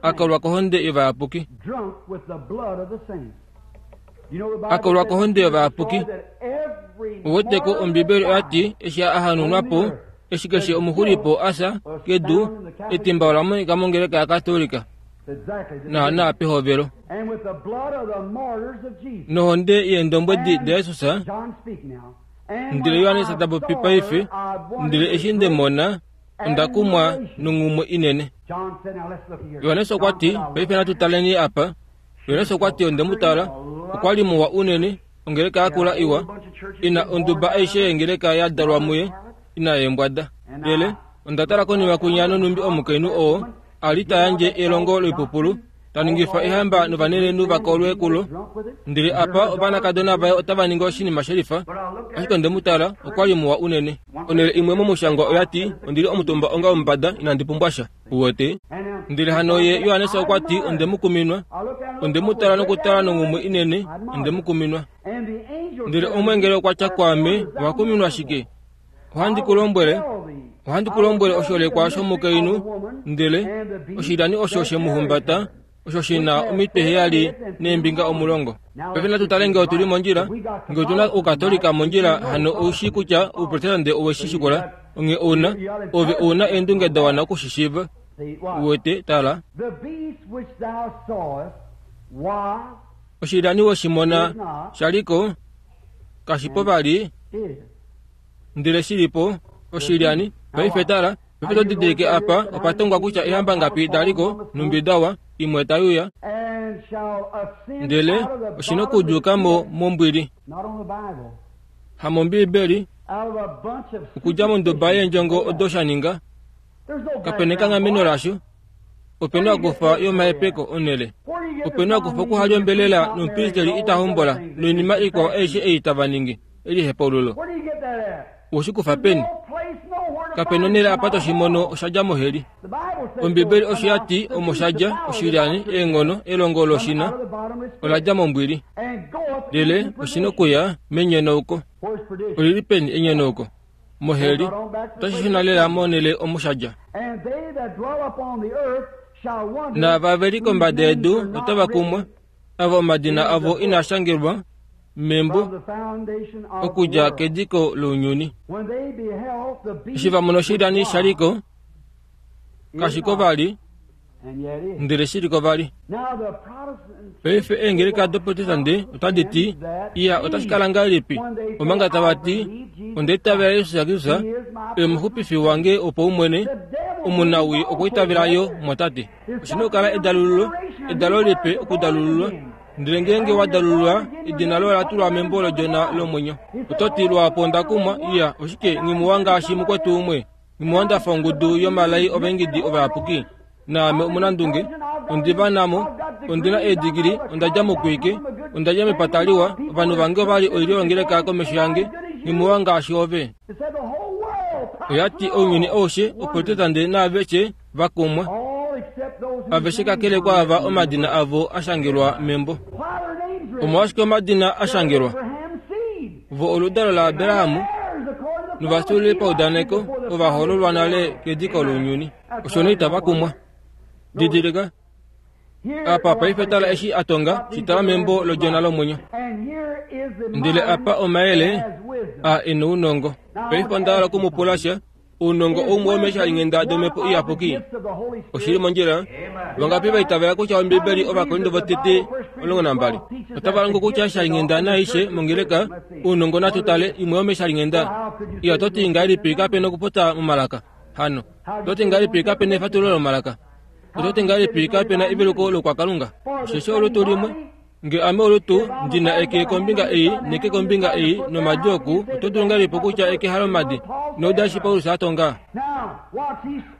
akolwa kohonde yovayapuki. Akolwa kohonde yovayapuki. Uweteko Ombibeli oya ti eshi a hanunwa po, eshi keshe omuxulipo asa kedu, etimba ola monika mongeleka yaKatolika. Naana pehovelo. Nohonde yeendombwedi daJesus. Ndele Johannes ta popi paife, ndele eshi nde mona, onda kumwa nonghumwe inene. Johannes okwa ti, paife natu taleni apa. Johannes okwa ti onde mu tala, okwa li muwa unene, ongeleka yakula iwa, ina onduba aishe yengeleka ya dalwa muye, ina yeembwada. Ndele onda tala konima kunya nonumbi omukainhu oo a li ta yandje elongo loipupulu, ta ningifa ehamba novanenenhu va kolwe kulo. Ndele apa ovanakadona vaye otava ningi oshinima shelifa. Ashike onde mu tala, okwa li muwa unene. Onhele imwe momushangwa oya ti, ondili omutumba onga omumbada, inandi pumbwa sha. Uwete? Ndele hano ye Johannes okwa ti, onde mu kuminwa. Onde mu tala nokutala nonghumwe inene, onde mu kuminwa. Ndele omwengeli okwa tya kwaame, owa kuminwa shike? Ohandi ku lombwele, ohandi ku lombwele osholekwa shomukainhu, ndele oshilyani osho she mu humbata, osho shina omitwe heyali neembinga omulongo. Paife natu tale ngee otuli mondjila, ngee otuna oukatolika mondjila, hano oushi kutya ouprotestante owe shi shikula. Onghee ouna, ove ouna eendunge da wana okushishiiva. Uwete, tala. Oshilyani we shi mona shaliko, kashipo vali, ndele shilipo oshilyani. Paife tala, paife to didilike apa, opa tongwa kutya ehamba ngapi daliko, numbi dawa, imwe tayuya. Ndele oshina okuduka mo mombwili. Hamombibeli, okudja monduba yeendjongo odo sha ninga. Kapena ekanghameno lasho. Opena okufa yomahepeko onhele. Opena okufa okuhalyombelela nomupristeli ita hombola noinima ikwao aishe ei tava ningi elihepaululo. Oshikufa peni? Kapena onhele apa toshimono osha dja moheli. Ombibeli osho ya ti omo sha dja oshilyani, eenghono, elongo loshina ola dja mombwili. Ndele oshina okuya menyonauko. Olili peni enyonauko? Moheli. Otashi shuna lela monhele omo sha dja. Naava ve li kombada yedu otava kumwa, ava omadina avo inaa shangelwa membo okudja kediko lounyuni. Eshi va mona oshilyani shaliko, kashiko vali, ndele shiliko vali. Paife eengeleka doprotestante otadi ti, iya otashi kala ngahelipi, omanga tava ti, onda itavela Jesus Kristus oye omuxupifi wange wopaumwene, omunawii okwa itavela yo mwatate. Oshina okukala edalululo, edalo lipe okudalululwa. Ndele ngeenge wa dalululwa, edina loye ola tulwa membo lodjona lomwenyo. Oto ti lwapo onda kumwa, iya, oshike nghimuwa ngaashi mukwetu umwe, nghimuwa ndafa ongudu yomalai ovaingidi ovayapuki. Naame omunandunge, ondiva namo, ondina eedigili, onda dja mokwike, onda dja mepata liwa, ovanhu vange ovali oilyo yongeleka komesho yange, nghimuwa ngaashi ove. Oya ti ounyuni aushe, oprotestante naaveshe va kumwa. Aveshe kakele kwaava omadina avo a shangelwa membo. Omolwashike omadina a shangelwa? Vo oludalo laAbraham novafyuululi paudaneko ova hoololwa nale kediko lounyuni. Osho nee itava kumwa. Didilika apa paife tala eshi a tonga, shi tala membo lodjona lomwenyo. Ndele apa omayele a ena ounongo. Paife onda hala okumupula sha. Ounongo oumwe womeshalinghenda domhepo iyapuki. Oshili mondjila. Vangapi vaitavela kutya Ombibeli Ovakorinto votete omulongo nambali otava longo kutya eshalinghenda naaishe mongeleka ounongo natu tale imwe yomeshalinghenda. Iya toti ngahelipi kapena okupopya momalaka? Hano toti ngahelipi kapena efatululo lomalaka? Ototi ngahelipi kapena eveluko lokwakalunga? Osheshi olutu limwe. Nge ame olutu ndina eke kombinga ei neke kombinga ei nomadi oku, oto dulu ngahelipi kutya eke halomadi? Nouda eshi Paulus a tonga.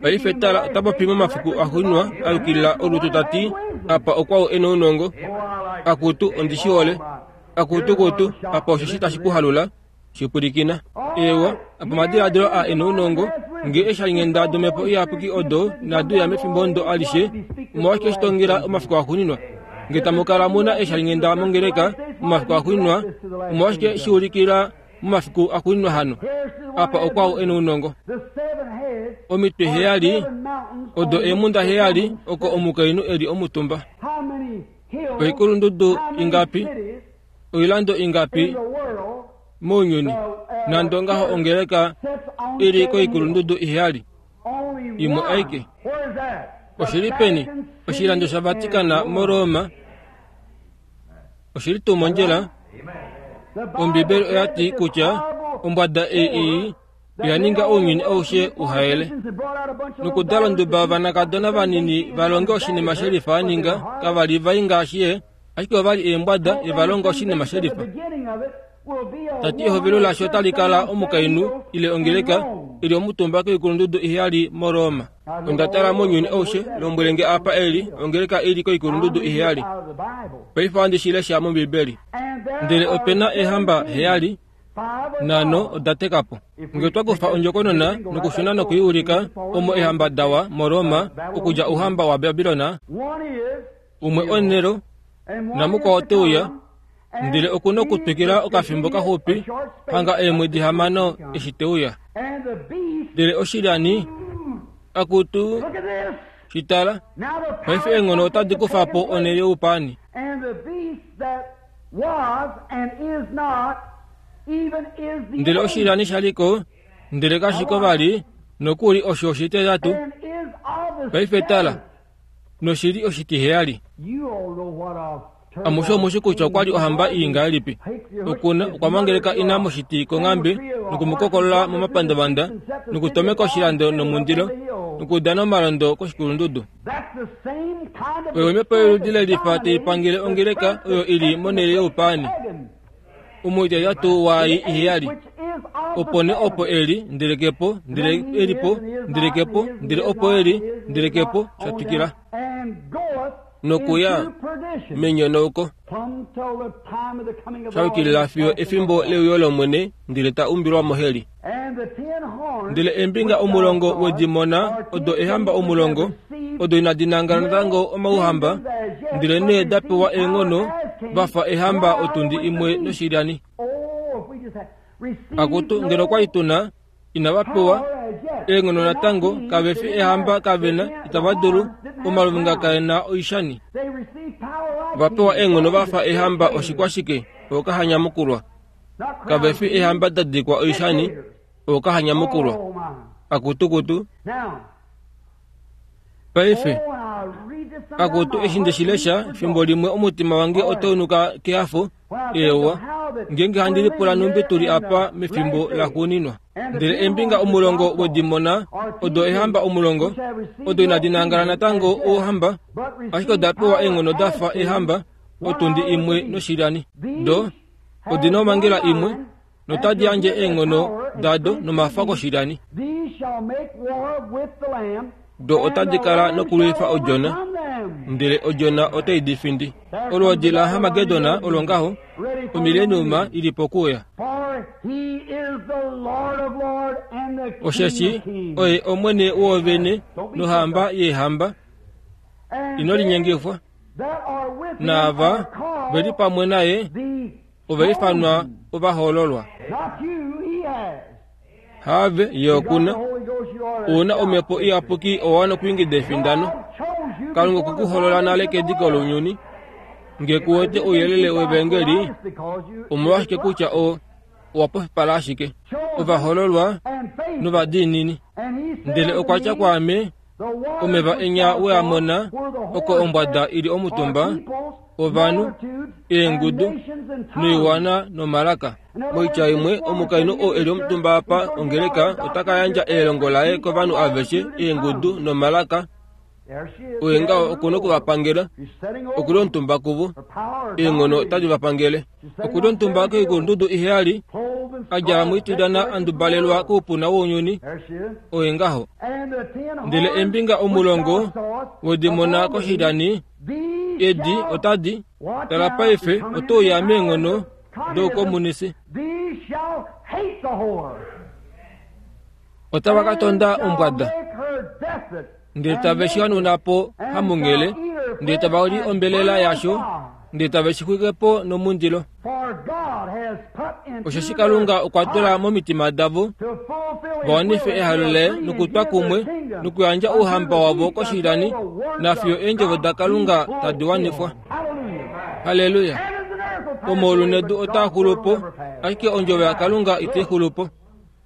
Paife tala, ota popi momafiku axuuninwa a yukilila olutu ta ti, apa okwau e nounongo. Akutu, ondi shi hole. Akutu kutu, apa osheshi tashi ku halula. Shipwilikina. Eewa, apa omadiladilo a e nounongo, nge eeshalinghenda domhepo iyapuki odo inadi uya mefimbo ndo alishe, omolwashike shitongela omafiku axuuninwa? Nge tamu kala mu na eeshalinghenda mongeleka momafiku axuuninwa, omolwashike shiulikila momafiku axuuninwa hano? Apa okwau e nounongo. Omitwe heyali odo eemhunda heyali oko omukainhu e li omutumba. Oikulundudu ingapi, oilando ingapi mounyuni, nande ongaho ongeleka i li koikulundudu iheyali, imwe aike. Oshili peni? Oshilando shaVatikana moRoma. Oshili tuu mondjila? Ombibeli oya ti kutya ombwada ei oya ninga ounyuni aushe uhaele. Nokudala onduba yovanakadona vanini va longe oshinima shelifa a ninga, kava li vai ngaashi ye, ashike ova li eembwada ye va longa oshinima shelifa. Tati ehovelo lasho otali kala omukainhu ile ongeleka ili omutumba koikulundudu iheyali moRoma. Onda tala mounyuni aushe, lombwele nge apa eli ongeleka ili koikulundudu iheyali. Paife ohandi shi lesha mOmbibeli. Ndele ope na eehamba heyali, nhano oda teka po. Nge twa kufa ondjokonona nokushuna nokuiulika omo eehamba dawa moRoma okudja ouhamba waBabilona, umwe oNero namukwao te uya, ndele okuna okutwikila okafimbo kaxupi hanga eemwedi hamano eshi te uya. Ndele oshilyani, akutu, shitala, paife eenghono otadi kufa po onhele youpaani. Ndele oshilyani shaliko, ndele kashiko vali, nokuli osho oshititatu. Paife tala, noshili oshitiheyali. Amushe omushi kutya okwa li ohamba ii ngahelipi. Okuna okwa mangeleka ina moshiti konghambe nokumukokolola momapandavanda nokutomeka oshilando nomundilo nokudana omalondo koshikulundudu. Oyo omhepo yoludi lelifa tai pangele ongeleka oyo ili monhele youpaani. Omuititatu waai iheyali. Opo nee opo eli, ndele kepo, ndele elipo, ndele kepo, ndele opo eli, ndele kepo, sha twikila. Nokuya menyonauko sha yukilila fiyo efimbo leuyo lOmwene, ndele ta umbilwa moheli. Ndele eembinga omulongo wedimona odo eehamba omulongo, odo inadi nangala natango omauhamba, ndele nee da pewa eenghono va fa eehamba otundi imwe noshilyani. Akutu, ngeno okwa li tuna, inava pewa eenghono natango, kave fi eehamba, kavena, itava dulu, omaluvinga kae na oishani. Va pewa eenghono va fa eehamba oshikwashike, ookahanyamukulwa. Kave fi eehamba da dikwa oishani, ookahanyamukulwa. Akutukutu. Paife, akutu, eshi nde shi lesha, fimbo limwe omutima wange otau nuka kehafo, eewa, ngeenge handi lipula nhumbi tu li apa mefimbo laxuuninwa. Ndele eembinga omulongo wedimona odo eehamba omulongo, odo inadi nangala natango ouhamba, ashike oda pewa eenghono da fa eehamba, otundi imwe noshilyani. Do odi na omhangela imwe, notadi yandje eenghono dado nomafa koshilyani. Do otadi kala nokulwifa odjona, ndele odjona otai di findi. Olwoodi laHarmagedon olo ngaho, omileniuma ili pokuuya. Osheshi oye Omwene woovene nohamba yeehamba, ino linyengifwa. Naava ve li pamwe naye ova ifanwa ovahoololwa. Have ye okuna una omhepo iyapuki owa wana okwiingida efindano. Kalunga okwe ku holola nale kediko lounyuni. Nge ku wete ouyelele wevangeli, omolwashike kutya o owa pofipala ashike. Ovahololwa novadiinini. Ndele okwa tya kwaame, omeva enya we a mona, oko ombwada ili omutumba, ovanhu, eengudu, noiwana nomalaka. Moitya imwe, omukainhu oo eli omutumba apa ongeleka ota ka yandja elongo laye kovanhu aveshe, eengudu nomalaka. Oye ngaho okuna okuvapangela, okuli omutumba kuvo, eenghono otadi vapangele. Okuli omutumba koikulundudu iheyali, a djala moitudana a ndubalelwa koupuna wounyuni. Oye ngaho. Ndele eembinga omulongo wedi mona koshilani, edi otadi tala paife oto uya meenghono doukomunisi. Otava ka tonda ombwada, ndele tave shi hanuna po hamunghele, ndele tava li ombelela yasho, ndele tave shi xwike po nomundilo. Osheshi Kalunga okwa tula momitima davo va wanife ehalo laye nokutwa kumwe nokuyandja ouhamba wavo koshilani, nafiyo eendjovo daKalunga tadi wanifwa. Halleluya! Omaulu nedu otaa xulu po, ashike ondjovo yaKalunga itai xulu po.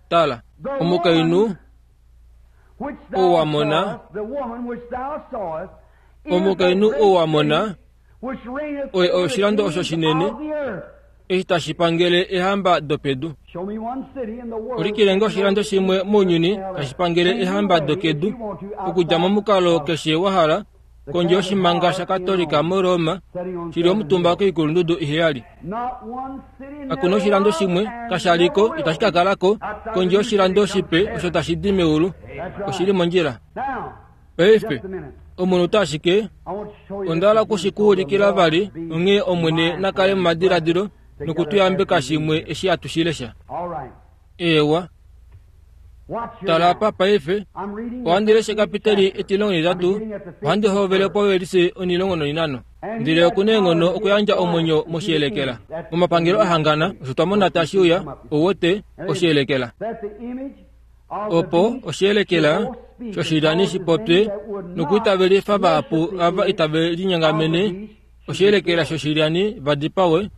Tala, omukainhu ou wa mona, omukainhu ou wa mona, oye oshilando osho shinene eshi tashi pangele ehamba dopedu. Olikilenge oshilando shimwe mounyuni tashi pangele ehamba dokedu, okudja momukalo keshe wa hala, kondje yoshimanga shaKatolika muRoma, shili omutumba koikulundudu iheyali. Kakuna oshilando shimwe kasha liko itashi ka kalako kondje yoshilando shipe osho tashi di meulu. Oshili mondjila. Paife, omunhu ashike onda hala okushikuulikila vali, onghee Omwene na kale momadiladilo nokutuyambeka shimwe eshi hatu shi lesha. Eewa. Tala apa paife, ohandi lesha ekapiteli etilongo netitatu, ohandi hovele povelise onilongo noinano. Ndele okuna eenghono okuyandja omwenyo moshiyelekela. Momapangelo ahangana, osho twa mona tashi uya, ouwete, oshiyelekela. Opo oshiyelekela shoshilani shi popye nokwiitavelifa vahapu ava itave linyangamene, oshiyelekela shoshilani va dipawe,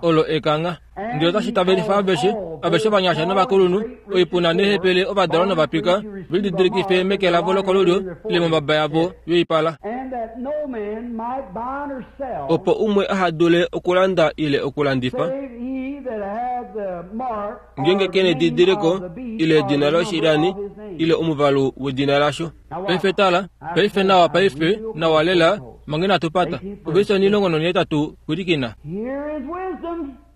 olo ekangha. Ndele otashi tavelifa aveshe, aveshe ovanyasha novakulunhu, oipuna neehepele, ovadalwa novapika, ve lididilikife meke lavo lokolulyo ile mombaba yavo yoipala, opo umwe aha dule okulanda ile okulandifa, ngeenge ke nedidiliko ile edina loshilani ile omuvalu wedina lasho. Paife tala, paife nawa, paife nawa lela, manga inatu pata. Ovelise onilongo nonhetatu pwilikina.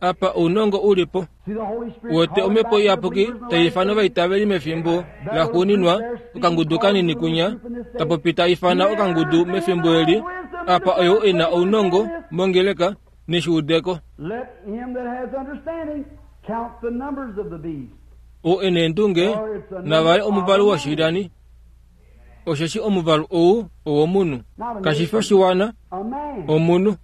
Apa ounongo uli po. Wete omhepo iyapuki tai ifana ovaitaveli mefimbo laxuuninwa, okangudu kanini kunya, tapopi ta ifana okangudu mefimbo eli. Apa oyo e na ounongo mongeleka neshuudeko. Ou e neendunge navale omuvalu woshilani, osheshi omuvalu ou owomunhu, kashi fi oshiwana, omunhu.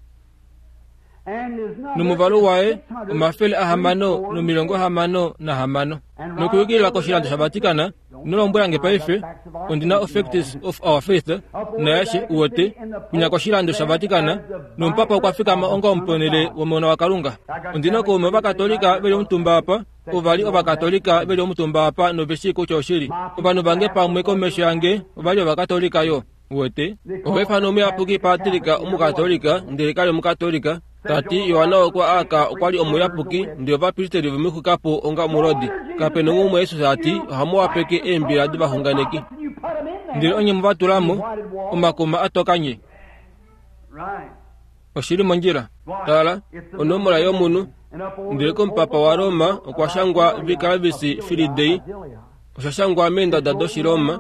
Nomuvalu waye omafele ahamano nomilongo hamano nahamano. Nokuyukilila koshilando shaVatican, ino lombwela nge paife, ondina o Facts of Our Faith nayashe uwete, kunya koshilando shaVatican, nomupapa okwa fikama onga omuponele womona waKalunga. Ondina kaume ovakatolika veli omutumba apa, ova li ovakatolika veli omutumba apa noveshi kutya oshili. Ovanhu vange pamwe komesho yange ova li ovakatolika yo. Uwete, ova ifana omuyapuki Patrick omukatolika, ndele kali omukatolika. Tati Yohana okwa aka okwa li omuyapuki, ndele ovapristeri vemwixukapo onga omulodi. Kapena umwe Jesus ati ohamu wapeke eembila dovaxunganeki. Ndele onye muvatulamo omakuma atokanye. Oshili mondjila. Tala, onomola yomunhu. Ndele komupapa waRoma okwa shangwa Vicarius Filii Dei. Osha shangwa meendada dOshiroma.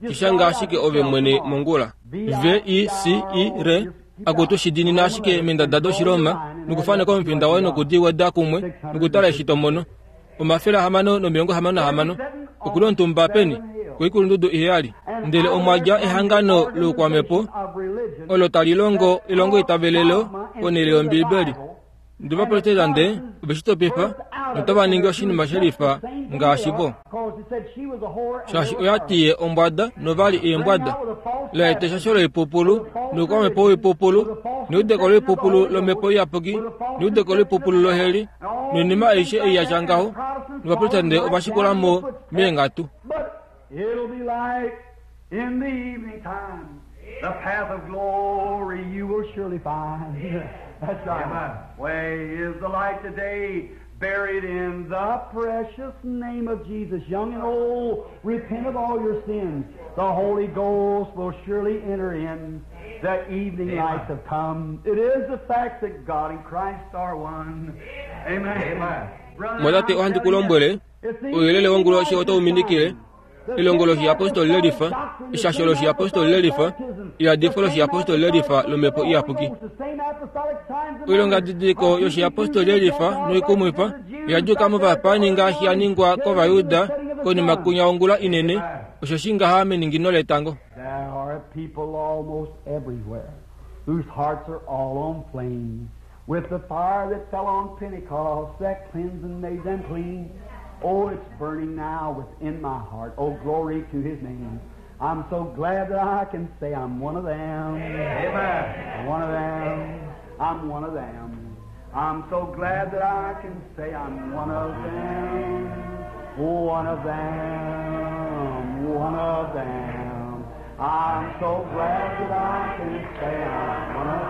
Shishanga ashike ove mwene mongula. V I C I R akutu shidinina ashike meendada dOshiroma nokufaneka omufinda waye nokudiweda kumwe nokutala eshi to mono. Omafele ahamano nomilongo hamano nahamano. Okuli omutumba peni? Koikulundudu iheyali. Ndele omwa dja ehangano loukwamhepo olo tali longo elongo itavelelo ponhele yOmbiibeli. Ndele ovaprotestante ove shi topifa notava ningi oshinima shelifa Ngaashi vo. Shaashi oya ti ye ombwada novali eembwada. Laeta eshasho loipupulu, noukwamhepo woipupulu, neudeko loipupulu lomhepo iyapuki, neudeko loipupulu loheli, noinima aishe ei yatya ngaho, novaprotestante ovashikula mo meenghatu. But it'll be light in the evening time. The path of glory you will surely find. That's right. Amen. Way is the light today, buried in the precious name of Jesus. Young and old, repent of all your sins. The Holy Ghost will surely enter in. The evening Amen. lights have come. It is the fact that God and Christ are one. Amen. Amen. Brother, Mwatate I'm ohandi telling ku lombwele, you, it's the ouyelele wonguloshi otau minikile, elongo loshiyapostoli lelifa, eshasho loshiyapostoli lelifa, eyadifo loshiyapostoli lelifa lomhepo iyapuki. Oilongadidiliko yoshiyapostoli lelifa noikumwifa oya djuka movapaani ngaashi ya ningwa kOvayuda konima kunya ongula inene, osho shi ngaha meningino letango. There are people almost everywhere whose hearts are all on flame with the fire that fell on Pentecost that cleansed and made them clean. Oh, it's burning now within my heart. Oh, glory to His name. I'm so glad that I can say I'm one of them. Amen. One of them. I'm one of them. I'm so glad that I can say I'm one of them. One of them. One of them. I'm so glad that I can say I'm one of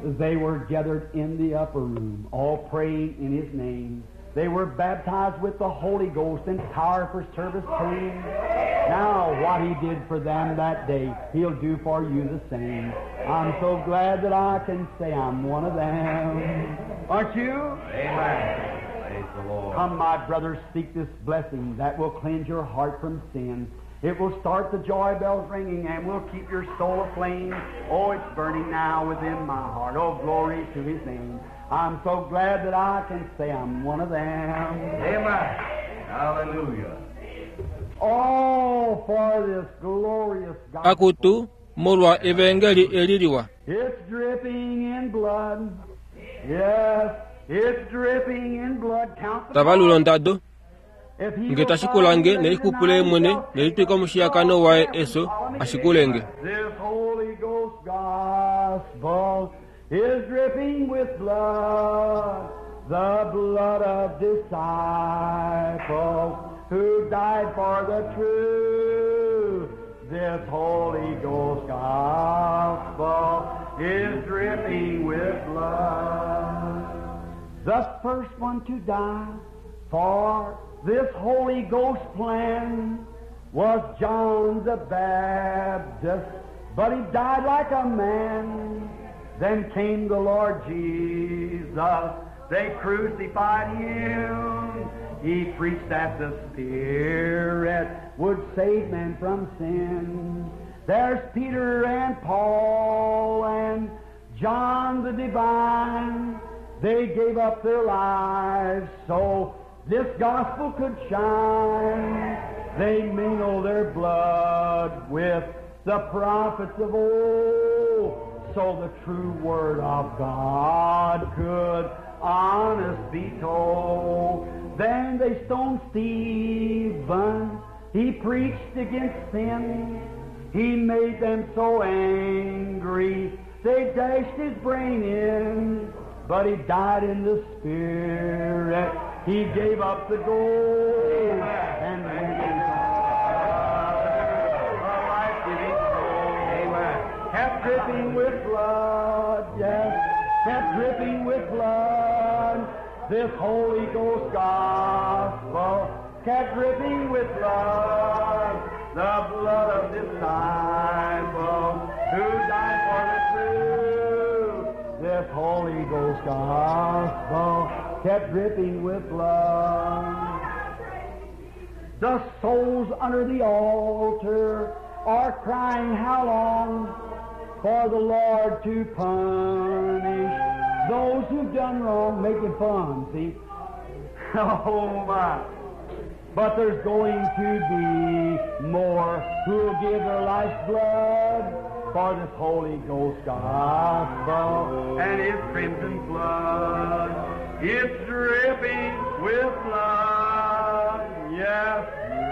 them. They were gathered in the upper room, all praying in His name. They were baptized with the Holy Ghost and power for service came. Now, what He did for them that day, He'll do for you the same. I'm so glad that I can say I'm one of them. Aren't you? Amen. Praise the Lord. Come, my brothers, seek this blessing that will cleanse your heart from sin. It will start the joy bells ringing and will keep your soul aflame. Oh, it's burning now within my heart. Oh, glory to His name. I'm so glad that I can say I'm one of them. Amen. Hallelujah. Oh, for this glorious gospel. Akutu, molwa evangeli eli liwa. It's dripping in blood. Yes, it's dripping in blood. Count the Tavalula ondado, If he nge will tashikulange find nelixupule mwene nelitwika omushiyakano waye eso ashikulenge. This Holy Ghost gospel is dripping with blood, the blood of disciples who died for the truth. This Holy Ghost gospel is dripping with blood. The first one to die for this Holy Ghost plan was John the Baptist, but he died like a man. Then came the Lord Jesus. They crucified him. He preached that the Spirit would save man from sin. There's Peter and Paul and John the Divine. They gave up their lives so this gospel could shine. They mingled their blood with the prophets of old so the true word of God could honest be told. Then they stoned Stephen. He preached against sin. He made them so angry, they dashed his brain in. But he died in the spirit. He gave up the ghost and went into a life-giving Amen. Kept dripping with blood, yes, kept dripping with blood. This Holy Ghost gospel kept dripping with blood, the blood of disciples who died for the truth. This Holy Ghost gospel kept dripping with blood. The souls under the altar are crying, how long for the Lord to punish those who've done wrong, making fun, see? Oh my. But there's going to be more who'll give their life's blood for this Holy Ghost gospel and His crimson flood. It's dripping with blood. Yes,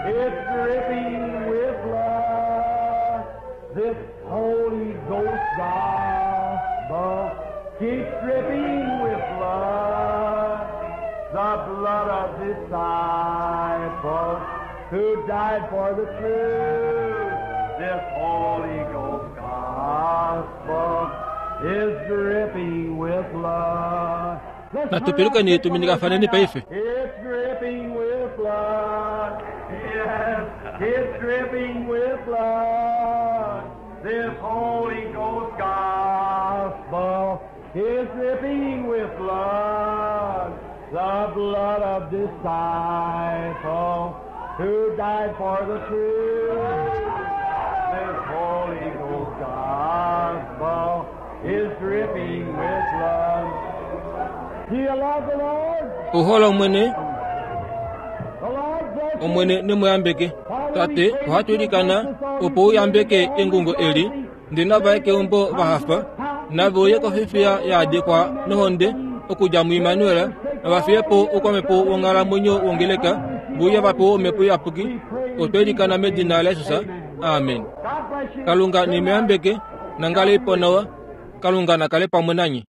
it's dripping with blood. This Holy Ghost gospel keeps dripping with blood. The blood of disciples who died for the truth. This Holy Ghost gospel is dripping with blood. Let's Natupilukeni tuminikafaneni paife. It's dripping with blood. Yes, it's dripping with blood. This Holy Ghost gospel is dripping with blood. The blood of disciples who died for the truth. This Holy Ghost gospel is dripping with blood. Do you love the Lord? Uhola omwene The Lord bless you. omwene nemuyambeke tate ohatulikana opo uyambeke engungo eli ndina vaye keumbo vahafa nave uye kofifiya yaadikwa nohonde okudja muimanuela navafiyepo okwamepo wonghalamwenyo wongeleka vuye vapewa omhepo iyapuki otwelikana medina layesusa amen God bless you. kalunga nimuyambeke nangale ipo nawa kalunga nakale pamwe nanye